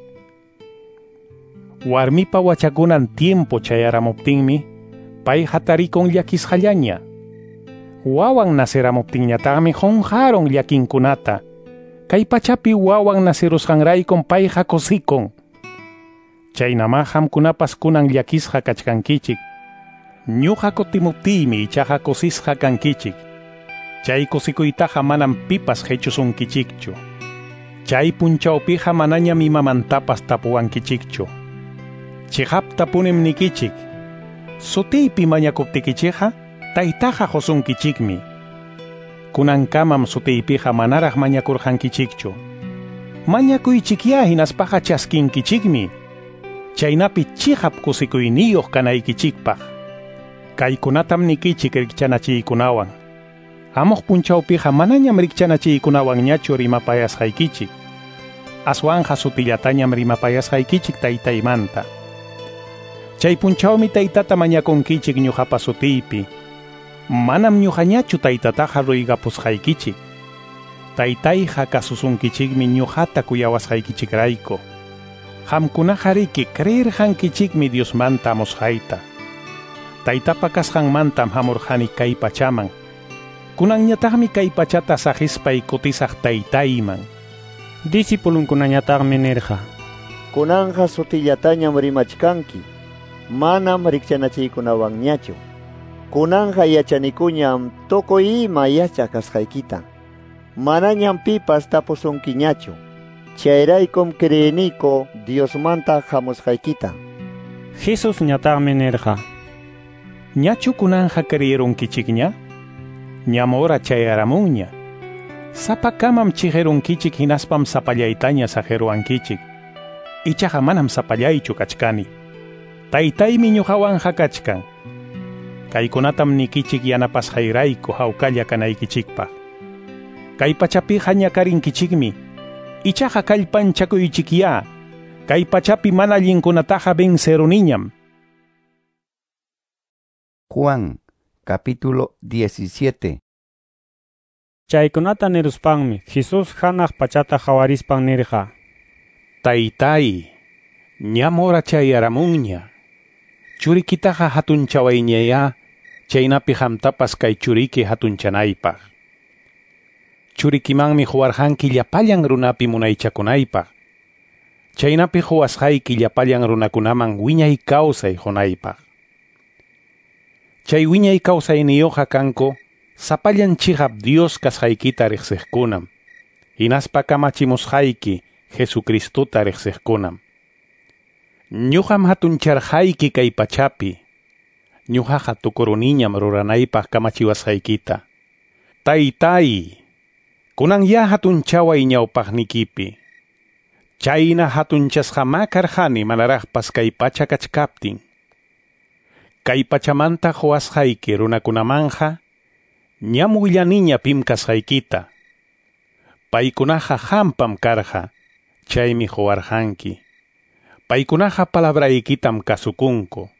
Warmipa wachakunan tiempo chayaramuptinmi pay hatarikun llakisqallaña. Wawan naceramuptinñataqmi qunqarun llakinkunata. Kay pachapi wawan nacerusqanraykum payqa kusikun. Chaynama qamkunapas kunan llakisqa kachkankichik. Ñuqa kutimuptiymi ichaqa kusisqa kankichik. Chay kusikuytaqa manam pipas qichusunkichikchu. Chay punchawpiqa manañam imamantapas tapuwankichikchu. Chiqaptapunim nikichik. Sutiypi mañakuptikichikqa taytaqa qusunkichikmi. Kunankamam sutiypiqa manaraq mañakurqankichikchu. Mañakuychikyá hinaspaqa chaskinkichikmi. Chaynapi chiqap kusikuyniyuq kanaykichikpaq. Kaykunatam nikichik rikchanachiykunawan. Hamuq punchawpiqa manañam rikchanachiykunawanñachu rimapayasqaykichik. Aswanqa sutillatañam rimapayasqaykichik taytaymanta. Chay punchawmi taytata mañakunkichik ñuqapa sutiypi. Manam ñuqañachu taytataqa ruygapusqaykichik. Taytayqa kasusunkichikmi ñuqata kuyawasqaykichikrayku. Qamkunaqa riki creerqankichikmi Diosmanta amusqayta. Taytapa kasqanmantam hamurqani kay pachaman. Kunanñataqmi kay pachata saqispay kutisaq taytayman. Disipulunkunañataqmi nirqa. Kunanqa sutillatañam rimachkanki. Manam rikchanachiykunawanñachu. Kunanqa yachanikuñam tukuy ima yachaq kasqaykita. Manañam pipas tapusunkiñachu. Chayraykum creeniku Diosmanta hamusqaykita. Jesusñataqmi nirqa. Ñachu kunanqa creerunkichikña? Ñam hora chayaramunña. Sapakamam chiqirunkichik hinaspam sapallaytaña saqiruwankichik. Ichaqa manam sapallaychu kachkani. Taytaymi ñuqawanqa kachkan. Kaykunatam nikichik yanapasqayrayku hawkalla kanaykichikpaq. Kay pachapiqa ñakarinkichikmi. Ichaqa kallpanchakuychikyá. Kay pachapi mana allinkunataqa venceruniñam. Juan, capítulo 17. Chaykunata niruspanmi Jesús hanaq pachata qawarispan nirqa. Taytay, ñam hora chayaramunña. Churikitaqa hatunchawayñayá, chaynapi qamtapas kay churiki hatunchanaypaq. Churikimanmi quwarqanki llapallan runapi munaychakunaypaq. Chaynapi quwasqayki llapallan runakunaman wiñay kawsay qunaypaq. Chay wiñay kawsayniyuqqa kanku sapallan chiqap Dios kasqaykita riqsiqkunam. Hinaspa kamachimusqayki Jesucristota riqsiqkunam. Ñuqam hatuncharqayki kay pachapi. Ñuqaqa tukuruniñam ruranaypaq kamachiwasqaykita. Taytay, kunan ya hatunchaway ñawpaqnikipi. Chayna hatunchasqamá karqani manaraqpas kay pacha kachkaptin. Kay pachamanta quwasqayki runakunamanqa ñam willaniña pim kasqaykita. Paykunaqa qampam karqa, chaymi quwarqanki. Paykunaqa palabraykitam kasukunku.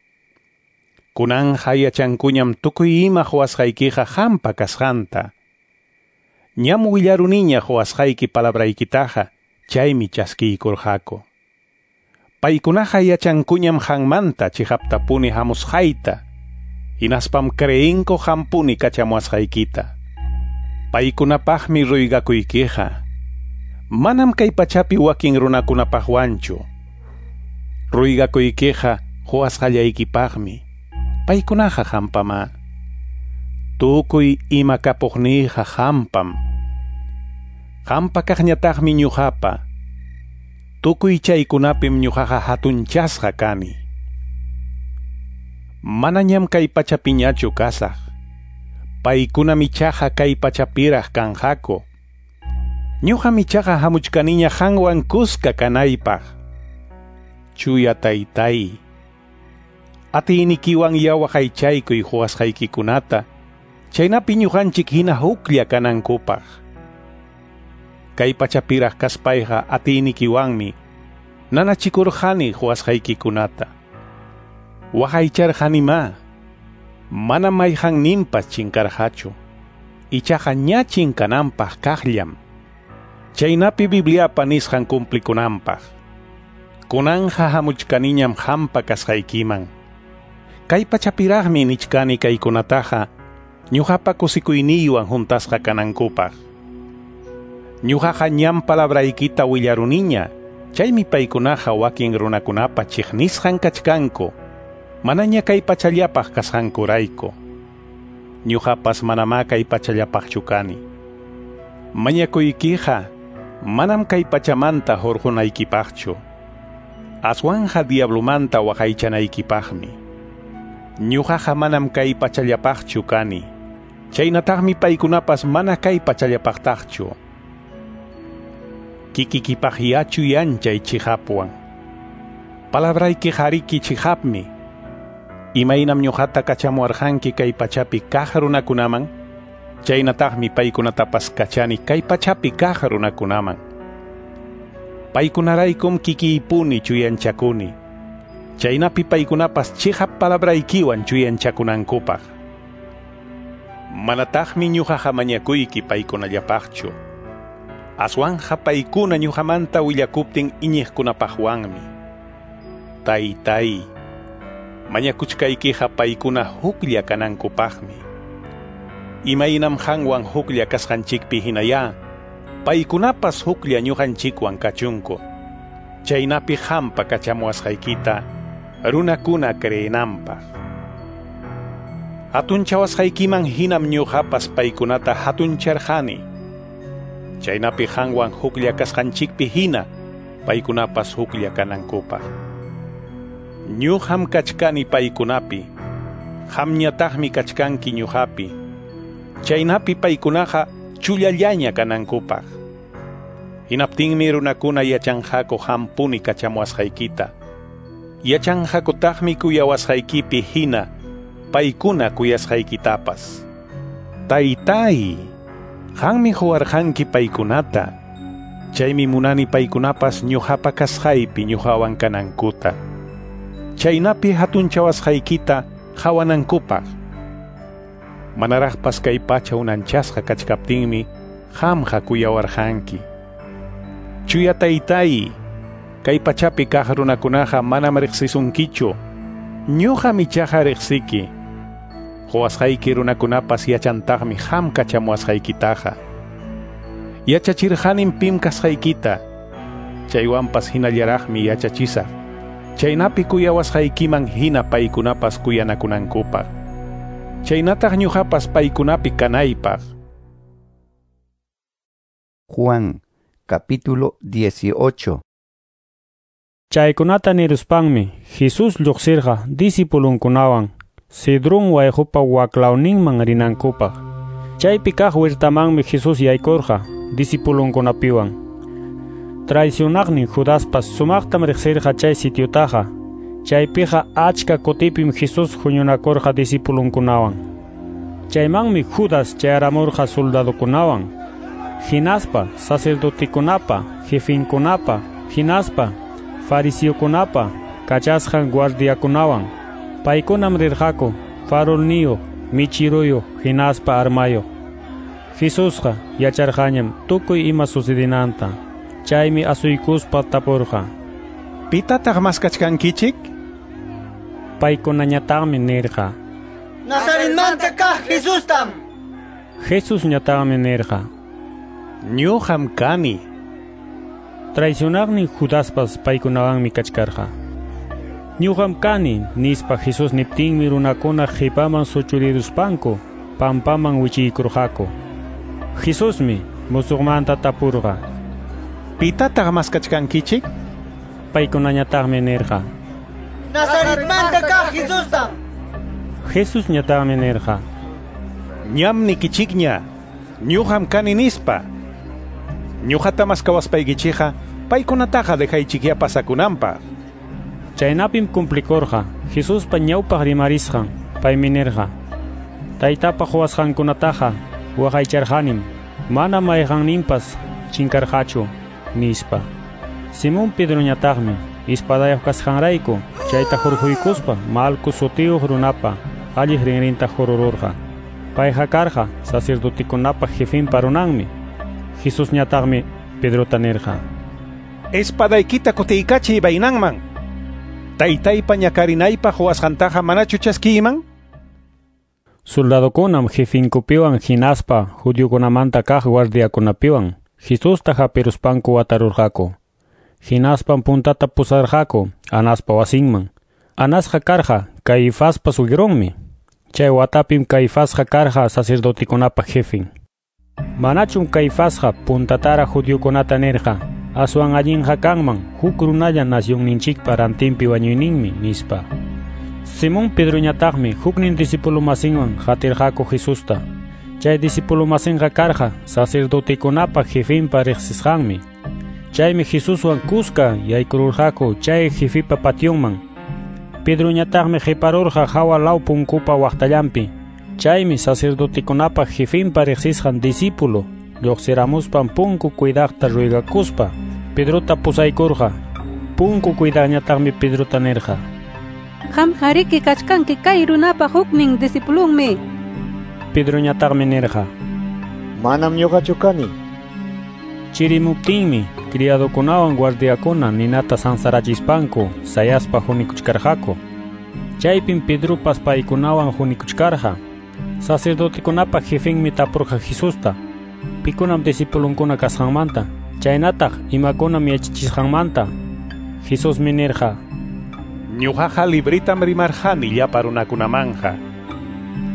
Kunanqa yachankuñam tukuy ima quwasqaykiqa qampa kasqanta. Ñam willaruniña quwasqayki palabraykitaqa, chaymi chaskiykurqaku. Paykunaqa yachankuñam qanmanta chiqaptapuni hamusqayta, hinaspam creenku qampuni kachamuwasqaykita. Paykunapaqmi ruygakuykiqa. Manam kay pachapi wakin runakunapaqwanchu. Ruygakuykiqa quwasqallaykipaqmi. Paykunaqa hampamá. Tukuy ima kapuqniyqa hampam. Hampa kaqñataqmi ñuqapa. Tukuy chaykunapim ñuqaqa hatunchasqa kani. Manañam kay pachapiñachu kasaq. Paykunam ichaqa kay pachapiraq kanqaku. Ñuqam ichaqa hamuchkaniña qanwan kuska kanaypaq. Chuya taytay, atiynikiwan yawaqaychaykuy quwasqaykikunata, chaynapi ñuqanchik hina huklla kanankupaq. Kay pachapiraq kaspayqa atiynikiwanmi nanachikurqani quwasqaykikunata. Waqaycharqanimá, mana mayqanninpas chinkarqachu, ichaqa ña chinkananpaq kaqllam. Chaynapi Bibliapa nisqan cumplikunanpaq. Kunanja hamuchkaniñam hampa kasqaykiman. Kay pachapiraqmi nichkani kaykunataqa ñuqapa kusikuyniywan juntasqa kanankupaq. Ñuqaqa ñam palabraykita willaruniña, chaymi paykunaqa wakin runakunapa chiqnisqan kachkanku, manaña kay pachallapaq kasqankurayku. Ñuqapas manamá kay pachallapaqchu kani. Mañakuykiqa manam kay pachamanta hurqunaykipaqchu, aswanja diablumanta waqaychanaykipaqmi. Ñuqaqa manam kay pachallapaqchu kani, chaynataqmi paykunapas mana kay pachallapaqtaqchu. Kikikipaq yachu yanchay chihapwan. Palabrayki hariki chihapmi. Imaynam ñuqata kachamuwarqanki kay pachapi kaq runakunaman, chaynataqmi paykunatapas kachani kay pachapi kaq runakunaman. Paykunaraykum kikiypuni chuyanchakuni, chaynapi paykunapas chihap palabraykiwan chuyanchakunankupaq. Manataqmi ñuqaqa mañakuyki paykunallapaqchu, aswanja paykuna ñuqamanta willakuptin iñiqkunapaqwanmi. Taytay, mañakuchkaykiqa paykuna huklla kanankupaqmi. Imaynam qanwan huklla kasqanchikpi hinayá, paykunapas huklla ñuqanchikwan kachunku. Chaynapi hampa kachamuwasqaykita runakuna creenanpaq. Hatunchawasqaykiman hinam ñuqapas paykunata hatuncharqani. Chaynapi qanwan huklla kasqanchikpi hina paykunapas huklla kanankupaq. Ñuqam kachkani paykunapi, qamñataqmi kachkanki ñuqapi. Chaynapi paykunaqa chullallaña kanankupaq. Hinaptinmi runakuna yachanqaku hampuni kachamuwasqaykita. Yachanqakutaqmi kuyawasqaykipi hina paykuna kuyasqaykitapas. Taytay, qanmi quwarqanki paykunata. Chaymi munani paykunapas ñuqapa kasqaypi ñuqawan kanankuta. Chaynapi hatunchawasqaykita qhawanankupaq. Manaraqpas kay pacha unanchasqa kachkaptinmi qamqa kuyawarqanki. Chuya taytay, kay pachapi kaq runakunaqa manam riqsisunkichu, ñuqam ichaqa riqsiki. Quwasqayki runakunapas yachantaqmi qam kachamuwasqaykitaqa. Yachachirqanim pim kasqaykita, chaywanpas hinallaraqmi yachachisaq, chaynapi kuyawasqaykiman hina paykunapas kuyanakunankupaq. Chaynataq ñuqapas paykunapi kanaypaq. Juan, capítulo 18. Chaykunata niruspanmi Jesús lluqsirqa discipulunkunawan Cedrón wayqupa waklawninman rinankupaq. Chaypi kaq huertamanmi Jesús yaykurqa discipulunkunapiwan. Traicionaqnin Judaspas sumaqtam riqsirqa chay sitiotaqa. Chaypiqa achka kutipim Jesús huñunakurqa discipulunkunawan. Chaymanmi Judas chayaramurqa soldadokunawan, hinaspa sacerdotekunapa, jefinkunapa, hinaspa fariseokunapa kachasqan guardiakunawan. Paykunam rirqaku farolniyuq, michiruyuq, hinaspa armayuq. Jesusqa yacharqañam tukuy ima sucedinanta. Chaymi asuykuspa tapurqa: ¿Pitataq maskachkankichik? Paykunañataqmi nirqa: Nazaretmanta kaq Jesustam. Jesusñataqmi nirqa: Ñuqam kani. Traicionaqnin Judaspas paykunawanmi kachkarqa. Ñuqam kani, nispa Jesús niptinmi runakuna qipaman suchuriruspanku pampaman wichiykurqaku. Jesusmi musuqmanta tapurqa: Pitataq maskachkankichik? Paykunañataqmi nirqa: Nazaretmanta kaq Jesustam. Jesusñataqmi nirqa: Ñam nikichikña, ñuqam kani nispa. Ñuqata maskawaspaykichikqa paykunataqa dejaychikya pasakunanpaq. Chaynapim cumplikurqa Jesuspa ñawpaq rimarisqan. Paymi nirqa: Taytapa quwasqankunataqa waqaycharqanim, mana mayqanninpas chinkarqachu, nispa. Simón Pedroñataqmi espadayuq kasqanrayku chayta hurquykuspa Malco sutiyuq runapa alliq rinrinta hurururqa. Payqa karqa sacerdotekunapa jefinpa runanmi. Jesusñataqmi Pedrota nirqa: Espadaykita kutiykachiy vainanman. Taytaypa ñakarinaypaq quwasqantaqa manachu chaskiyman? Soldadokunam jefinkupiwan hinaspa judiokunamanta kaq guardiakunapiwan Jesusta hapiruspanku watarurqaku. Hinaspam puntata pusarqaku Anaspa wasinman. Anasqa karqa Caifaspa suegronmi. Chay watapim Caifasqa karqa sacerdotekunapa jefin. Manachum Caifasqa puntatara judiokunata nirqa: aswan allinqa kanman huk runalla nacionninchikpa rantinpi wañuyninmi, nispa. Simón Pedroñataqmi huknin discípulo masinwan qatirqaku Jesusta. Chay discípulo masinqa karqa sacerdotekunapa jefinpa riqsisqanmi. Chaymi Jesuswan kuska yaykururqaku chay jefipa pationman. Pedroñataqmi qiparurqa hawa law punkupa waqtallanpi. Chaymi sacerdotekunapa jefinpa riqsisqan discípulo lluqsiramuspan punku cuidaqta ruegakuspa Pedrota pusaykurqa. Punku cuidaqñataqmi Pedrota nirqa: Qamqa kachkanki kay runapa huknin discipulunmi. Pedroñataqmi nirqa: Manam ñuqachu kani. Chirimuptinmi criadokunawan guardiakuna ninata sansarachispanku sayaspa hunikuchkarqaku. Chaypim Pedropas paykunawan hunikuchkarqa. Sacerdotekunapa jefinmi tapurqa Jesusta pikunam discipulunkuna kasqanmanta, chaynataq imakunam yachachisqanmanta. Jesusmi nirqa: Ñuqaqa libritam rimarqani llapa runakunamanja.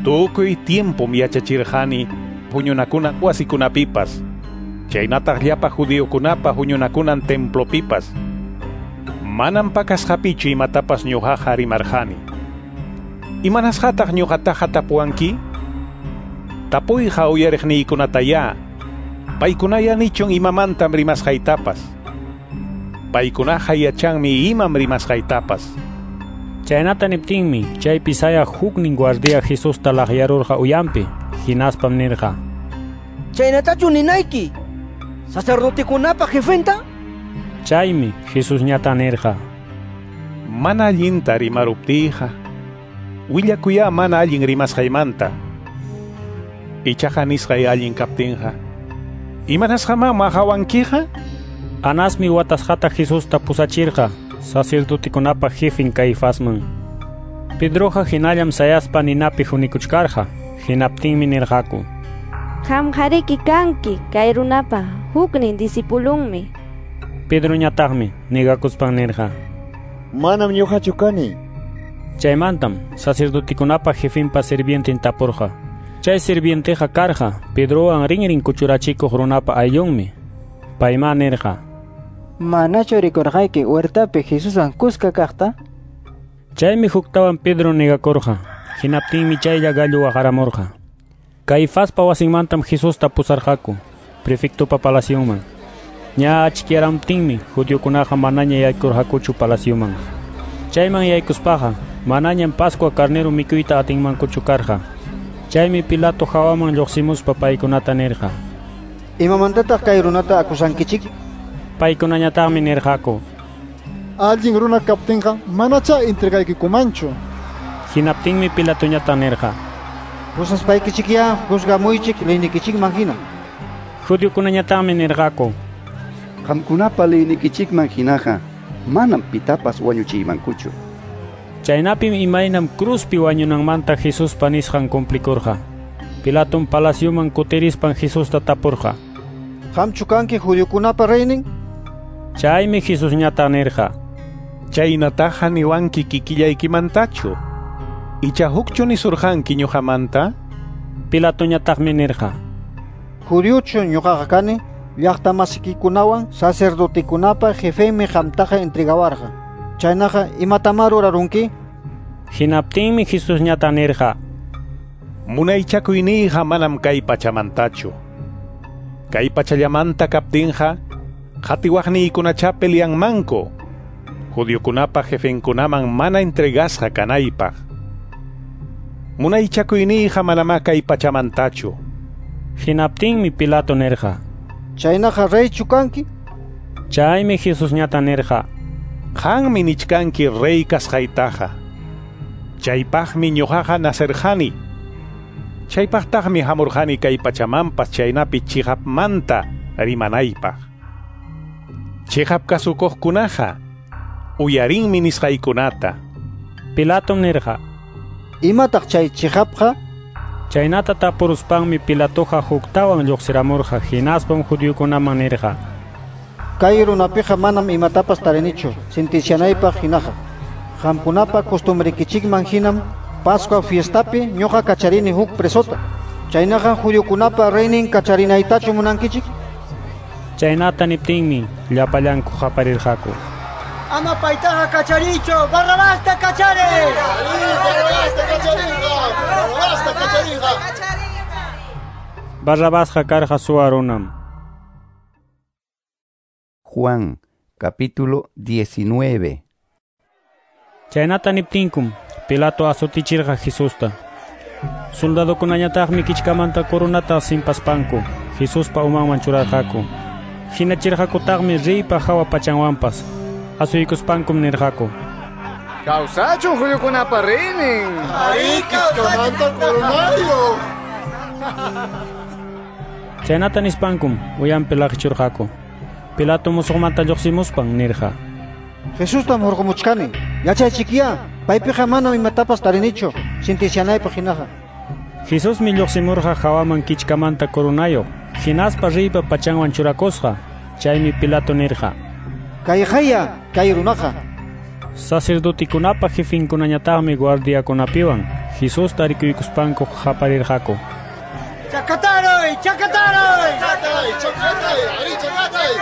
Tukuy tiempom yachachirqani huñunakuna wasikunapipas, chaynataq llapa judiokunapa huñunakunan templopipas. Manam pakasqapichu imatapas ñuqaqa rimarqani. Imanasqataq ñuqataqa tapuwanki? Tapuyqa uyariqniykunatayá. Paykunaya nichun imamantam rimasqaytapas. Paykunaqa yachanmi imam rimasqaytapas. Chaynata niptinmi chaypi sayaq huknin guardia Jesusta laqyarurqa uyampi. Hinaspam nirqa: Chaynatachu ninayki sacerdotekunapa jefenta? Chaymi Jesusñata nirqa: Mana allinta rimaruptiyqa willakuyá mana allin rimasqaymanta. Ichaqa nisqay allin kaptinqa, imanasqamá maqawankiqa? Anasmi watasqata Jesusta pusachirqa sacerdotekunapa jefin Caifasman. Pedroqa hinallam sayaspa ninapi hunikuchkarqa. Hinaptinmi nirqaku: Qamqariki kanki kay runapa huknin discipulunmi. Pedroñataqmi negakuspan nirqa: Manam ñuqachu kani. Chaymantam sacerdotekunapa jefinpa sirvienten tapurqa. Chay sirvienteqa karqa Pedrowan rinrin kuchurachikuq runapa ayllunmi. Payma nirqa: Manachu rikurqayki huertapi Jesuswan kuska kaqta? Chaymi huktawan Pedro negakurqa. Hinaptinmi chaylla gallo waqaramurqa. Caifaspa wasinmantam Jesusta pusarqaku prefectopa palacionman. Ña achkiyaramtinmi judiokunaqa manaña yaykurqakuchu palacioman. Chayman yaykuspaqa manañam Pascua carnero mikuyta atinmankuchu karqa. Chaymi Pilato hawaman lluqsimuspa paykunata nirqa: Imamantataq kay runata acusankichik? Paykunañataqmi nirqaku: Allin runa kaptinqa manacha entregaykikumanchu. Hinaptinmi Pilatoñata nirqa: Pusaspaykichikyá juzgamuychik leynikichikman hina. Judiokunañataqmi nirqaku: Qamkunapa leynikichikman hinaqa manam pitapas wañuchiymankuchu. Chaynapim imaynam cruzpi wañunanmanta Jesuspa nisqan cumplikurqa. Pilatom palacioman kutirispan Jesusta tapurqa: Qamchu kanki judiokunapa reynin? Chaymi Jesusñata nirqa: Chaynataqa niwanki kikillaykimantachu. Icha hukchu nisurqanki ñuqamanta? Pilatoñataqmi nirqa: Judiochu ñuqaqa kani, llaqtamasikikunawan sacerdotekunapa jefenmi qamtaqa entregawarqa. Chaynaqa imatamá rurarunki? Hinaptinmi Jesusñata nirqa: Munaychakuyniyqa manam kay pachamantachu. Kay pachallamanta kaptinqa qatiwaqniykunacha peleanmanku judiokunapa jefenkunaman mana entregasqa kanaypaq. Munaychakuyniyqa manamá kay pachamantachu. Hinaptinmi Pilato nirqa: Chaynaqa reychu kanki? Chaymi Jesusñata nirqa: Qanmi nichkanki rey kasqaytaqa. Chaypaqmi ñuqaqa nacerqani. Chaypaqtaqmi hamurqani kay pachamanpas chaynapi chiqapmanta rimanaypaq. Chiqap kasukuqkunaqa uyarinmi nisqaykunata. Pilato nirqa: Imataq chay chiqapqa? Chaynata tapuruspanmi Pilatoqa huktawan lluqsiramurqa, hinaspam judiokunaman nirqa: Kay runapiqa manam imatapas tarinichu sentencianaypaq hinaqa. Qamkunapa costumbrikichikman hinam Pascua fiestapi ñuqa kacharini huk presota. Chaynaqa judiokunapa reynin kacharinaytachu munankichik? Chaynata niptinmi llapallanku qaparirqaku: Ama paytaqa kacharichu, Barrabasta kachari! Barrabasta kacharinqa! Barrabasta kacharinqa! Barrabasqa karqa suwa runam. Juan, capítulo 19. Chaynata niptinkum Pilato asutichirqa Jesusta. Soldadokunañataqmi kichkamanta coronata simpaspanku Jesuspa umanman churarqaku. Hinachirqakutaqmi reypa hawa pachanwanpas. Asuykuspankum nirqaku: Kawsachun judiokunapa reynin! Arí, kichkamanta coronario! Chaynata nispankum uyanpi laqichurqaku. Pilato musuqmanta lluqsimuspan nirqa: Jesustam hurqumuchkani. Yachaychikyá, paypiqa manam imatapas tarinichu sentencianaypaq hinaqa. Jesusmi lluqsimurqa hawaman kichkamanta coronayo, hinaspa reypa pachanwan churakusqa. Chaymi Pilato nirqa: Kayqaya, kay runaqa. Sacerdotekunapa jefinkunañataqmi guardiakunapiwan Jesusta rikuykuspanku qaparirqaku: Chakataruy, chakataruy! Chakatay, chakatay, ari chakatay!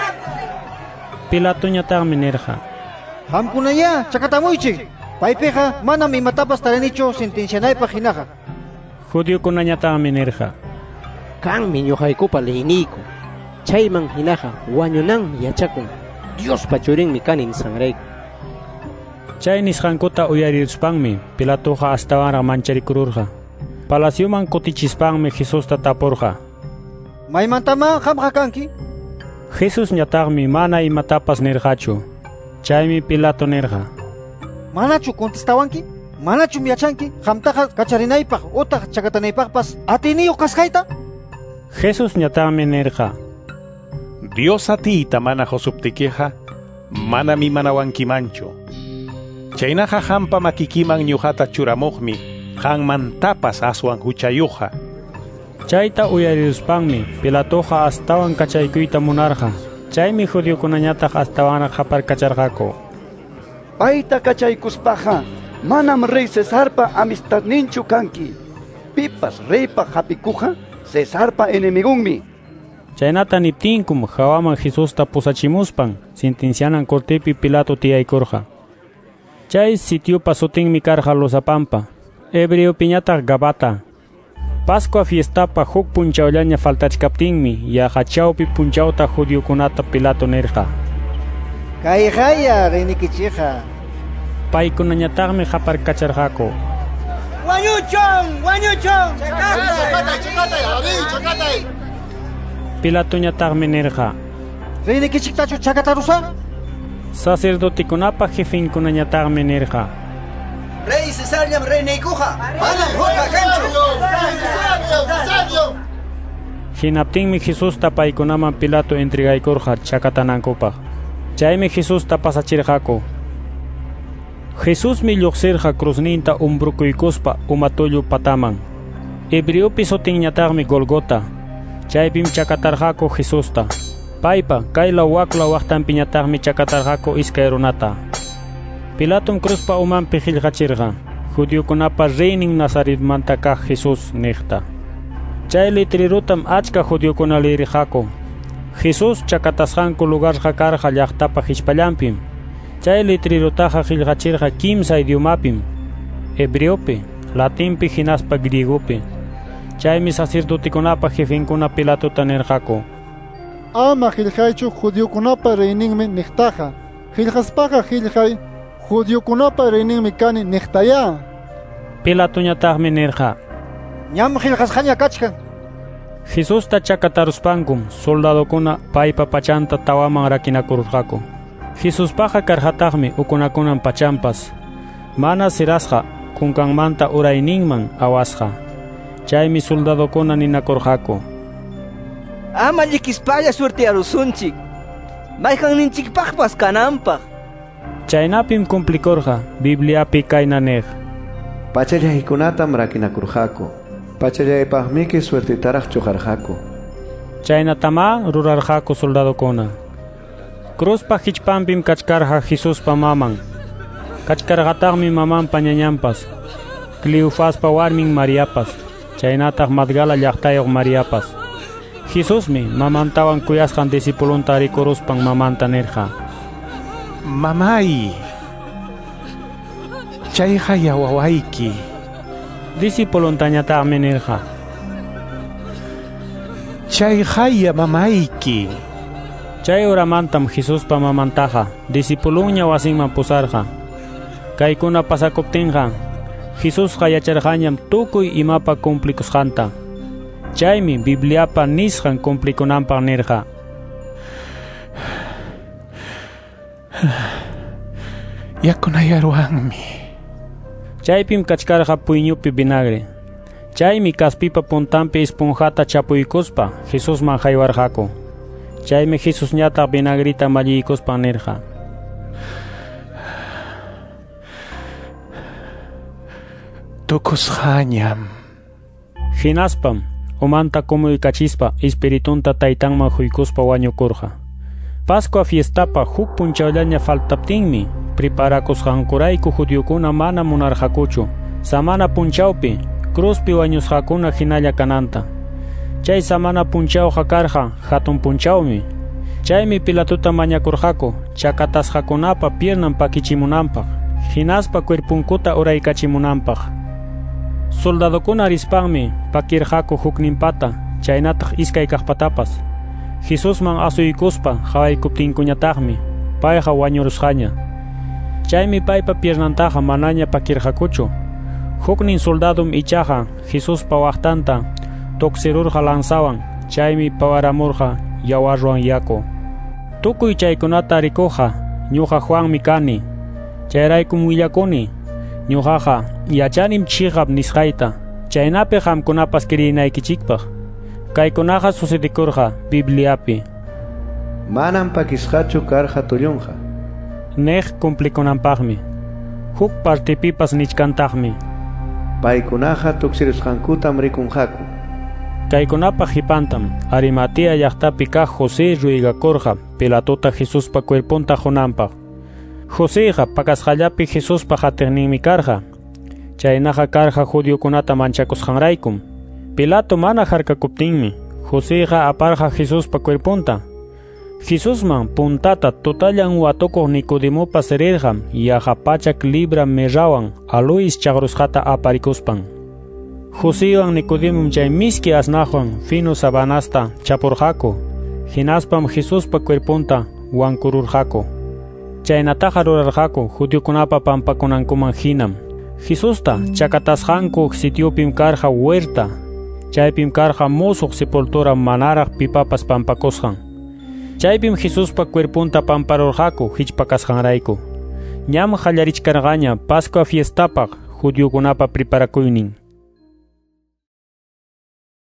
Pilatoñataqmi nirqa: Qamkunayá chakatamuychik. Paypiqa manam imatapas tarinichu sentencianaypaq hinaqa. Judiokunañataqmi nirqa: Kanmi ñuqaykupa leyniyku. Chayman hinaqa wañunanmi yachakun. Diospa churinmi kani nisqanrayku. Chay nisqankuta uyariruspanmi Pilatoqa astawanraq mancharikururqa. Palacioman kutichispanmi Jesusta tapurqa: Maymantamá qamqa kanki? Jesusñataqmi mana imatapas nirqachu. Chaymi Pilato nirqa: Manachu contestawanki? Manachum yachanki qamtaqa kacharinaypaq utaq chakatanaypaqpas atiyniyuq kasqayta? Jesusñataqmi nirqa: Dios atiyta mana qusuptikiqa manam imanawankimanchu. Chaynaqa qampa makikiman ñuqata churamuqmi qanmantapas aswan huchayuqqa. Chayta uyariruspanmi Pilatoqa astawan kachaykuyta munarqa. Chaymi judiokunañataq astawanraq qaparkacharqaku: Payta kachaykuspaqa manam rey Cesarpa amistadninchu kanki. Pipas reypa hapikuqqa Cesarpa enemigunmi. Chaynata niptinkum hawaman Jesusta pusachimuspan sentencianan cortepi Pilato tiyaykurqa. Chay sitiopa sutinmi karqa Losapampa, hebreopiñataq Gabata. Pascua fiestapa huk punchawllaña faltachkaptinmi yaqa chawpi punchawta judiokunata Pilato nirqa: Kayqaya reynikichikqa. Paykunañataqmi qaparkacharqaku: Wañuchun, wañuchun! Chakatay, chakatay, ari chakatay! Pilatoñataqmi nirqa: Reynikichiktachu chakatarusaq? Sacerdotekunapa jefinkunañataqmi nirqa: Rey Cesarllam reyniykuqa, manam hukqa kanchu. Hinaptinmi Jesusta paykunaman Pilato entregaykurqa chakatanankupaq. Chaymi Jesusta pasachirqaku. Jesusmi lluqsirqa cruzninta umbrukuykuspa umatullu pataman. Hebreopi sutinñataqmi Golgota. Chaypim chakatarqaku Jesusta. Paypa kaylaw waklaw waqtanpiñataqmi chakatarqaku iskay runata. Pilatom cruzpa umanpi qillqachirqa judiokunapa reynin Nazaretmanta kaq Jesús niqta. Chay litrirutam achka judiokuna lirirqaku. Jesús chakatasqanku lugarqa karqa llaqtapa hichpallanpim. Chay litrirutaqa qillqachirqa kimsa idiomapim: hebreopi, latinpi hinaspa griegopi. Chaymi sacerdotekunapa jefenkuna Pilatota nirqaku: Ama qillqaychu judiokunapa reyninmi niqtaqa. Qillqaspaqa qillqay judiokunapa reyninmi kani niqtaya. Pilatoñataqmi nirqa: Ñam qillqasqaña kachkan. Jesusta chakataruspankum soldadokuna paypa pachanta tawaman rakinakururqaku. Jesuspaqa karqataqmi ukunakunan pachampas, mana sirasqa kunkanmanta urayninman awasqa. Chaymi soldadokuna ninakurqaku: Ama llikispalla suertearusunchik, mayqanninchikpaqpas kananpaq. Chaynapim cumplikurqa Bibliapi kayna niq: Pachallaykunatam rakinakurqaku, pachallaypaqmiki suertetaraq chuqarqaku. Chaynatamá rurarqaku soldadokuna. Cruzpa hichpanpim kachkarqa Jesuspa maman. Kachkarqataqmi mamanpa ñañanpas, Cleofaspa warmin Mariapas, chaynataq Magdala llaqtayuq Mariapas. Jesusmi mamantawan kuyasqan discipulunta rikuruspan mamanta nirqa: Mamay, chayqa wawayki. Discipuluntañataqmi nirqa: Chayqaya mamayki. Chay horamantam Jesuspa mamantaqa discipulunña wasinman pusarqa. Kaykuna pasakuptinqa Jesusqa yacharqañam tukuy imapa cumplikusqanta. Chaymi Bibliapa nisqan cumplikunanpaq nirqa: Yakunayaruwanmi. Chaypim kachkarqa puyñupi vinagre. Chaymi kaspipa puntanpi esponjata chapuykuspa Jesusman haywarqaku. Chaymi Jesusñataq vinagrita malliykuspan nirqa: Tukusqañam. Hinaspam umanta kumuykachispa espiritunta taytanman huykuspa wañukurqa. Pascua fiestapa huk punchawllaña faltaptinmi preparakusqankurayku judiokuna mana munarqakuchu samana punchawpi cruzpi wañusqakuna hinalla kananta. Chay samana punchawqa karqa hatun punchawmi. Chaymi Pilatota mañakurqaku chakatasqakunapa piernan pakichimunanpaq, hinaspa cuerpunkuta uraykachimunanpaq. Soldadokuna rispanmi pakirqaku hukninpata, chaynataq iskay kaqpatapas. Jesusman asuykuspa qawaykuptinkuñataqmi payqa wañurusqaña. Chaymi paypa piernantaqa manaña pakirqakuchu. Huknin soldadum ichaqa Jesuspa waqtanta tuksirurqa lanzawan, chaymi pawaramurqa yawarwan yaku. Tukuy chaykunata rikuqqa ñuqa Juanmi kani. Chayraykum willakuni, ñuqaqa yachanim chiqap nisqayta, chaynapi qamkunapas kirinaykichikpaq. Kaykunaqa sucedikurqa Bibliapi: Manam pakisqachu karqa tullunqa, niq cumplikunanpaqmi. Huk partipipas nichkantaqmi: Paykunaqa tuksirusqankutam rikunqaku. Kaykunapa qipantam Arimatea llaqtapi kaq José ruygakurqa Pilatota Jesuspa cuerpunta qunanpaq. Joséqa pakasqallapi Jesuspa qatiqninmi karqa. Chaynaqa karqa judiokunata manchakusqanraykum. Pilato mana harkakuptinmi Joséqa aparqa Jesuspa cuerpunta. Jesusman puntata tutallan watukuq Nicodemopas rirqa yaqa 100 libra mirrawan aloes chaqrusqata aparikuspan. Joséwan Nicodemom chay miski asnaqwan fino sabanasta chapurqaku. Hinaspam Jesuspa cuerpunta wankururqaku. Chaynataqa rurarqaku judiokunapa pampakunankuman hinam. Jesusta chakatasqanku sitiopim karqa huerta. Chaypim karqa musuq sepultura manaraq pipapas pampakusqan. Chaypim Jesuspa cuerpunta pamparurqaku hichpakasqanrayku. Ñam qallarichkarqaña Pascua fiestapaq judiokunapa preparakuynin.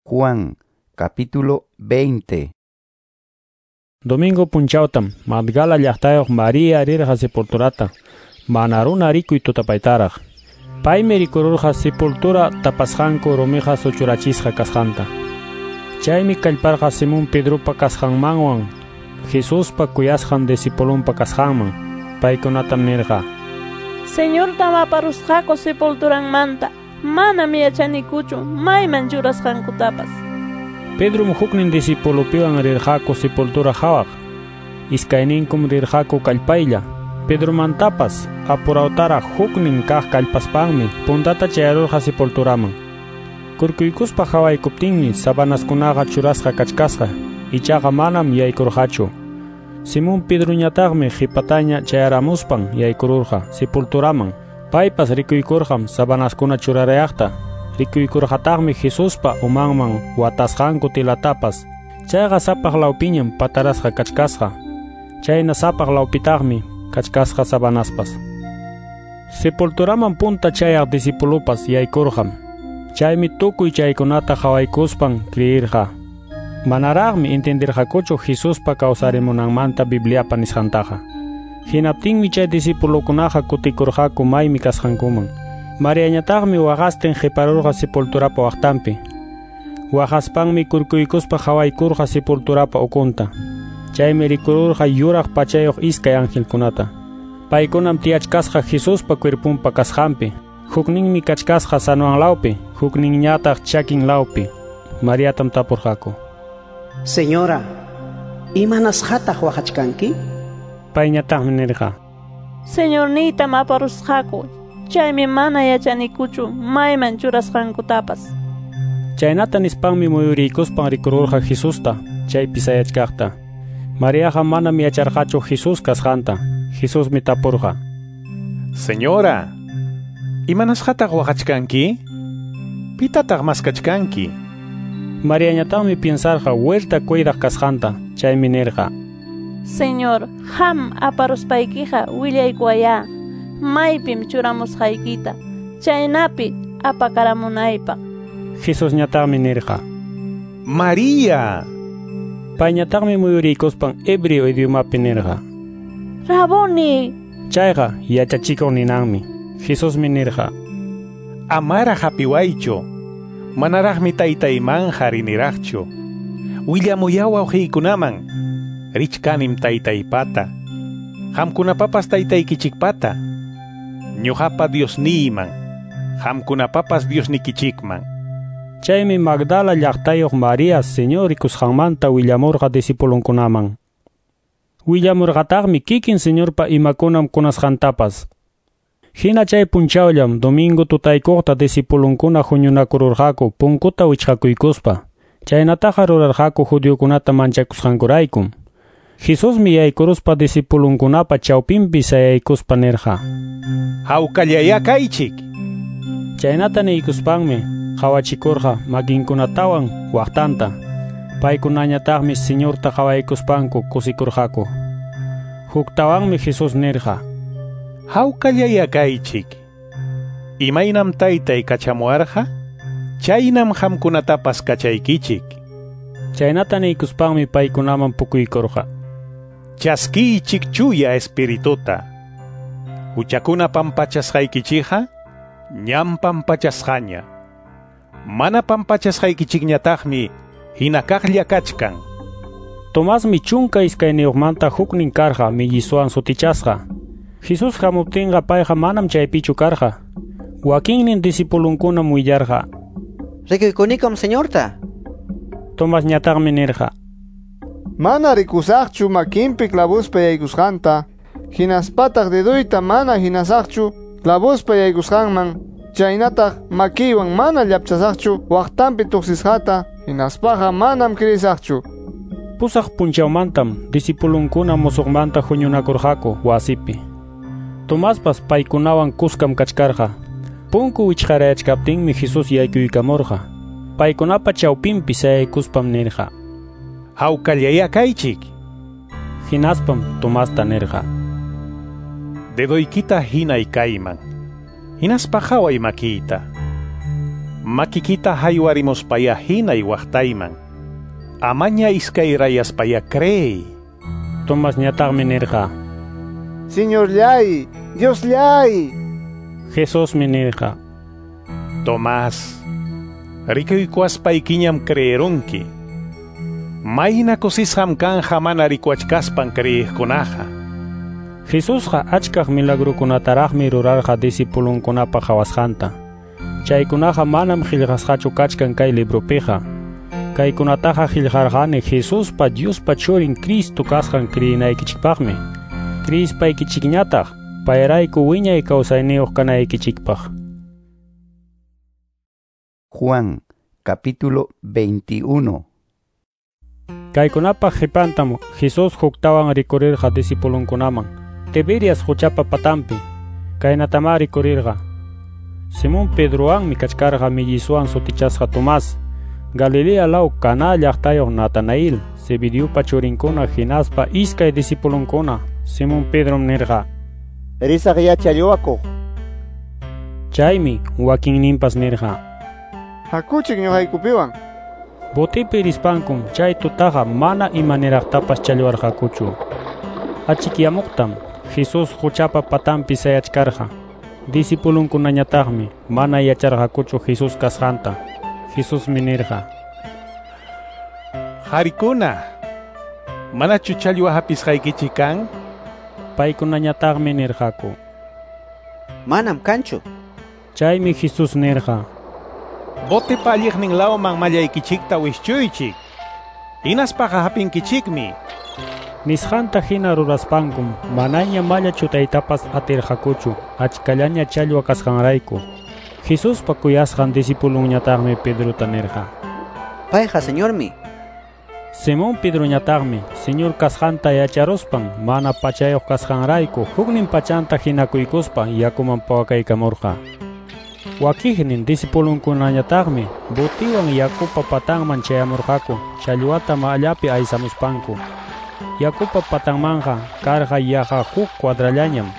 Juan, capítulo 20. Domingo punchawtam Magdala llaqtayuq María rirqa sepulturata, mana runa rikuy tutapaytaraq. Paymi rikururqa sepultura tapasqanku rumiqa suchurachisqa kasqanta. Chaymi kallparqa Simón Pedropa kasqanmanwan Jesuspa kuyasqan discipulunpa kasqanman. Paykunatam nirqa: Señortam aparusqaku sepulturanmanta. Manam yachanikuchu mayman churasqankutapas. Pedrom huknin discipulopiwan rirqaku sepultura hawaq. Iskayninkum rirqaku kallpaylla. Pedromantapas apurawtaraq huknin kaq kallpaspanmi puntata chayarurqa sepulturaman. Kurkuykuspa hawaykuptinmi sabanaskunaqa churasqa kachkasqa, ichaqa manam yaykurqachu. Simón Pedroñataqmi qhipataña chayaramuspan yaykururqa sepulturaman. Paypas rikuykurqam sabanaskuna churarayaqta. Rikuykurqataqmi Jesuspa umanman watasqanku tilatapas. Chayqa sapaq lawpiñam patarasqa kachkasqa. Chayna sapaq lawpitaqmi kachkasqa sabanaspas. Sepulturaman punta chayaq discipulopas yaykurqam. Chaymi tukuy chaykunata qhawaykuspan creirqa. Manaraqmi entendirqakuchu Jesuspa kawsarimunanmanta Bibliapa nisqantaqa. Hinaptinmi chay discipulokunaqa kutikurqaku maymi kasqankuman. Mariañataqmi waqastin qiparurqa sepulturapa waqtanpi. Waqaspanmi kurkuykuspa qhawaykurqa sepulturapa ukunta. Chaymi rikururqa yuraq pachayuq iskay angelkunata. Paykunam tiyachkasqa Jesuspa cuerpunpa kasqanpi. Hukninmi kachkasqa sanuan lawpi, hukninñataq chakin lawpi. Mariatam tapurqaku: Señora, imanasqataq waqachkanki? Payñataqmi nirqa: Señorniytam aparusqaku, chaymi mana yachanikuchu mayman churasqankutapas. Chaynata nispanmi muyuriykuspan rikururqa Jesusta, chaypi sayachkaqta. Mariaqa manam yacharqachu Jesús kasqanta. Jesusmi tapurqa: Señora, imanasqataq waqachkanki? Pitataq maskachkanki? Mariañataqmi piensarqa huerta cuidaq kasqanta, chaymi nirqa: Señor, qam aparuspaykiqa willaykuwayá maypim churamusqaykita, chaynapi apakaramunaypaq. Jesusñataqmi nirqa: María. Payñataqmi muyuriykuspan hebreo idiomapi nirqa: Raboni. Chayqa yachachikuq ninanmi. Jesusmi nirqa: Amaraq hapiwaychu, manaraqmi taytaymanqa riniraqchu. Willamuya wawqiykunaman, richkanim taytaypata, qamkunapapas taytaykichikpata, ñuqapa Diosniyman, qamkunapapas Diosnikichikman. Chaymi Magdala llaqtayuq María Señor rikusqanmanta willamurqa discipulunkunaman. Willamurqataqmi kikin Señorpa imakunam kunasqantapas. Hina chay punchawllam domingo tutaykuqta discipulunkuna huñunakururqaku punkuta wichqakuykuspa. Chaynataqa rurarqaku judiokunata manchakusqankuraykum. Jesusmi yaykuruspa discipulunkunapa chawpinpi sayaykuspa nirqa: Hawkallayá kaychik. Chaynata niykuspanmi qawachikurqa makinkunatawan waqtanta. Paykunañataqmi Señorta qawaykuspanku kusikurqaku. Huktawanmi Jesús nirqa: Hawkallayá kaychik. Imaynam taytay kachamuwarqa, chaynam qamkunatapas kachaykichik. Chaynata niykuspanmi paykunaman pukuykurqa: Chaskiychik chuya espirituta. Huchakuna pampachasqaykichikqa ñam pampachasqaña. Mana pampachasqaykichikñataqmi hina kaqlla kachkan. Tomasmi 12 manta huknin karqa millisuwan sutichasqa. Jesús hamuptinqa payqa manam chaypichu karqa. Wakinnin discipulunkunam willarqa: Rikuykunikum Señorta. Tomasñataqmi nirqa: Mana rikusaqchu makinpi clavospa yaykusqanta, hinaspataq dedoyta mana hinasaqchu clavospa yaykusqanman, chaynataq makiywan mana llapchasaqchu waqtanpi tuqsisqata, hinaspaqa manam creesaqchu. 8 punchawmantam discipulunkuna musuqmanta huñunakurqaku wasipi. Tomaspas paykunawan kuskam kachkarqa. Punku wichqarayachkaptinmi Jesús yaykuykamurqa. Paykunapa chawpinpi sayaykuspam nirqa: Hawkallayá kaychik. Hinaspam Tomasta nirqa: Dedoykita hinay kayman, hinaspa qhaway makiyta. Makikita haywarimuspaya hinay waqtayman. Amaña iskayrayaspaya creey. Tomasñataqmi nirqa: Señorllay, Diosllay. Jesusmi nirqa: Tomás, rikuykuwaspaykiñam creerunki. Mayna kusisqam kanja mana rikuwachkaspan creeqkunaqa. Jesusqa achkaq milagrukunataraqmi rurarqa discipulunkunapa qawasqanta. Chaykunaqa manam qillqasqachu kachkan kay libropiqa. Kaykunataqa qillqarqani Jesuspa Diospa Churin Cristo kasqan kriyinaykichikpaqmi. Kriyispaykichikñataq payrayku wiñay kawsayniyuq kanaykichikpaq. Juan, capítulo 21. Kaykunapaq qipantam Jesús huktawan rikurirqa discipulunkunaman. Tiberias quchapa patampi. Kaynatamá rikurirqa. Simón Pedrowanmi kachkarqa mellizuwan sutichasqa Tomás, Galilea law Caná llaqtayuq Natanael, Zebedeupa churinkuna hinaspa iskay discipulunkuna. Simón Pedrom nirqa: Risaq yachallwakuq. Chaymi wakinninpas nirqa: Hakuchik ñuqaykupiwan. Botipi rispankum chay tutaqa mana imaniraqtapas challwarqakuchu. Achikyamuqtam Jesús quchapa patampi sayachkarqa. Discipulunkunañataqmi mana yacharqakuchu Jesús kasqanta. Jesusmi nirqa: Qarikuna, manachu challwa hapisqaykichik kan? Paykunañataqmi nirqaku: Manam kanchu. Chaymi Jesús nirqa: Botipa alliqnin lawman mallaykichikta wischuychik. Hinaspaqa hapinkichikmi. Nisqanta hina ruraspankum manaña malla chutaytapas atirqakuchu achkallaña challwa kasqanrayku. Jesuspa kuyasqan discipulunñataqmi Pedrota nirqa: Payqa Señormi. Simón Pedroñataqmi Señor kasqanta yacharuspan mana pachayuq kasqanrayku huknin pachanta hinakuykuspa yakuman pawakaykamurqa. Wakiqnin discipulunkunañataqmi botiwan yakupa patanman chayamurqaku challwata mallapi aysamuspanku. Yakupa patanmanqa karqa yaqa huk cuadrallañam.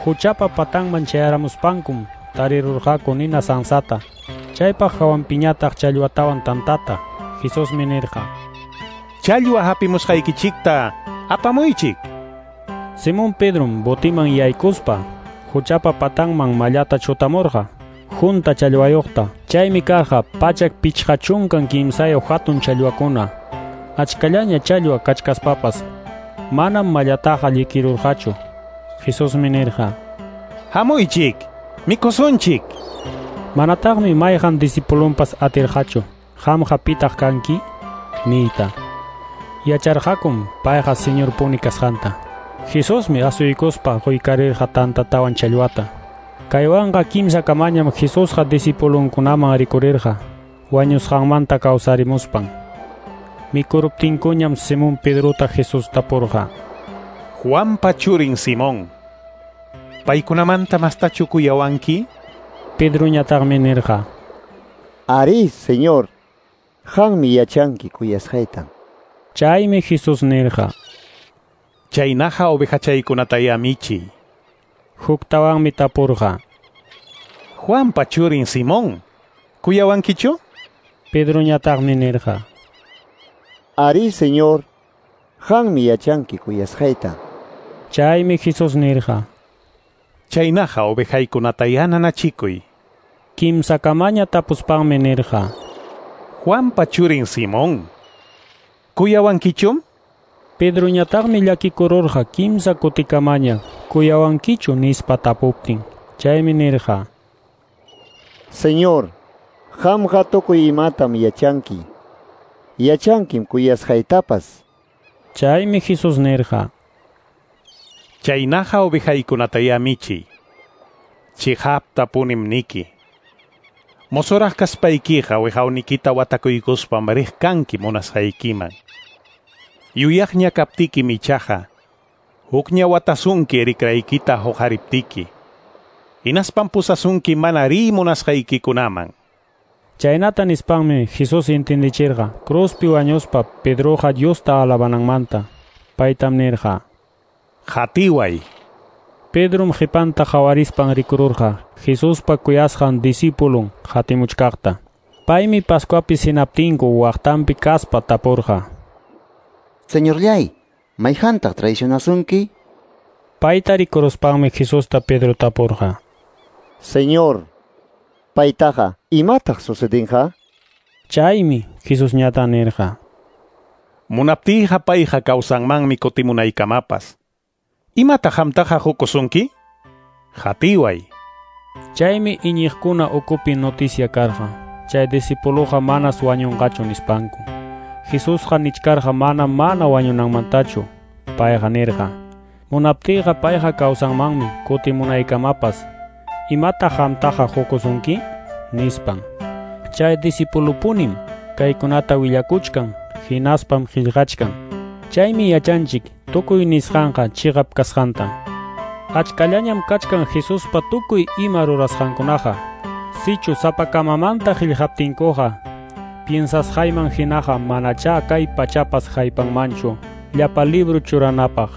Huchapa patanman chayaramuspankum tarirurqaku nina sansata. Chaypaq hawanpiñataq challwatawan tantata. Jesusmi nirqa: Challwa hapimusqaykichikta apamuychik. Simón Pedrom botiman yaykuspa huchapa patanman mallata chutamurqa junta challwayuqta. Chaymi karqa 153 hatun challwakuna. Achkallaña challwa kachkaspapas manam mallataqa llikirurqachu. Jesusmi nirqa: Hamuychik, mikusunchik. Manataqmi mayqan discipulunpas atirqachu qamqa pitaq kanki niyta. Yacharqakum payqa Señorpuni kasqanta. Jesusmi asuykuspa quykarirqa tantatawan challwata. Kaywanqa kimsa kamañam Jesusqa discipulunkunaman rikurirqa wañusqanmanta kawsarimuspan. Mikuruptinkuñam Simón Pedrota Jesús tapurqa: Juanpa churin Simón, paykunamanta mastachu kuyawanki? Pedroñataqmi nirqa: Arí, Señor, qammi yachanki kuyasqayta. Chaymi Jesús nirqa: Chaynaqa ovejachaykunataya michiy. Huktawanmi tapurqa: Juanpa churin Simón, kuyawankichu? Pedroñataqmi nirqa: Arí, Señor, qammi yachanki kuyasqayta. Chaymi Jesús nirqa: Chaynaqa ovejaykunataya nanachikuy. Kimsakamaña tapuspanmi nirqa: Juanpa churin Simón, kuyawankichum? Pedroñataqmi llakikururqa kimsa kutikamaña kuyawankichu nispa tapuptin. Chaymi nirqa: Señor, qamqa tukuy imatam yachanki. Yachankim kuyasqaytapas. Chaymi Jesús nirqa: Chaynaqa ovejaykunataya michiy. Chiqaptapunim niki. Mozoraq kaspaykiqa wiqawnikita watakuykuspam riq kanki munasqaykiman. Yuyaqña kaptiki michaqa, hukña watasunki rikraykita huqariptiki. Hinaspan pusasunki mana riy munasqaykikunaman. Chaynata nispanmi Jesús intindichirqa cruzpi wañuspa Pedroqa Diosta alabananmanta. Paytam nirqa: Qatiway. Pedrom qhipanta qawarispan rikururqa Jesuspa kuyasqan discipulun qatimuchkaqta. Paymi Pascuapi sinaptinku waqtanpi kaspa tapurqa: Señorllay, mayqantaq traicionasunki? Payta rikuruspanmi Jesusta Pedro tapurqa: Señor, paytaqa imataq sucedinqa? Chaymi Jesusñata nirqa: Munaptiyqa payqa kawsanmanmi kutimunaykamapas. Imataq qamtaqa qukusunki? Qatiway. Chaymi iñiqkuna ukupi noticia karqa. Chay discipuluqa manas wañunqachu nispanku. Jesusqa nichkarqa mana wañunanmantachu. Payqa nirqa: Munaptiyqa payqa kawsanmanmi kutimunaykamapas. Imataq qamtaqa qukusunki? Nispan. Chay discipulupunim kaykunata willakuchkan, hinaspam qillqachkan. Chaymi yachanchik tukuy nisqanqa chiqap kasqanta. Achkallañam kachkan Jesuspa tukuy ima rurasqankunaqa. Sichu sapakamamanta qillqaptinkuqa, piensasqayman hinaqa manachá kay pachapas haypanmanchu llapa libro churanapaq.